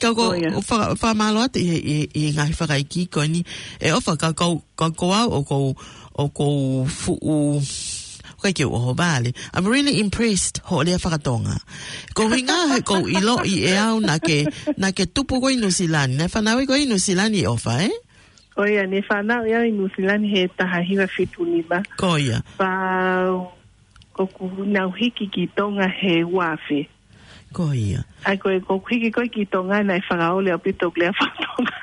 Ka ko, ko ia. ʻOku fa-, fakamālō atu ʻi he, ʻi he, ʻi he ngaahi fakaikiiki ko eni, ʻe ʻofa ka ko, ka ko au ʻoku ou, ʻoku ou fuʻu, ʻoku ʻikai ke u ʻohovale. I'm really impressed hoʻo lea fakatonga. Ko e ʻuhinga he ʻoku ou ʻiloʻi ʻe au naʻa ke, naʻa ke tupu koe ʻi Nuʻusila ni. Naʻe fanauʻi koe ʻi Nuʻusila ni ʻe ʻofa, ē? Ko ia, ne fanauʻi au ʻi Nuʻusila ni he taha hiva fitu nima. Ko ia. Pea ʻoku nau hiki ki Tonga he ua afe. Ko ia. ʻA ia ko e, ʻoku ou hiki ko ē ki Tonga naʻe fakaoli ʻaupito ʻeku lea fakatonga.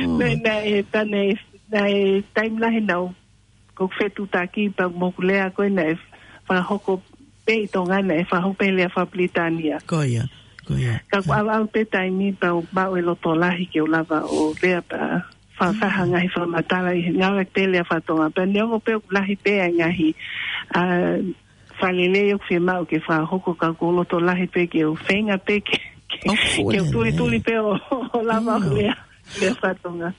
Oh. Naʻe, naʻe, naʻe, naʻe taimi lahi naʻa ku fetuʻutaki pea mo ʻeku lea ko ē naʻe fakahoko pē ʻi Tonga naʻe fakahoko pē lea fakapilitānia. Ko ia, ko ia. Ka kuo ʻalu ʻalu pē taimi pea u maʻu e loto lahi ke u lava ʻo lea pea fa-, fai ha ngaahi fakamatala ʻi he ngāue pē lea fakatonga. Pea neongo pē ʻoku lahi pē ʻa e ngaahi, ā, fakalelei ʻoku fiemaʻu ke fakahoko ka ʻoku ou loto lahi pē ke u feinga pē ke, ke, ʻoku fuʻu ke u tuli lelei. Tuli pē ʻo, ʻo lava ʻo lea, lea fakatonga.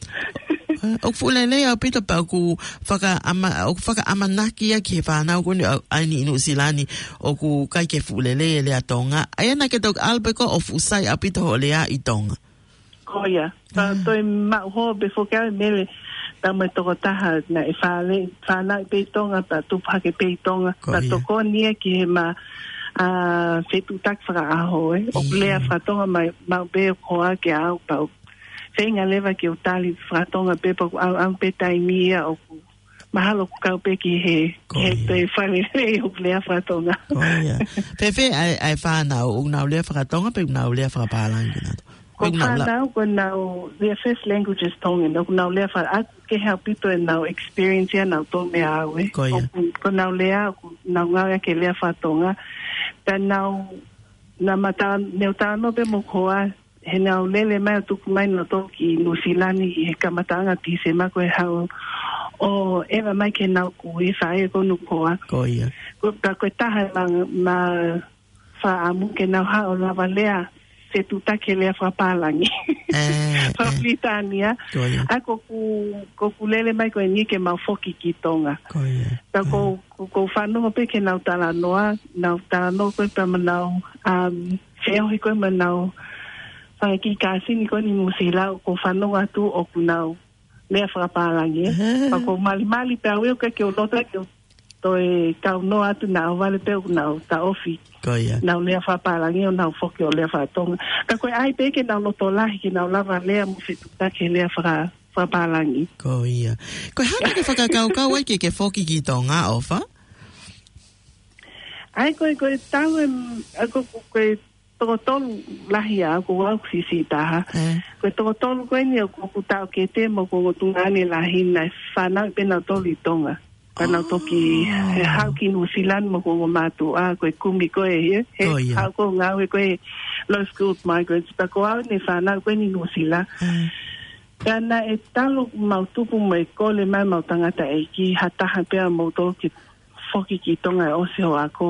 Ē, ʻoku fuʻu lelei ʻaupito pea ʻoku fakaʻama-, ʻoku fakaʻamanaki ia ki he fānau ko eni ʻa, ʻa eni ʻi Nuʻusila ni ʻoku ʻikai ke fuʻu lelei e lea Tonga. ʻA ia naʻa ke toki ʻalu pē koe ʻo fuʻu sai ʻaupito hoʻo lea ʻi Tonga. Ko ia. Pea toe maʻu holo pē foki au e Mele, pea mo e tokotaha naʻe fale, fanauʻi pē ʻi Tonga, pea tupu hake pē ʻi Tonga, pea tokoni ia ki heʻema, ā, fetuʻutaki fakaʻaho, ē. ʻOku lea fakatonga mai, maʻu pē ʻoku hoa ke au, pea u feinga leva ke u tali fakatonga pē, pea ʻoku ʻalu, ʻalu pē taimi ia ʻoku mahalo ʻoku kau pē ki he, ki he toe fakalelei ʻoku lea fakatonga. Ko ia. Fēfē ʻa e, ʻa e fānau, ʻoku nau lea fakatonga, pe ʻoku nau lea fakapālangi kinautolu? Ko e fānau, ko ʻenau, their first language is Tongan. ʻOku nau lea fa-, ʻoku kehe ʻaupito ʻenau experience ʻia nautolu meʻa au, ē. Ko ia. ʻOku, ʻoku nau lea, ʻoku nau ngāueʻaki e lea fakatonga. Pea nau, naʻa ma ta-, ne u talanoa pē mo hoku hoa, he naʻa nau lele mai ʻo tuku mai nautolu ki Nuʻusila ni he kamataʻanga Tīsema ko e haʻu ʻo ʻeva mai ki heʻenau kui, faʻē ko hoku hoa. Ko ia. Ko, ka ko e taha ʻema, ʻema fakaʻamu ke nau haʻu ʻo lava lea fetuʻutaki he lea fakapālangi. Ē, ē. Fakapilitānia. Ko ia. ʻA ia ko ʻeku, ko ʻeku lele mai ko eni ke mau foki ki Tonga. Ko ia. Pea ko, ko, ko u fanongo pē ki heʻenau talanoa, nau talanoa ko ē pea mo ʻenau, um, feohi ko ē mo ʻenau fanga kiʻi kāsini ko eni ʻi Nuʻusila, ko u fanongo atu ʻoku nau lea fakapālangi, ē. Ē. Pea ko u malimali pē au ia ʻoku ʻikai ke u loto ke u toe kaunoa atu naʻa ʻohovale pē ʻoku nau taʻofi. Ko ia. Nau lea fakapālangi ʻo nau foki ʻo lea fakatonga. Ka ko e ʻai pē ke nau loto lahi, ke nau lava lea mo fetuʻutaki he lea faka-, fakapālangi. Ko ia. Ko e hā naʻa ke fakakaukau ai ke ke foki ki Tonga, ʻOfa? ʻA ia ko e, ko e talu e, ʻa ia ko, ko, ko e toko tolu lahi ʻaʻaku, ko au ʻoku siʻisiʻi taha. Ē. Ko e toko tolu ko eni ʻoku, ʻoku taʻokete mo hoku ongo tuongaʻane lahi naʻe fanauʻi pē nautolu ʻi Tonga. Ka nau toki, ʻo, ē, haʻu ki Nuʻusila mo hoku ongo mātuʻa, ko e kumi ko ē, ē, he, ko ia, haʻu ko ē ʻo ngāue ko ē Low Skilled Migrants, pea ko au ne fanauʻi ko eni ʻi Nuʻusila. Ē. Ka naʻe talu ʻemau tupu mo e kole mai ʻemau tangataʻeiki, ha taha pē ʻa moutolu ke foki ki Tonga ʻo ʻosi hoʻo ako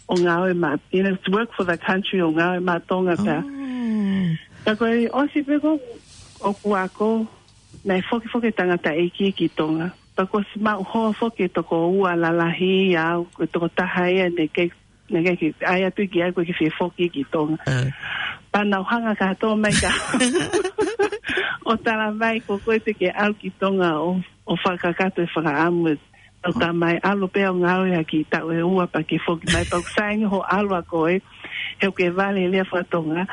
ʻo ngāue maʻa, you know, to work for the country ʻo ngāue maʻa Tonga pea. ʻO. Ka ko e ʻosi pē ko ē ʻeku ako, naʻe foki foki e tangataʻeiki ki Tonga. Pea kuo ʻosi maʻu holo foki e toko ua lalahi ia au, ko e toko taha ia naʻe ʻikai, naʻe ʻikai ke ʻai atu ki ai ko e ke fie foki ki Tonga. Ē. Pea nau hanga kātoa mai ka ʻo tala mai ko koe te ke ʻalu ki Tonga ʻo, ʻo fakakakato e fakaʻamu e ʻo tā mai ʻalu pē ʻo ngāue ʻaki taʻu ʻe ua pea ke foki mai pea ʻoku sai ange hoʻo ʻalu ʻa koe, he ʻoku ke vale he lea fakatonga,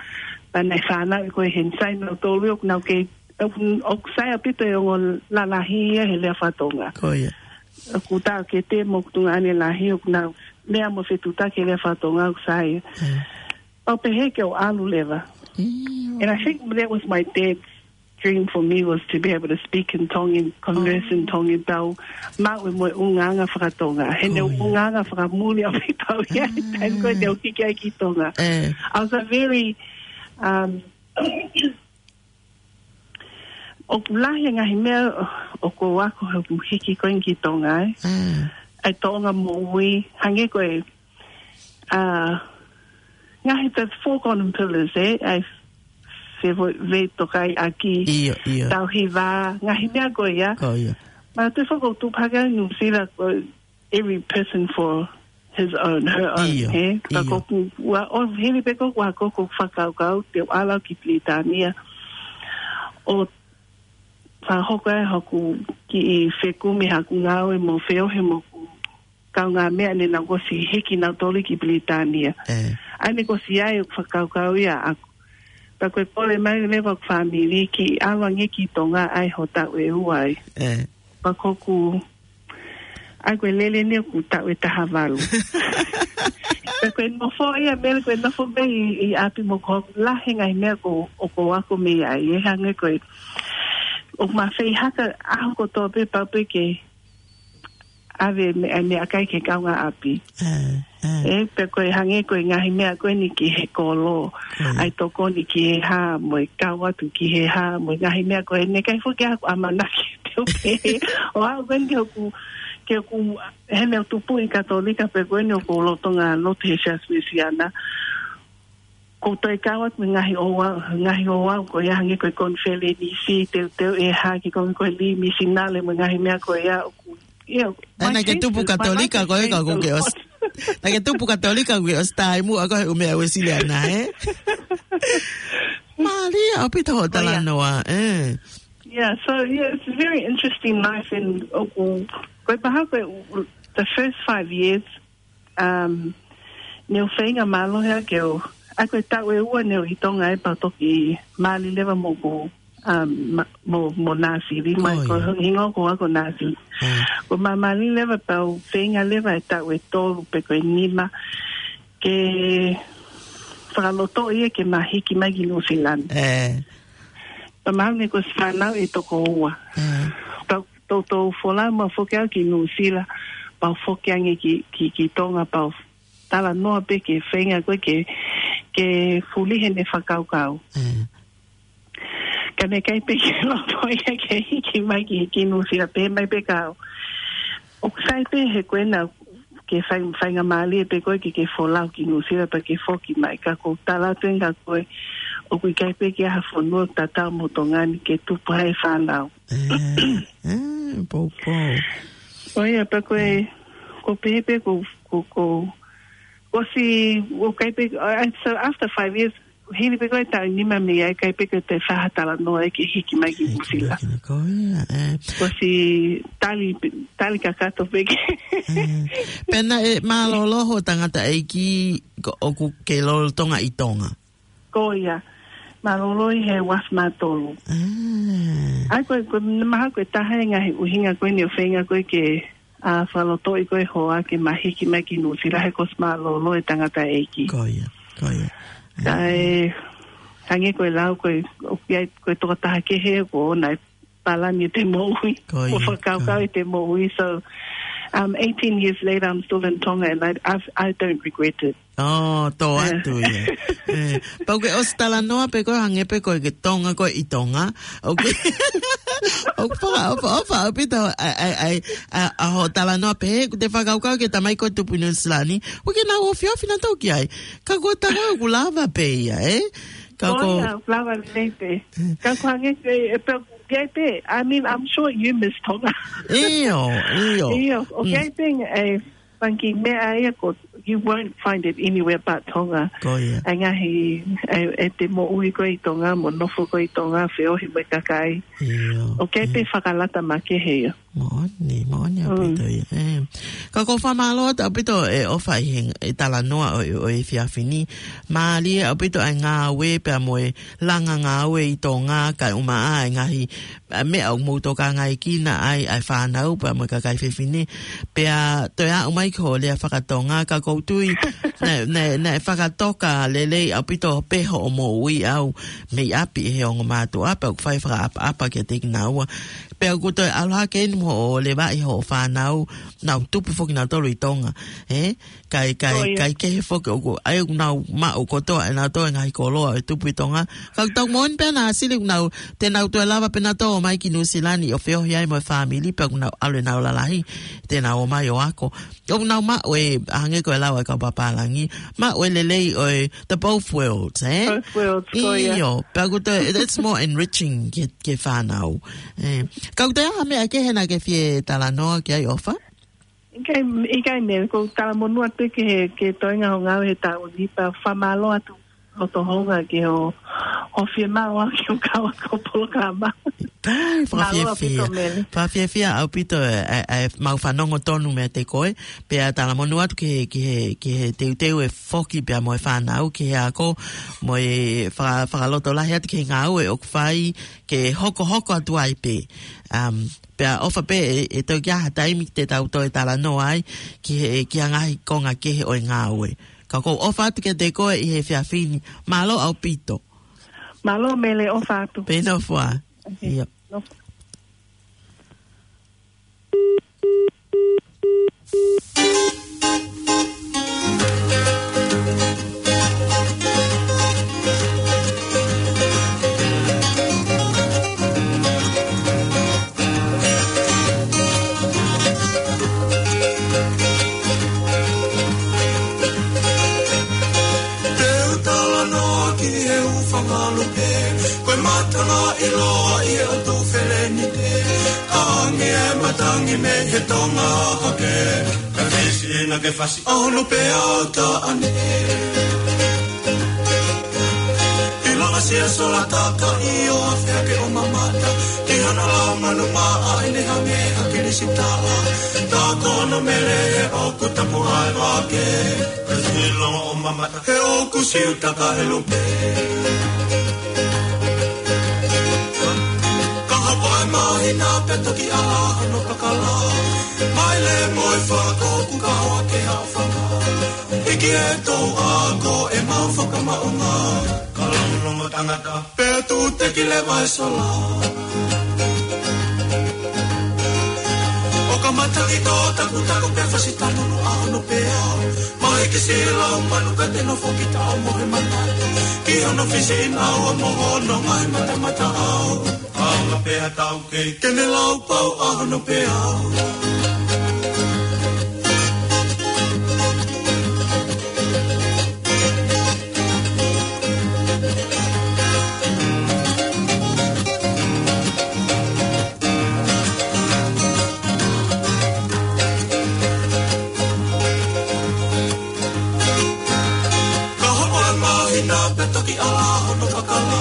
pea naʻe fanauʻi koe he sai nautolu ʻoku nau kei, ʻoku, ʻoku sai ʻaupito e ongo lalahi ia he lea fakatonga. Ko ia. ʻOku taʻokete mo hoku tuongaʻane lahi ʻoku nau lea mo fetuʻutaki he lea fakatonga ʻoku sai. Ē. Pea u pehē ke u ʻalu leva. ʻIo. And I think that was my dad's dream for me was to be able to speak in Tongan, converse in Tongan, pea u maʻu e moʻungaʻanga fakatonga. He naʻe ʻungaʻanga fakamuli ʻaupito ia he taimi ko ē naʻe u hiki ai ki Tonga. Ē. I was a very, um, ʻoku lahi e ngaahi meʻa ʻoku ou ako he ʻeku hiki ko eni ki Tonga, ē. Ē. ʻA e tōʻonga moʻui, hangē ko e, uh, ngaahi the four golden pillars, ē. ʻA e te vo-, vei tokai ʻaki. ʻIo, ʻio. Tau hiva, ngaahi meʻa ko ia. Ko ia. Ma te foko tu paka New Zealand ko every person for his own, her own, ʻIo, he? Ka ʻio. Ko ku, ua, o hili pe ko ua ko ku fakakaukau te ala ki Pilitānia. ʻO fakahoko ai hoku kiʻi fekumi haku ngāue mo feohi mo ku kaungāmeʻa ne nau ʻosi hiki nautolu ki Pilitānia. ʻE. ʻA ia ne ʻosi ai ʻeku fakakaukau ia ʻaʻaku. Pea ko e kole mai leva ʻeku fāmili ke ʻalu ange ki Tonga ʻai ho taʻu ʻe ua ai. ʻE. Pea ko ku, ʻa ia ko e lele ni ʻoku taʻu ʻe taha valu. Pea ko e nofo ia Mele, ko e nofo mei ʻi, ʻi ʻapi mo ko hoku lahi e ngaahi meʻa ko, ʻoku ou ako mei ai, ʻe hangē ko e, ʻoku ma fei haka ʻaho kotoa pē pau pē ke ʻave meʻa, meʻakai ki he kaungāʻapi. ʻE, ʻe. ʻE, pea ko e hangē ko e ngaahi meʻa ko eni ki he kolo. ʻE. ʻAi tokoni ki he hā, mo e kau atu ki he hā, mo e ngaahi meʻa ko eni, ʻikai foki ʻaku ʻamanaki te u pehē. ʻO aʻu ko eni ke u, ke u, he ne u tupu ʻi Katolika pea ko eni ʻoku ou lolotonga lotu he Siasi Uēsiliana. Ko e toe kau atu mo e ngaahi ouau, ngaahi ouau ko ia hangē ko e konifelenisi, teuteu ʻe hā ki he konga ko e lī misinale mo e ngaahi meʻa ko ia ʻoku, ʻio, ʻA ia naʻa ke tupu Katolika ko e ka ko ke ʻosi. Naʻa ke tupu Katolika ko ke ʻosi taimi muʻa ko e ʻū meʻa Uēsiliana, ē? Mālie ʻaupito hoʻo talanoa, ē? Yeah, so, yeah, it's a very interesting life in ʻoku, ko e paha ko e, the first five years, um, ne u feinga mālohi ʻa ke u, ʻa ko e taʻu ʻe ua ne u ʻi Tonga ai pea toki mali leva mo ku, um, ma-, mo, mo Nāsili, mai ko e hingoa ko ʻaku ko Nāsili. Ko ma mali leva pea u feinga leva e taʻu ʻe tolu pe ko e nima ke fakalotoʻi ia ke ma hiki mai ki Nuʻusila. Pea ma ne ko e fānau ʻe toko ua. Pea toutou folau ma foki au ki Nuʻusila, pea u foki ange ki, ki, ki Tonga, pea u talanoa pē ke feinga ko e ke, ke fuli heʻene fakakaukau. Ka ne ʻikai pē ke loto ia ke hiki mai ki, ki Nuʻusila, pehē mai pē ka au. ʻOku sai pē he ko ena ke fai, faingamālie pē ko e ke, ke folau ki Nuʻusila pea ke foki mai, ka ko e tala atu ʻe au kia koe, ʻoku ʻikai pē ke ʻi ai ha fonua tatau mo Tonga ni ke tupu ai e fānau. ʻE, ʻe, poupou. ʻO ia, pea ko e, ko e pehē pē ko, ko, ko, ʻosi, ʻoku ʻikai pē, uh, so after five years, hili pē ko e taʻu ʻe nima mei ai, ʻikai pē ke toe fai ha talanoa ʻe ke hiki mai ki Nuʻusila. Ko ia, ʻe. ʻOsi tali, tali kakato pē ke. ʻE. Pea naʻe mālōlō hoʻo tangataʻeiki ko, ʻoku ke lolotonga ʻi Tonga. Ko ia, mālōlō ʻi he uafu mā tolu. ʻE. ʻA ia ko e, ko e mahalo ko e taha e ngaahi ʻuhinga ko eni ʻo e feinga ko e ke, ʻa, fakalotoʻi ko e hoa ke ma hiki mai ki Nuʻusila he kuo ʻosi mālōlō e tangataʻeiki. Ko ia, ko ia. Kae, hangē ko e lau ko e, ʻoku ʻi ai, ko e tokotaha kehe ʻoku ʻoʻona e palani ʻete moʻui. Ko ia, ʻo fakakaukau ʻete moʻui. So, um, eighteen years later, I'm still in Tonga and I, I, I don't regret it. ʻO, tō atu ia. ʻE, pea ʻoku ke ʻosi talanoa pē ko e hangē pē ko e ke Tonga ko e ʻi Tonga. ʻOku ke, ʻoku fakaʻofoʻofa ʻaupito ʻa, ʻa, ʻa, ʻa, ʻa hoʻo talanoa pē, ʻoku te fakakaukau ki he tamai ko e tupu ʻi Nuʻusila ni. ʻOku ke nau ofiofi nautolu ki ai. Ka ko e tangata ʻoku lava pē ia, ē? Ka ko ia, lava lelei pē. Ka ko e hangē ko e, ʻe pē, ʻoku ʻi ai pē. I mean, I'm sure you miss Tonga. ʻIo, ʻio. ʻIo, ʻoku ʻi ai pē, ʻe, Fanga kiʻi meʻa ia ko, you won't find it anywhere but Tonga. Ko ia. ʻA e ngaahi, ʻe, ʻete moʻui ko e ʻi Tonga, mo nofo ko e ʻi Tonga, feohi mo e kakai. ʻIo, ʻoku ʻi ai pē fakalata makehe ia. Moʻoni, moʻoni ʻaupito ia. ʻE. Ka ʻoku ou fakamālō atu ʻaupito e ʻofa ʻi he, e talanoa ʻo, ʻo e efiafi ni. Mālie ʻaupito ʻa e ngāue pea mo e langa ngāue ʻi Tonga, kae ʻumaʻā e ngaahi ʻa e meʻa ʻoku mou tokangaekina ai, ʻa e fānau, pea mo e kakai fefine. Pea toe aʻu mai ki hoʻo lea fakatonga, ka ʻoku ou tui, naʻe, naʻe, naʻe fakatoka lelei ʻaupito pē hoʻo moʻui ʻau mei ʻapi ʻi he ongo mātuʻa, pea ʻoku fai fakaʻapaʻapa kiate kinaua. Pea ʻoku toe ʻalu hake eni mo hoʻo levaʻi hoʻo fānau, nau tupu foki nautolu ʻi Tonga. Ē? Kai, kai, Ko ia. kai kehe foki ʻoku, ʻa ia ʻoku nau maʻu kotoa ʻe nautolu e ngaahi koloa ʻo e tupu ʻi Tonga. Ka ʻoku tau moʻoni pē ʻa Sili ʻoku nau, te nau toe lava pē nautolu ʻo ō mai ki Nuʻu Sila ni ʻo feohi ai mo e fāmili pea ʻoku nau ʻalu ʻenau lalahi, te nau ō mai ʻo ako. ʻOku nau maʻu e, hangē ko e lau ʻa e kau pāpālangi, maʻu e lelei ʻo e, the both worlds, ē? Both worlds, ko ia. ʻIo, pea ʻoku toe, it's more enriching ki he, ki he fānau. Ē, ka ʻoku toe ʻi ai ha meʻa kehe naʻa ke fie talanoa ki ai, ʻOfa? ʻIkai, ʻikai Mele, ʻoku ou talamonū atu ki he, ki he toenga hoʻo ngāue he taʻu ni, pea fakamālō atu hoʻo tohoto ki hoʻo, hoʻo fiemaʻu au ke u kau atu ki hoʻo polokalama. Kai, Mālō ʻaupito, fakafiefia. Mele. Fakafiefia ʻaupito e, e, e, mau fanongo tonu meiate koe, pea talamonū atu ki he, ki he, ki he teuteu e foki pea mo e fānau, ki he ako, mo e faka-, fakalotolahi atu ki he ngāue ʻoku fai, ke hokohoko atu ai pē. Um, pea ʻofa pē ʻe, ʻe toki ʻi ai ha taimi te tau toe talanoa ai ki he, ki he ngaahi konga kehe ʻo e ngāue. Ka ʻoku ou ʻofa atu kiate koe ʻi he efiafi ni. Mālō ʻaupito. Mālō Mele, ʻofa atu. Pea nofo ā. Okay. ʻIo. Nofo. Te u talanoa ki he hūfanga lupe, ko e matanga ʻiloa ʻi he ʻotu felenite, hangē e matangi mei he Tonga hake, ka fisi na ke fasi ʻa hono peau taʻane. ʻIlonga sia sola taka ʻi ʻo afe ake ʻo mamata ki hana lau manu maʻa ʻene hangē ha kilisitala. Tā kono Mele he ʻoku tapu ai vake. Ka ʻilonga ʻo mamata he ʻoku siutaka e lupe. Ka hapa e māhina pea toki ʻala hono pakala. Maile mo e fako ʻoku ka hoa ke haʻofanga. Hiki e tou ako ʻemau fakamaʻunga. Ka longolongo tangata, pea tūteki leva e sola. ʻO ka matangi tō takutaku pea fasi tanunu ʻa hono peau. Mahiki siʻi lau manu ka te nofo ki taʻo mo he manatu. Ki hono fisi ʻi naua mo hono ngaahi matamata au. ʻAonga pē ha taukei ke ne lau pau ʻa hono peau. Ka hapa e māhina pea toki ʻala hono pakala.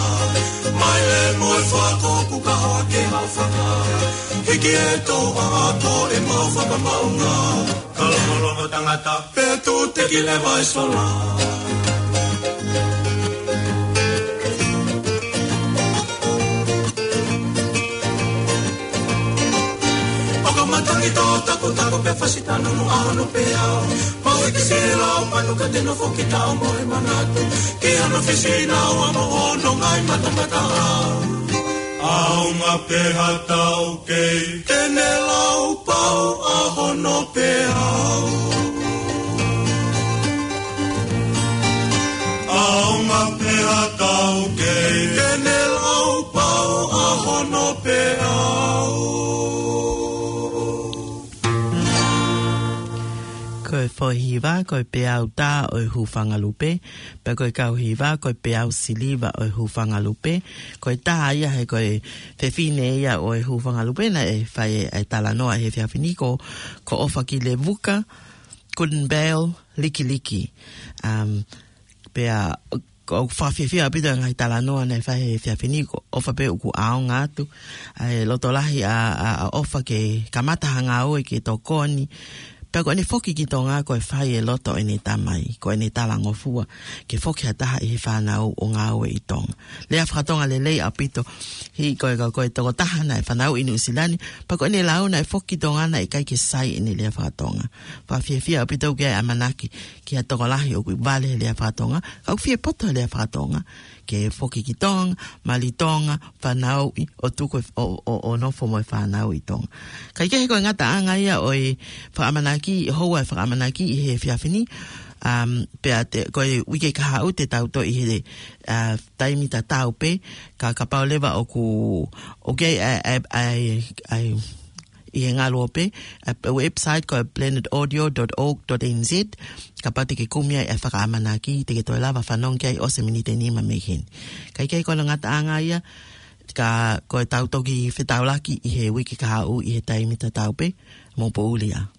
Maile mo e fako ʻoku ka hoa ke haʻofanga. Hiki e tou ako ʻemau fakamaʻunga. Ka longolongo tangata, pea tūteki leva e sola. ʻO ka matangi tō takutaku pea fasi tanunu ʻa hono peau. Mahiki siʻi lau manu ka te nofo ki taʻo mo he manatu. Ki hono fisi ʻi naua mo hono ngaahi matamata au. ʻAonga pē ha taukei ke ne lau pau ʻa hono peau. ʻAonga pē ha taukei ke ne lau pau ʻa hono peau. Ko e foʻi hiva, ko e peau tā ʻo e hūfanga lupe, pea ko e kau hiva, ko e peau siliva ʻo e hūfanga lupe. Ko e taha ia he ko e fefine ia ʻo e hūfanga lupe naʻe fai e talanoa he efiafi ni ko, ko ʻOfakilevuka Goodenbell Likiliki. Um, pea ʻoku fakafiefia ʻaupito e ngaahi talanoa naʻe fai he efiafi ni, ko ʻOfa pē ʻoku ʻaonga atu. ʻA e lotolahi ʻa, ʻa, ʻa ʻOfa ke kamata ha ngāue ke tokoni. Pea ko ʻene foki ki Tonga ko e fai e loto ʻene tamai, ko ʻene talangofua ke foki ha taha ʻi he fānau ʻo ngāue ʻi Tonga. Lea fakatonga lelei ʻaupito, he ko e, ko e tokotaha naʻe fanauʻi ʻi Nuʻusila ni, pea ko ʻene lau naʻe foki ki Tonga naʻe ʻikai ke sai ʻene lea fakatonga. Fakafiefia ʻaupito ʻoku ʻi ai e ʻamanaki ki ha tokolahi ʻoku vale he lea fakatonga, ka ʻoku fie poto he lea fakatonga, ke foki ki Tonga, mali Tonga, fanauʻi, ʻo tuku e, ʻo, ʻo, ʻo nofo mo e fānau ʻi Tonga. Kae kehe ko e ngataʻanga ia ʻo e fakaʻamanaki, houa e fakaʻamanaki ʻi he efiafi ni, um, pea te, ko e uike kahaʻu te tau toe ʻi he, uh, taimi tatau pē, ka kapau leva ʻoku, ʻoku ʻi ai, ʻi he ngaluope, ʻa e website ko e planet audio dot org dot N Z, kapau te ke kumi ai e fakaʻamanaki, te ke toe lava fanongo ki ai ʻosi e miniti ʻe nima mei heni. Kae kehe ko hono ngataʻanga ia, ka ko e tau toki fetaulaki ʻi he uike kahaʻu ʻi he taimi tatau pē, mou poʻuli ā.